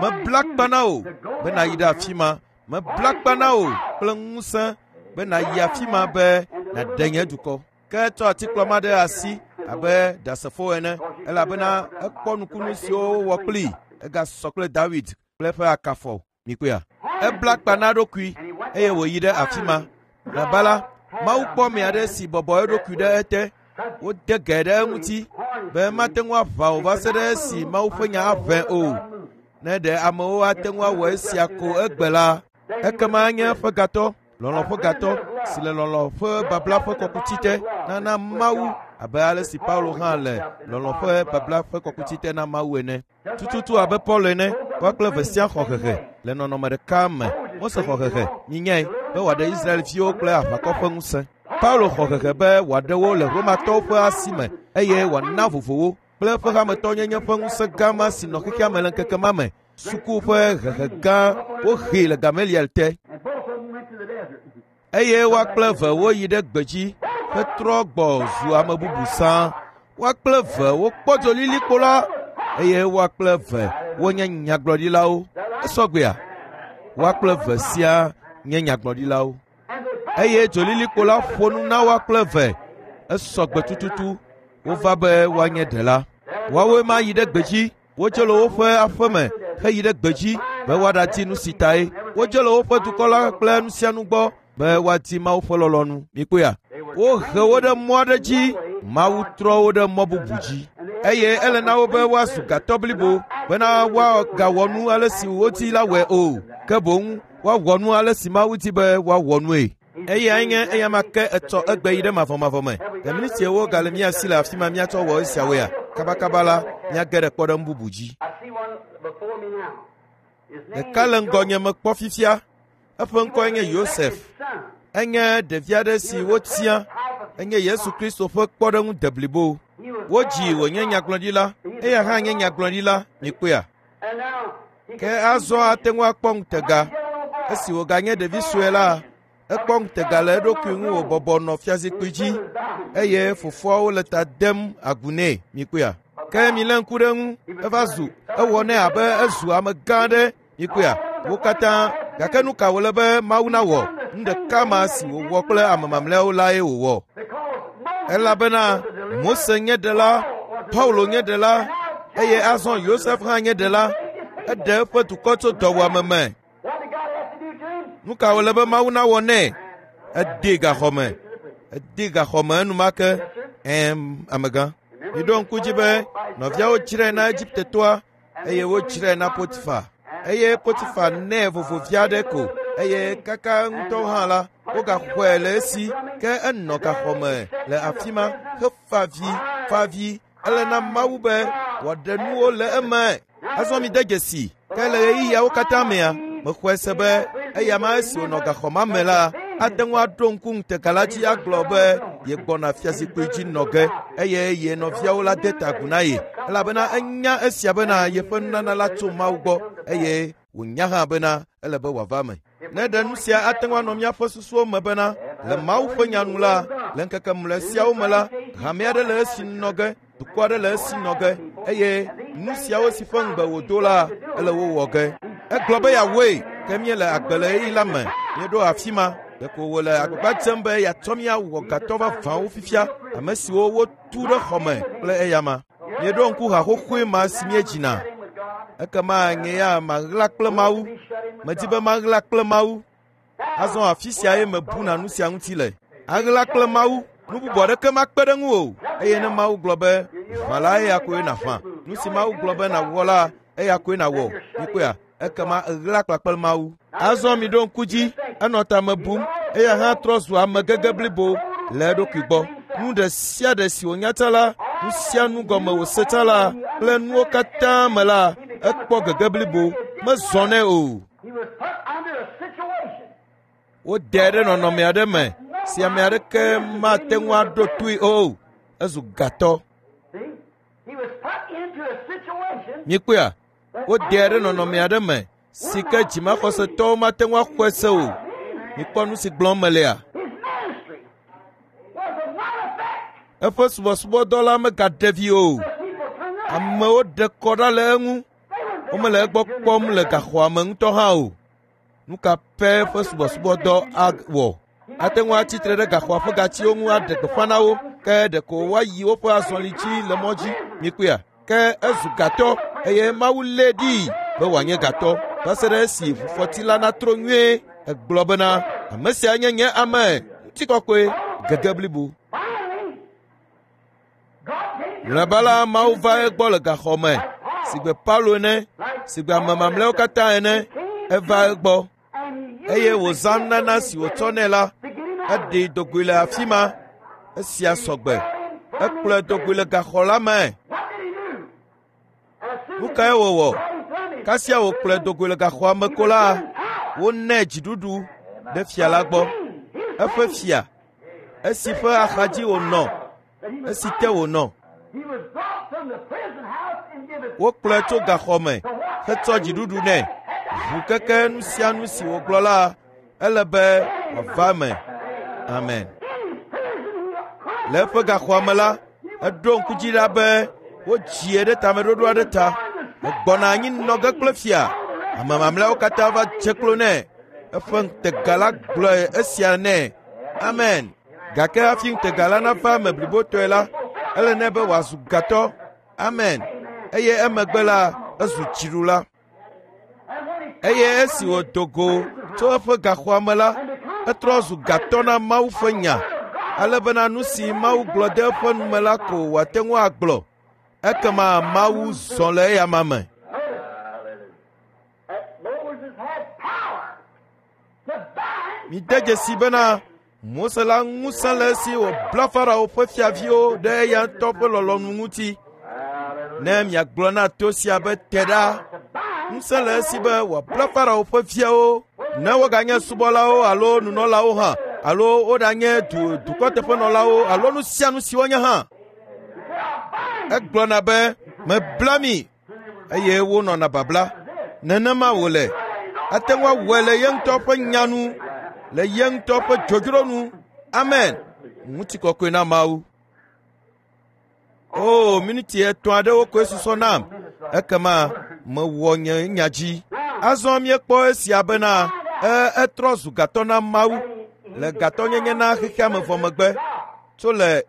Mebla akpa na wò be nàyi ɖe afi ma. Mebla akpa na wò kple ŋusẽ be nàyi afi ma be nàɖe nye dukɔ. Ke etsɔ atikplɔ ma ɖe asi abe ɖasefo ene elabena ekpɔ nukunu siwo wowɔ kplii. Egasɔ kple Dawid kple eƒe akafɔ. Mikpɔea? Ebla akpa na eɖokui eye wòyi ɖe afi ma. Mlɔeba la, Mawu kpɔ ame aɖe si bɔbɔ eɖokui ɖe ete. Wode ge ɖe eŋuti be mate ŋu aʋã o va se ɖe esi Mawu ƒe nya aʋẽ o. Ne ɖe amewo ate ŋu awɔ esia ko egbe la, ekema enye eƒe gatɔ, lɔlɔ̃ ƒe gatɔ si le lɔlɔ̃ ƒe babla ƒe kɔkuti te nana Mawu abe ale si Paulo hã le lɔlɔ̃ ƒe babla ƒe kɔkuti te na Mawu ene. Tututu abe Paulo ene, woa kple eve sia xɔ hehe le nɔnɔme ɖeka me. Mose xɔ hehe, minyae, be wòaɖe Israelviwo kple aʋakɔ ƒe ŋusẽ. Paulo xɔ hehe be wòaɖe wo le Romatɔwo ƒe asi me eye wòana vovo wo kple eƒe hametɔnyenye ƒe ŋusẽ gã ma si nɔ xexea me le ŋkeke ma me. Suku ƒe hehe gã wohee le Gamaliel te. Eye woa kple eve woyi ɖe gbedzi hetrɔ gbɔ zu ame bubu sãa. Woa kple eve wokpɔ dzolilikpo la eye woa kple eve wonye nyagblɔɖilawo. Esɔ gbea? Woa kple eve sia nye nyagblɔɖilawo. Eye dzolilikpo la ƒo nu na woa kple eve. Esɔ gbe tututu. Wova be woanye ɖela. Woawoe ma yi ɖe gbedzi. Wodze le woƒe aƒe me heyi ɖe gbedzi be woaɖadi nu si tae. Wodze le woƒe dukɔ la kple nu sia nu gbɔ be woadi Mawu ƒe lɔlɔ̃nu. Mikpɔea? Wohe wo ɖe mɔ aɖe dzi. Mawu trɔ wo ɖe mɔ bubu dzi. Eye ele na wo be woazu gatɔ blibo bena woagawɔ nu ale si wodi la wɔe o. Ke boŋ woawɔ nu ale si Mawu di be woawɔ nue. Eyae nye eya ma ke etsɔ egbe yi ɖe mavɔmavɔ me. Le minitiewo gale mía si le afi ma míatsɔ wɔ esiawoea? Kabakaba la, míage ɖe kpɔɖeŋu bubu dzi. I see one before me now. His name Ɖeka le is ŋgɔnye mekpɔ fifia. Eƒe ŋkɔe nye Yosef. Son. Enye ɖevi aɖe si wotia. Enye Yesu Kristo ƒe kpɔɖeŋu deblibo. Wodzi wònye nyagblɔɖila. Eya hã nye nyagblɔɖila. Mikpɔea? And now he Ke azɔ ate ŋu akpɔ ŋutega. Esi wòganye ɖevi sue la, Ekpɔ ŋutega le eɖokui ŋu wòbɔbɔ nɔ fiazikpui dzi eye fofoawo le ta dem agu nɛ. Mikpɔea? Ke milé ŋku ɖe eŋu, eva zu ewɔ nɛ abe ezu amegã aɖe. Mikpɔea? Wo katã. Gake nu ka wòle be Mawu nawɔ? Nu ɖeka ma si wòwɔ kple ame mamlɛawo lae wòwɔ. Elabena Mose nye ɖela, Paulo nye ɖela, eye azɔ Yosef hã nye ɖela. Eɖe eƒe dukɔ tso dɔwuame me. Nu ka wòle be Mawu nawɔ nɛ? Edee gaxɔ me. Edee gaxɔ me enumake. Ɛ̃, amegã. Miɖo ŋku dzi be nɔviawo dzrae na Egiptetɔa eye wodzrae na Potifa. Eye Potifa nɛ vovovi aɖe ko eye kaka ŋutɔ hã la, wogaxɔe le esi ke enɔ gaxɔ me le afi ma hefa vi, fa vi. Ele na Mawu be wòaɖe nuwo le eme. Azɔ mide dzesi, ke le ɣeyiɣiawo katã mea, mexɔe se be eya ma esi wònɔ gaxɔ ma me la, ate ŋu aɖo ŋku ŋutega la dzi agblɔ be yegbɔna fiazikpui dzi nɔ ge eye ye nɔviawo la de ta agu na ye elabena enya esia bena yeƒe nunana la tso Mawu gbɔ eye wònya hã bena ele be wòava eme. Ne ɖe nu sia ate ŋu anɔ míaƒe susuwo me bena le Mawu ƒe nya nu la, le ŋkeke mlɔe siawo me la, hame aɖe le esi nɔ ge, dukɔ aɖe le esi nɔ ge eye nu siawo si ƒe ŋugbe wòdo la, ele wo wɔ ge. Egblɔ be yeawɔe, ke míele agbe le ɣeyiɣi la me. Míeɖo afi ma. Ɖeko wòle agbagba dzem be yeatsɔ mí awɔ gatɔ vavãwo fifia, ame siwo wotu ɖe xɔ me kple eyama. Míeɖo ŋku ha xoxoe ma si míedzina. Ekema nye ya maɣla kple Mawu. Medi be maɣla kple Mawu. Azɔ afi siae mebuna nu sia ŋuti le. Aɣla kple Mawu, nu bubu aɖeke makpe ɖe ŋu o. Eye ne Mawu gblɔ be, ʋã la, eya koe nàʋã. Nu si Mawu gblɔ be nàwɔ la, eya koe nàwɔ. Mikpɔea? Ekema èɣla kpakple Mawu. Azɔ miɖo ŋku dzi, enɔ tame bum, eya hã trɔ zu ame gege blibo le eɖokui gbɔ. Nu ɖe sia ɖe si wònya tsã la, nu sia nu gɔme wòse tsã la, kple nuwo katã me la, ekpɔ gege blibo. Mezɔ nɛ o. Wodae ɖe nɔnɔme aɖe me si ame aɖeke mate ŋu aɖo toe o. Ezu gatɔ. Mikpɔea? Wodae ɖe nɔnɔme aɖe me si ke dzimaxɔsetɔwo mate ŋu axɔe se o. Mikpɔ nu si gblɔm melea? Eƒe subɔsubɔdɔ la megaɖe vi o. Amewo ɖe kɔ ɖa le eŋu. Womele egbɔ kpɔm le gaxɔa me ŋutɔ hã o. Nu ka pɛ ƒe subɔsubɔdɔ awɔ? Ate ŋu atsi tre ɖe gaxɔa ƒe gatiwo ŋu aɖe gbeƒã na wo, ke ɖeko woayi woƒe azɔli dzi le mɔ dzi. Mikpɔea? Ke ezu gatɔ eye Mawu lée ɖii be wòanye gatɔ va se ɖe esi ʋufɔti la natro nyuie. Egblɔ bena, ame sia nye nye ame ŋutikɔkɔe gege blibo. Mlɔeba la, Mawu va egbɔ le gaxɔ me sigbe Paulo ene, sigbe ame mamlɛawo katã ene. Eva egbɔ eye wòzã nunana si wòtsɔ nɛ la, eɖee do goe le afi ma. Esia sɔgbe. Ekplɔe do goe le gaxɔ la me. Nu kae wòwɔ? Kasia wòkplɔe do goe le gaxɔa me ko la, wonɛ dziɖuɖu ɖe fia la gbɔ. Eƒe fia, esi ƒe axadzi wònɔ, esi te wònɔ. Wokplɔe tso gaxɔ me hetsɔ dziɖuɖu nɛ. Ʋu keke nu sia nu si wògblɔ la, ele be wòava eme. Amen. Le eƒe gaxɔa me la, eɖo ŋku dzi ɖa be wodzie ɖe tameɖoɖo aɖe ta. Egbɔna anyi nɔ ge kple fia. Ame mamlɛawo katã va dze klo nɛ. Eƒe ŋutega la gblɔ esia nɛ. Amen. Gake hafi ŋutega la nava eme blibotɔe la, ele nɛ be wòazu gatɔ. Amen. Eye emegbe la, ezu dziɖula. Eye esi wòdo go tso eƒe gaxɔa me la, etrɔ zu gatɔ na Mawu ƒe nya, ale bena nu si Mawu gblɔ de eƒe nu me la ko wòate ŋu agblɔ. Ekema Mawu zɔ le eyama me. Mide dzesi bena Mose la ŋusẽ le esi wòbla Farao ƒe fiaviwo ɖe eya ŋutɔ ƒe lɔlɔ̃nu ŋuti. Ne miagblɔ na to sia be te ɖa, ŋusẽ le esi be wòabla Farao ƒe viawo, ne woganye subɔlawo alo nunɔlawo hã, alo woɖanye du dukɔteƒenɔlawo alo nu sia nu si wonye hã. Egblɔna be, mebla mi, eye wonɔna babla. Nenema wòle. Ate ŋu awɔe le ye ŋutɔ ƒe nya nu. le ye ŋutɔ ƒe dzodzro nu. Amen. Ŋutikɔkɔe na Mawu. O, miniti 3 aɖewo koe susɔ nam. Ekema mewɔ nye nya dzi. Azɔ míekpɔ esia bena etrɔ zu gatɔ na Mawu le gatɔnyenye na xexea me vɔ megbe. Tso le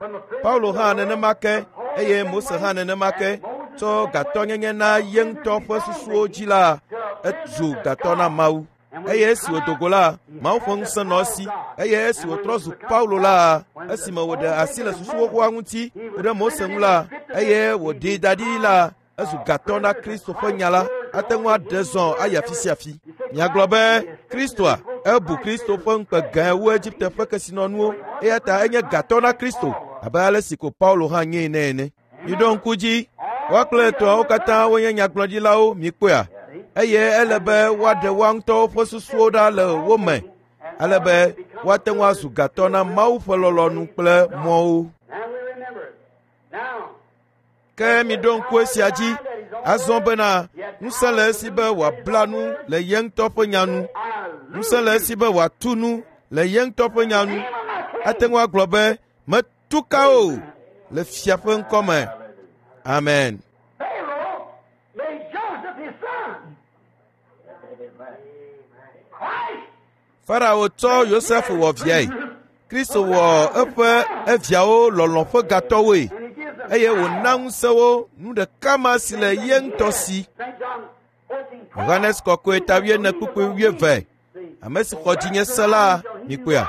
Paulo hã nenema ke eye Mose hã nenema ke tsɔ gatɔnyenye na ye ŋutɔ ƒe susuwo dzi la, ezu gatɔ na Mawu. Eye esi wòdo go la, Mawu ƒe ŋusẽ nɔ esi. Eye esi wòtrɔ zu Paulo la, esime wòɖe asi le susu xoxoa ŋuti ku ɖe Mose ŋu la, eye wòɖee da ɖi la, ezu gatɔ na Kristo ƒe nya la. Ate ŋu aɖe zɔ ayi afi sia afi. Miagblɔ be Kristoa, ebu Kristo ƒe ŋukpe gãe wu Egipte ƒe kesinɔnuwo, eya ta enye gatɔ na Kristo abe ale si ko Paulo hã nyee nɛ ene. Miɖo ŋku dzi, woa kple etɔ̃awo katã wonye nyagblɔɖilawo, mikpɔea? Eye ele be woaɖe woa ŋutɔwo ƒe susuwo ɖa le wo me, ale be woate ŋu azu gatɔ na Mawu ƒe lɔlɔ̃nu kple mɔwo. Ke miɖo ŋku esia dzi azɔ bena ŋusẽ le esi be wòabla nu le ye ŋutɔ ƒe nya nu. Ŋusẽ le esi be wòatu nu le ye ŋutɔ ƒe nya nu. Ate ŋu agblɔ be metu ka o le fia ƒe ŋkɔme. Amen. Pharaoh made Joseph his son. Christ Farao tsɔ Yosef wɔ viae. Kristo wɔ eƒe eviawo lɔlɔ̃ ƒe gatɔwoe and he gives them eye wòna ŋusẽ wo nu ɖeka ma si le ye ŋutɔ si. St. John 14, Yohanes kɔkɔe ta 24:20. Ame si xɔ dzinye se la, mikpɔea,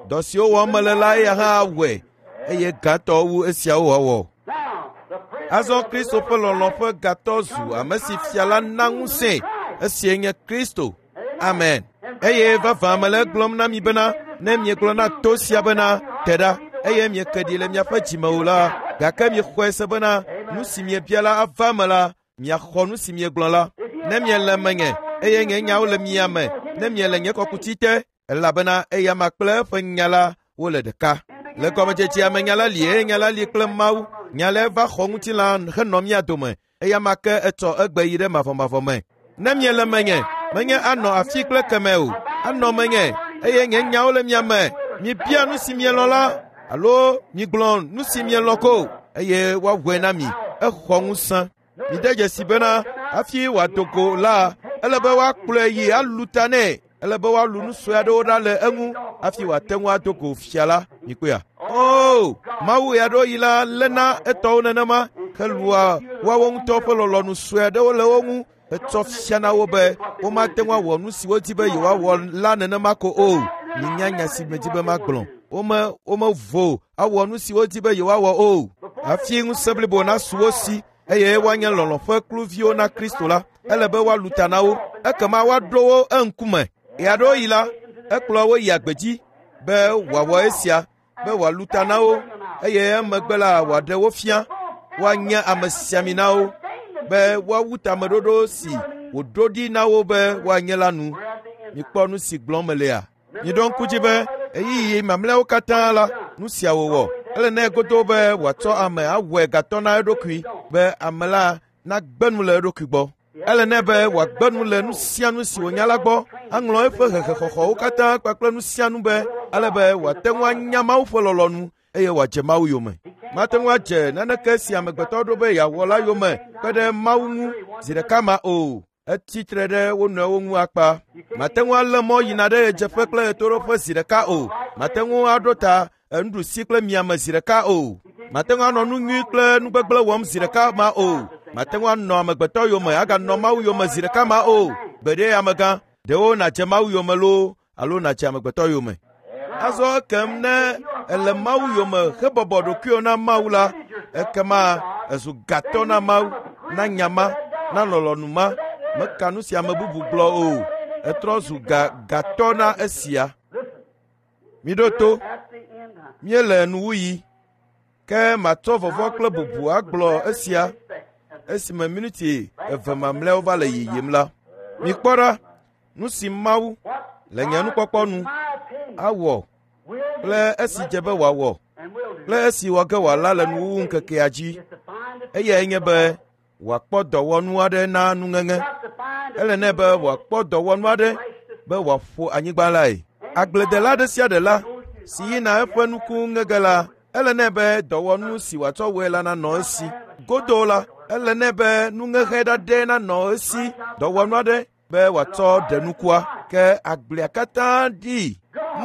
dɔ siwo wɔm mele la eya hã awɔe eye gãtɔ wu esiawo wɔwɔ. Now, the prisoner Azɔ Kristo ƒe lɔlɔ̃ ƒe gatɔ zu ame si fia la na ŋusẽe. Esie nye Kristo. Amen. Eye vavã mele egblɔm na mi bena ne miegblɔ na to sia bena te ɖa eye mieke ɖi le miaƒe dzime o la, gake miexɔe se bena nu si miebia la ava eme la, miaxɔ nu si miegblɔ la. Ne miele menye eye nye nyawo le mia me, ne miele nye kɔkuti te, elabena eyama kple eƒe nya la wole ɖeka. Le gɔmedzedzea me nya la li eye nya la li kple Mawu. Nya lae va xɔ ŋutilã henɔ mía dome. Eyama ke etsɔ egbe yi ɖe mavɔmavɔ me. Ne miele menye, menye anɔ afi kple keme o, anɔ menye eye nye nyawo le mia me. Mibia nu si mielɔ̃ la alo migblɔ nu si mielɔ̃ ko eye woawɔe na mi. Exɔ ŋusẽ. Mide dzesi bena hafi wòado go la, ele be woakplɔe yi alu ta nɛ. Ele be woalu nu sue aɖewo ɖa le eŋu hafi wòate ŋu ado go fia la. Mikpɔea? O, Mawu ɣeaɖewoɣi la léna etɔwo nenema helua woawo ŋutɔ ƒe lɔlɔ̃nu sue aɖewo le wo ŋu hetsɔ fiana wo be womate ŋu awɔ nu si wodi be yewoawɔ la nenema ko o. Minya nya si medi be magblɔ. Womevo awɔ nu si wodi be yewoawɔ o. Hafi ŋusẽ blibo nasu wo si eye woanye lɔlɔ̃ ƒe kluviwo na Kristo la, ele be woalu ta na wo. Ekema woaɖo wo eŋkume. Ɣeaɖewoɣi la, ekplɔ wo yi agbedzi be wòawɔ esia, be wòalu ta na wo eye emegbe la wòaɖe wo fia. Woanye amesiaminawo be woawu tameɖoɖo si wòɖo ɖi na wo be woanye la nu. Mikpɔ nu si gblɔm melea? Miɖo ŋku dzi be ɣeyiɣi mamlɛawo katã la, nu sia wòwɔ. Ele nɛ godoo be wòatsɔ ame awɔe gatɔ na eɖokui be ame la nagbe nu le eɖokui gbɔ. Ele nɛ be wòagbe nu le nu sia nu si wònya la gbɔ, aŋlɔ eƒe hehexɔxɔwo katã kpakple nu sia nu be ale be wòate ŋu anya Mawu ƒe lɔlɔ̃nu eye wòadze Mawu yome. Mate ŋu adze naneke si amegbetɔ ɖo be yeawɔ la yome kpe ɖe Mawu ŋu zi ɖeka ma o. Etsi tre ɖe wo nɔewo ŋu akpa. Mate ŋu alé mɔ yina ɖe ɣedzeƒe kple ɣetoɖoƒe zi ɖeka o. Mate ŋu aɖo ta enuɖusi kple miame zi ɖeka o. Mate ŋu anɔ nu nyui kple nu gbegblẽ wɔm zi ɖeka ma o. Mate ŋu anɔ amegbetɔ yome aganɔ Mawu yome zi ɖeka ma o. Gbeɖe amegã, ɖewo nàdze Mawu yome loo alo nàdze amegbetɔ yome. Azɔ ekem ne èle Mawu yome hebɔbɔ ɖokuiwò na Mawu la, ekema èzu gatɔ na Mawu, na nya ma, na lɔlɔ̃nu ma. Meka nu si ame bubu gblɔ o. Etrɔ zu gatɔ na esia. Miɖo to, míele nuwuɣi. Ke matsɔ vɔvɔ̃ kple bubu agblɔ esia esime miniti 2 mamlɛawo va le yiyim la. Mikpɔ ɖa, nu si Mawu le nye nukpɔkpɔ nu awɔ kple esi dze be wòawɔ kple esi wɔ ge wòala le nuwuwu ŋkekea dzi. Eyae nye be wòakpɔ dɔwɔnu aɖe na nuŋeŋe. Ele nɛ be wòakpɔ dɔwɔnu aɖe be wòaƒo anyigba lae. Agbledela ɖe sia ɖe la si yina eƒe nuku ŋe ge la, ele nɛ be dɔwɔnu si wòatsɔ wɔe la nanɔ esi. Godoo la, ele nɛ be nuŋeŋe ɖaɖɛ nanɔ esi, dɔwɔnu aɖe be wòatsɔ ɖe nukua. Ke agblea katã ɖii.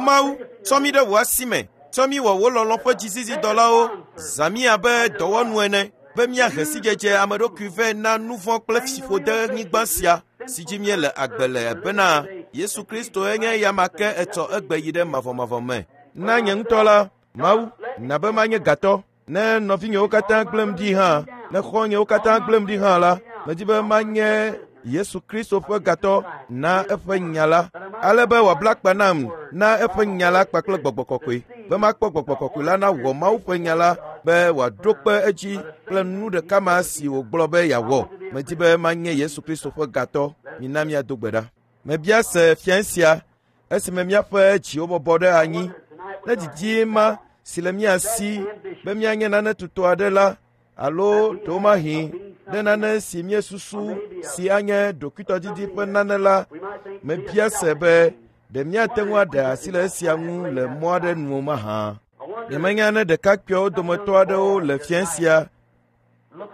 Mawu, tsɔ mí ɖe wò asi me, tsɔ mí wɔ wò lɔlɔ̃ ƒe dzizizidɔlawo, zã mí abe dɔwɔnu ene be míahe sidzedze ame ɖokui vɛ na nu vɔ̃ kple fiƒodenyigba sia si dzi míele agbe le bena Yesu Kristoe nye eya ma ke etsɔ egbe yi ɖe mavɔmavɔ me. Na nye ŋutɔ la, Mawu, na be manye gatɔ. Ne nɔvinyewo katã gblẽm ɖi hã, ne xɔ̃nyewo katã gblẽm ɖi hã la, medi be manye Yesu Kristo ƒe gatɔ na eƒe nya la, ale be wòabla akpa nam na eƒe nya la kpakple gbɔgbɔ kɔkɔe, be makpɔ gbɔgbɔ kɔkɔe la nawɔ Mawu ƒe nya la be wòaɖo kpe edzi kple nu ɖeka ma si wògblɔ be yeawɔ. Medi be manye Yesu Kristo ƒe gatɔ. Mina míado gbe ɖa. Mebia se fiẽ sia esime míaƒe dziwo bɔbɔ ɖe anyi ne didi ma si le mía si be míanye nane tutɔ aɖe la alo ɖewomahi ɖe nane si míesusu si anye ɖokuitɔdidi ƒe nane la, mebia se be ɖe míate ŋu aɖe asi le esia ŋu le mɔ aɖe nu mahã. Nyemenya ne ɖekakpuiawo dometɔ aɖewo le fiẽ sia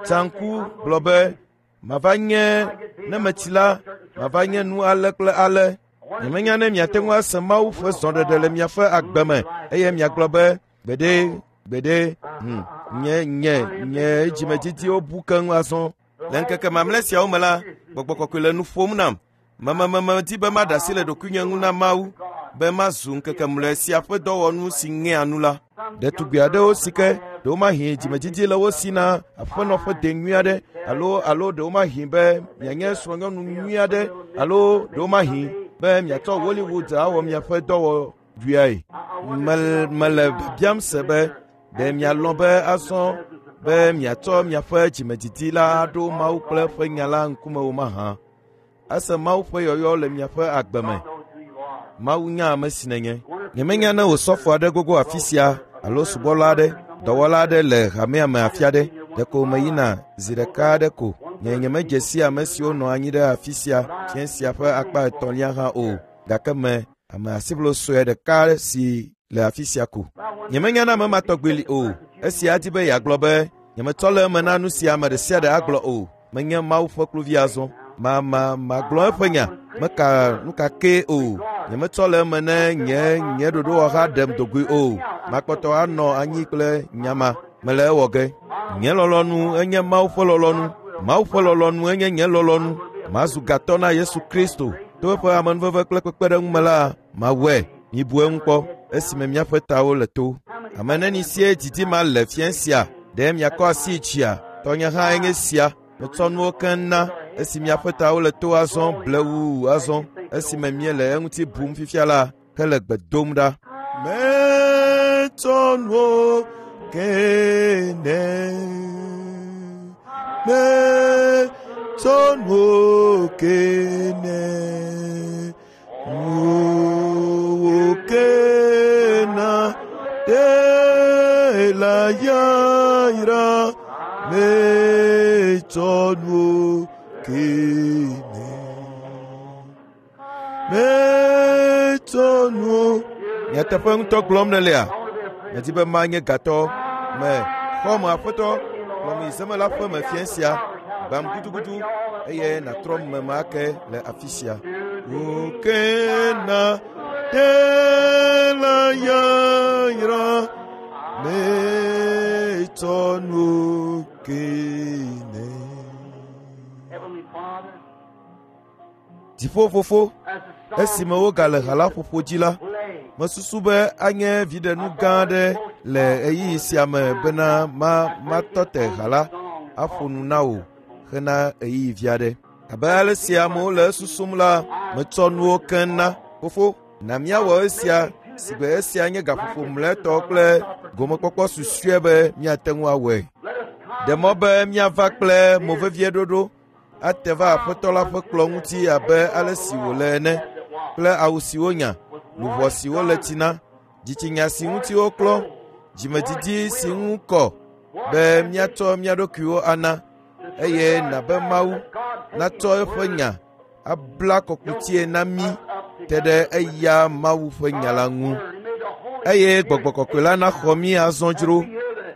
tsa ŋku gblɔ be mava nye ne metsi la mava nye nu ale kple ale. Nyemenya ne miate ŋu ase Mawu ƒe zɔɖeɖe le miaƒe agbe me eye miagblɔ be gbeɖe gbeɖe nye nye nye dzimedidiwo bu keŋ azɔ. Le ŋkeke mamlɛ siawo me la, gbɔgbɔ kɔkɔe le nu ƒom nam. Memememe di be maɖe asi le ɖokuinye ŋu na Mawu be mazu ŋkeke mlɔe sia ƒe dɔwɔnu si ŋea nu la. Ɖetugbi aɖewo si ke ɖewomahi dzimedidi le wo si na aƒenɔ ƒe de nyui aɖe alo alo ɖewomahi be mianye srɔ̃nyɔnu nyui aɖe alo ɖewomahi be miatsɔ Hollywood awɔ miaƒe dɔwɔɖuiae. Mele biabiam se be ɖe mialɔ̃ be azɔ be miatsɔ miaƒe dzimedidi la aɖo Mawu kple eƒe nya la ŋkume o mahã. Ase Mawu ƒe yɔyɔ le miaƒe agbe me. Mawu nya ame si nènye. Nyemenya ne wò sɔfo aɖe gogo afi sia alo subɔla aɖe, dɔwɔla aɖe le hamea me afi aɖe. Ɖeko meyina zi ɖeka aɖe ko. Nye nyemedze si ame siwo nɔ anyi ɖe afi sia fiẽ sia ƒe akpa etɔ̃lia hã o. Gake me ame asiʋlo sue ɖeka si le afi sia ko. Nyemenya ne ame ma tɔgbi li o. Esia di be yeagblɔ be nyemetsɔ le eme na nu sia ame ɖe sia ɖe agblɔ o. Menye Mawu ƒe kluvi azɔ. Ma ma magblɔ eƒe nya. Meka nu ka kee o. Nyemetsɔ le eme ne nye nye ɖoɖowɔha ɖem dogoe o. Makpɔtɔ anɔ anyi kple nya ma. Mele ewɔ ge. Nye lɔlɔ̃nu enye Mawu ƒe lɔlɔ̃nu. Mawu ƒe lɔlɔ̃nu enye nye lɔlɔ̃nu. Mazu gatɔ na Yesu Kristo. To eƒe amenuveve kple kpekpeɖeŋu me la, mawɔe. Mibu eŋu kpɔ esime míaƒe tawo le to. Ame neni sie didi ma le fiẽ sia? Ɖe miakɔ asi dzia? Tɔnye hã enye sia. Metsɔ nuwo keŋ na esi miaƒe tawo le to azɔ blewuu azɔ esime míele eŋuti bum fifia la hele gbe dom ɖa. Metsɔ nuwo ke nɛ. Metsɔ nuwo ke nɛ. Nuwo ke na ɖe la yayra. Metsɔ nuwo ke nɛ. Metsɔ nuwo. Nyateƒe ŋutɔ gblɔm nèlea? Medi be manye gatɔ me xɔme aƒetɔ kplɔm yi zemela ƒe me fiẽ sia gbam gudugudu eye nàtrɔ meme ake le afi sia. Woke na ɖe la yayra metsɔ nuwo ke nɛ. Heavenly Father, Dziƒofofo, as the esime song wogale ha la ƒoƒo dzi la, played, mesusu be anye viɖenu gã aɖe le ɣeyiɣi sia me bena ma matɔ te ha la aƒo nu na wò hena ɣeyiɣi vi aɖe. Abe ale si amewo le esusum la, metsɔ nuwo keŋ na. Fofo, na míawɔ esia si be esia nye gaƒoƒo mlɔetɔ kple gomekpɔkpɔ susɔe be míate ŋu awɔe. let us come Ɖe mɔ be míava kple movevieɖoɖo ate va aƒetɔ la ƒe kplɔ̃ ŋuti abe ale si wòle ene kple awu si wonya, luʋɔ si wole tsi na, dzitsinya si ŋuti woklɔ, dzimedidi si ŋu kɔ be míatsɔ mía ɖokuiwo ana eye na be Mawu natsɔ eƒe nya abla kɔkutie na mí te ɖe eya Mawu ƒe nya la ŋu. Eye Gbɔgbɔ Kɔkɔe la naxɔ mí azɔ dzro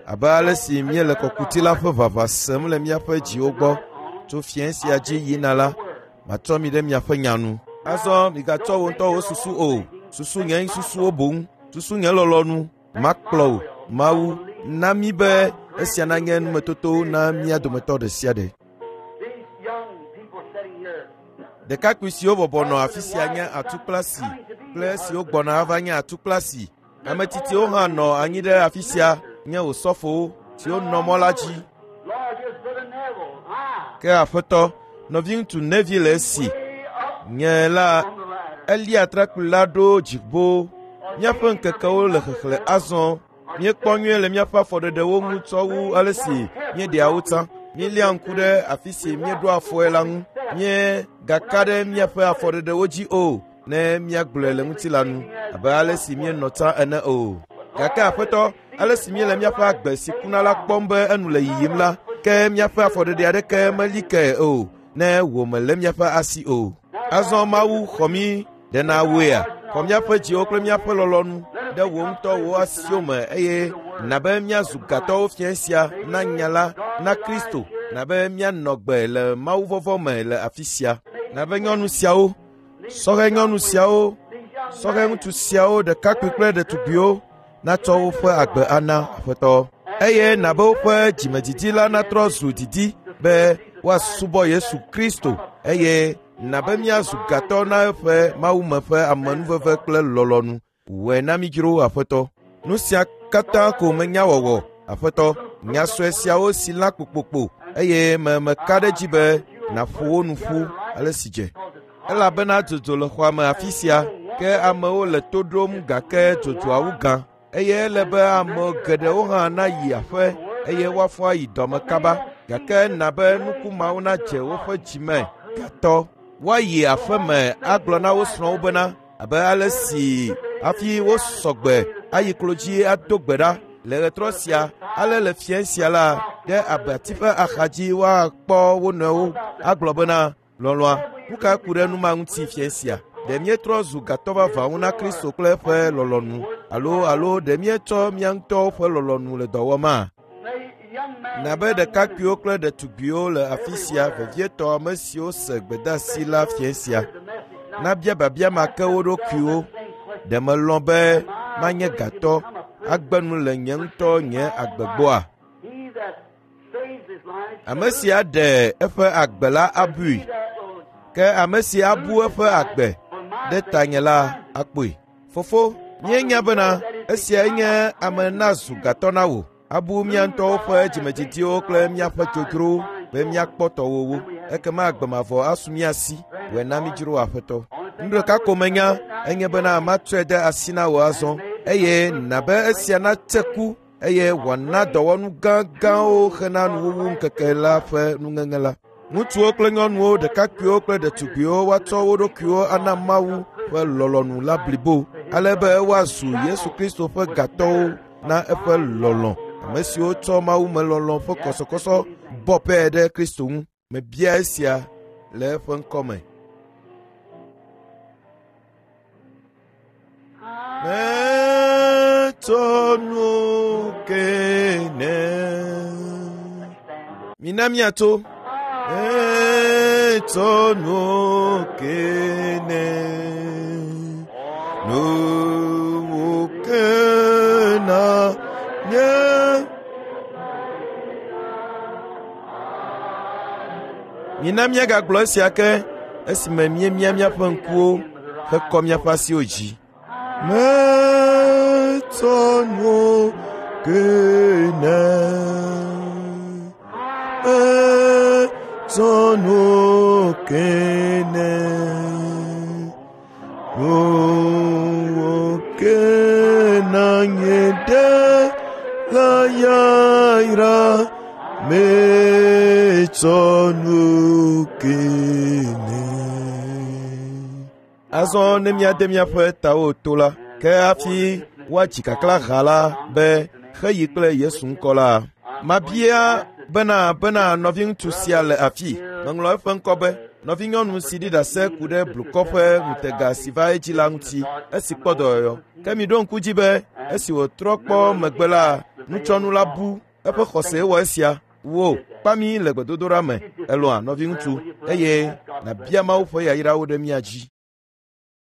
abe ale si míele kɔkuti la ƒe ʋaʋã sem le míaƒe dziwo gbɔ tso fiẽ sia dzi yina la, matrɔ mi ɖe miaƒe nya nu. Azɔ migatsɔ wò ŋutɔ wò susu o, susu nye susuwo boŋ, susu nye lɔlɔ̃nu makplɔ wò. Mawu, na mí be esia nanye numetoto na mía dometɔ ɖe sia ɖe. These young people sitting here, Ɖekakpui siwo bɔbɔ nɔ afi sia nye atukplasi kple esiwo gbɔna ava nye atukplasi. Ame tsitsiwo hã nɔ anyi ɖe afi sia nye osɔfowo siwo nɔ mɔ la dzi. Lord, here's Brother Neville. Ah, Ke aƒetɔ, nɔviŋutsu Nevi le esi. way up Nye la, on the ladder. elia atrakpui la ɖo dziƒo. Míaƒe ŋkekewo le xexlẽ azɔ. Míekpɔ nyuie le míaƒe afɔɖeɖewo ŋu tsɔ wu ale si míeɖea wo tsã. Míeléa ŋku ɖe afi si míeɖo afɔe la ŋu. Míegaka ɖe míaƒe afɔɖeɖewo dzi o ne míagblɔe le ŋutilã nu abe ale si míenɔ tsã ene o. Gake aƒetɔ, ale si míele míaƒe agbe si kuna la kpɔm be enu le yiyim la, ke míaƒe afɔɖeɖe aɖeke meli ke o ne wò mèlé míaƒe asi o. Azɔ Mawu xɔ mí ɖe na wòea? Xɔ míaƒe dziwo kple míaƒe lɔlɔ̃nu ɖe wò ŋutɔ wò asiwo me eye na be míazu gatɔwo fiẽ sia na nya la na Kristo, na be míanɔ gbe le mawuvɔvɔ̃ me le afi sia. Na be nyɔnu siawo, sɔhɛ nyɔnu siawo, sɔhɛ ŋutsu siawo, ɖekakpui kple ɖetugbiwo natsɔ woƒe agbe ana Aƒetɔ. Eye na be woƒe dzimedidi la natrɔ zu didi be woasubɔ Yesu Kristo eye na be míazu gatɔ na eƒe mawume ƒe amenuveve kple lɔlɔ̃nu. Wɔe na mí dzro Aƒetɔ. Nu sia katã ko menya wɔwɔ, Aƒetɔ. Nya sue siawo si lã kpokpokpo eye me meka ɖe edzi be nàƒo wo nu ƒu ale si dze. Elabena dzodzo le xɔa me afi sia, ke amewo le to ɖom gake dzodzoa wu gã eye ele be ame geɖewo hã nayi aƒe eye woafɔ ayi dɔme kaba gake na be nuku mawo nadze woƒe dzi me gatɔ. Woayi aƒe me agblɔ na wo srɔ̃wo bena abe ale si hafi wosɔ gbe ayi klo dzi ado gbe ɖa le ɣetrɔ sia ale le fiẽ sia la ɖe abati ƒe axadzi woakpɔ wo nɔewo agblɔ bena lɔlɔ̃a nu ka ku ɖe nu ma ŋuti fiẽ sia? Ɖe míetrɔ zu gatɔ vavãwo na Kristo kple eƒe lɔlɔ̃nu alo alo ɖe míetsɔ mía ŋutɔwo ƒe lɔlɔ̃nu le dɔ wɔma? May young man, Na be ɖekakpuiwo kple ɖetugbiwo le afi sia vevietɔ ame siwo se gbedeasi la fiẽ sia the message now. nabia biabia ma ke wo ɖokuiwo. Ɖe melɔ̃ be manye gatɔ agbe nu le nye ŋutɔ nye agbe gbɔa? He that saves his life, Ame si aɖe eƒe agbe la abui, he that will ke ame si abu eƒe agbe ɖe tanye la akpɔe. Fofo, míenya bena esiae nye ame nazu gatɔ na wò. Abu mía ŋutɔwo ƒe dzimedidiwo kple míaƒe dzodzrowo be míakpɔ tɔwòwo. Ekema agbe mavɔ asu mía si. Wɔe na mí dzro Aƒetɔ. Nu ɖeka ko menya enye bena matsɔe de asi na wò azɔ eye na be esia natse ku eye wòana dɔwɔnu gãgãwo hena nuwuwu ŋkeke la ƒe nuŋeŋe la. Ŋutsuwo kple nyɔnuwo, ɖekakpuiwo kple ɖetugbiwo woatsɔ wo ɖokuiwo ana Mawu ƒe lɔlɔ̃nu la blibo ale be woazu Yesu Kristo ƒe gatɔwo na eƒe lɔlɔ̃. Ame siwo tsɔ mawumelɔlɔ̃ ƒe kɔsɔkɔsɔ bɔ pɛ ɖe Kristo ŋu. Mebia esia le eƒe ŋkɔ me. Metsɔ nu ke ne. Mina míatso. Metsɔ nu ke ne. Nuwo ke na nye. Mina míagagblɔ esia ke esime míemia míaƒe ŋkuwo hekɔ míaƒe asiwo dzi. Metsɔ nu ke ne. Metsɔ nu ke ne. Nuwo ke na nye ɖe la yayra. Metsɔ nu ke ne. Azɔ ne míade míaƒe tawo to la, ke hafi woadzi kaklã ha la be xeyi kple Yesu ŋkɔ la. Mabia bena bena nɔviŋutsu sia le afi. Meŋlɔ eƒe ŋkɔ be. Nɔvinyɔnu si ɖi ɖase ku ɖe blukɔ ƒe ŋutega si va edzi la ŋuti esi kpɔ dɔyɔyɔ. Ke miɖo ŋku dzi be esi wòtrɔ kpɔ megbe la, nutsɔnu la bu. Eƒe xɔse wɔ esia. Wò, kpa mí le gbedodoɖa me, elɔ̃a nɔviŋutsu, eye nàbia Mawu ƒe yayrawo ɖe mía dzi.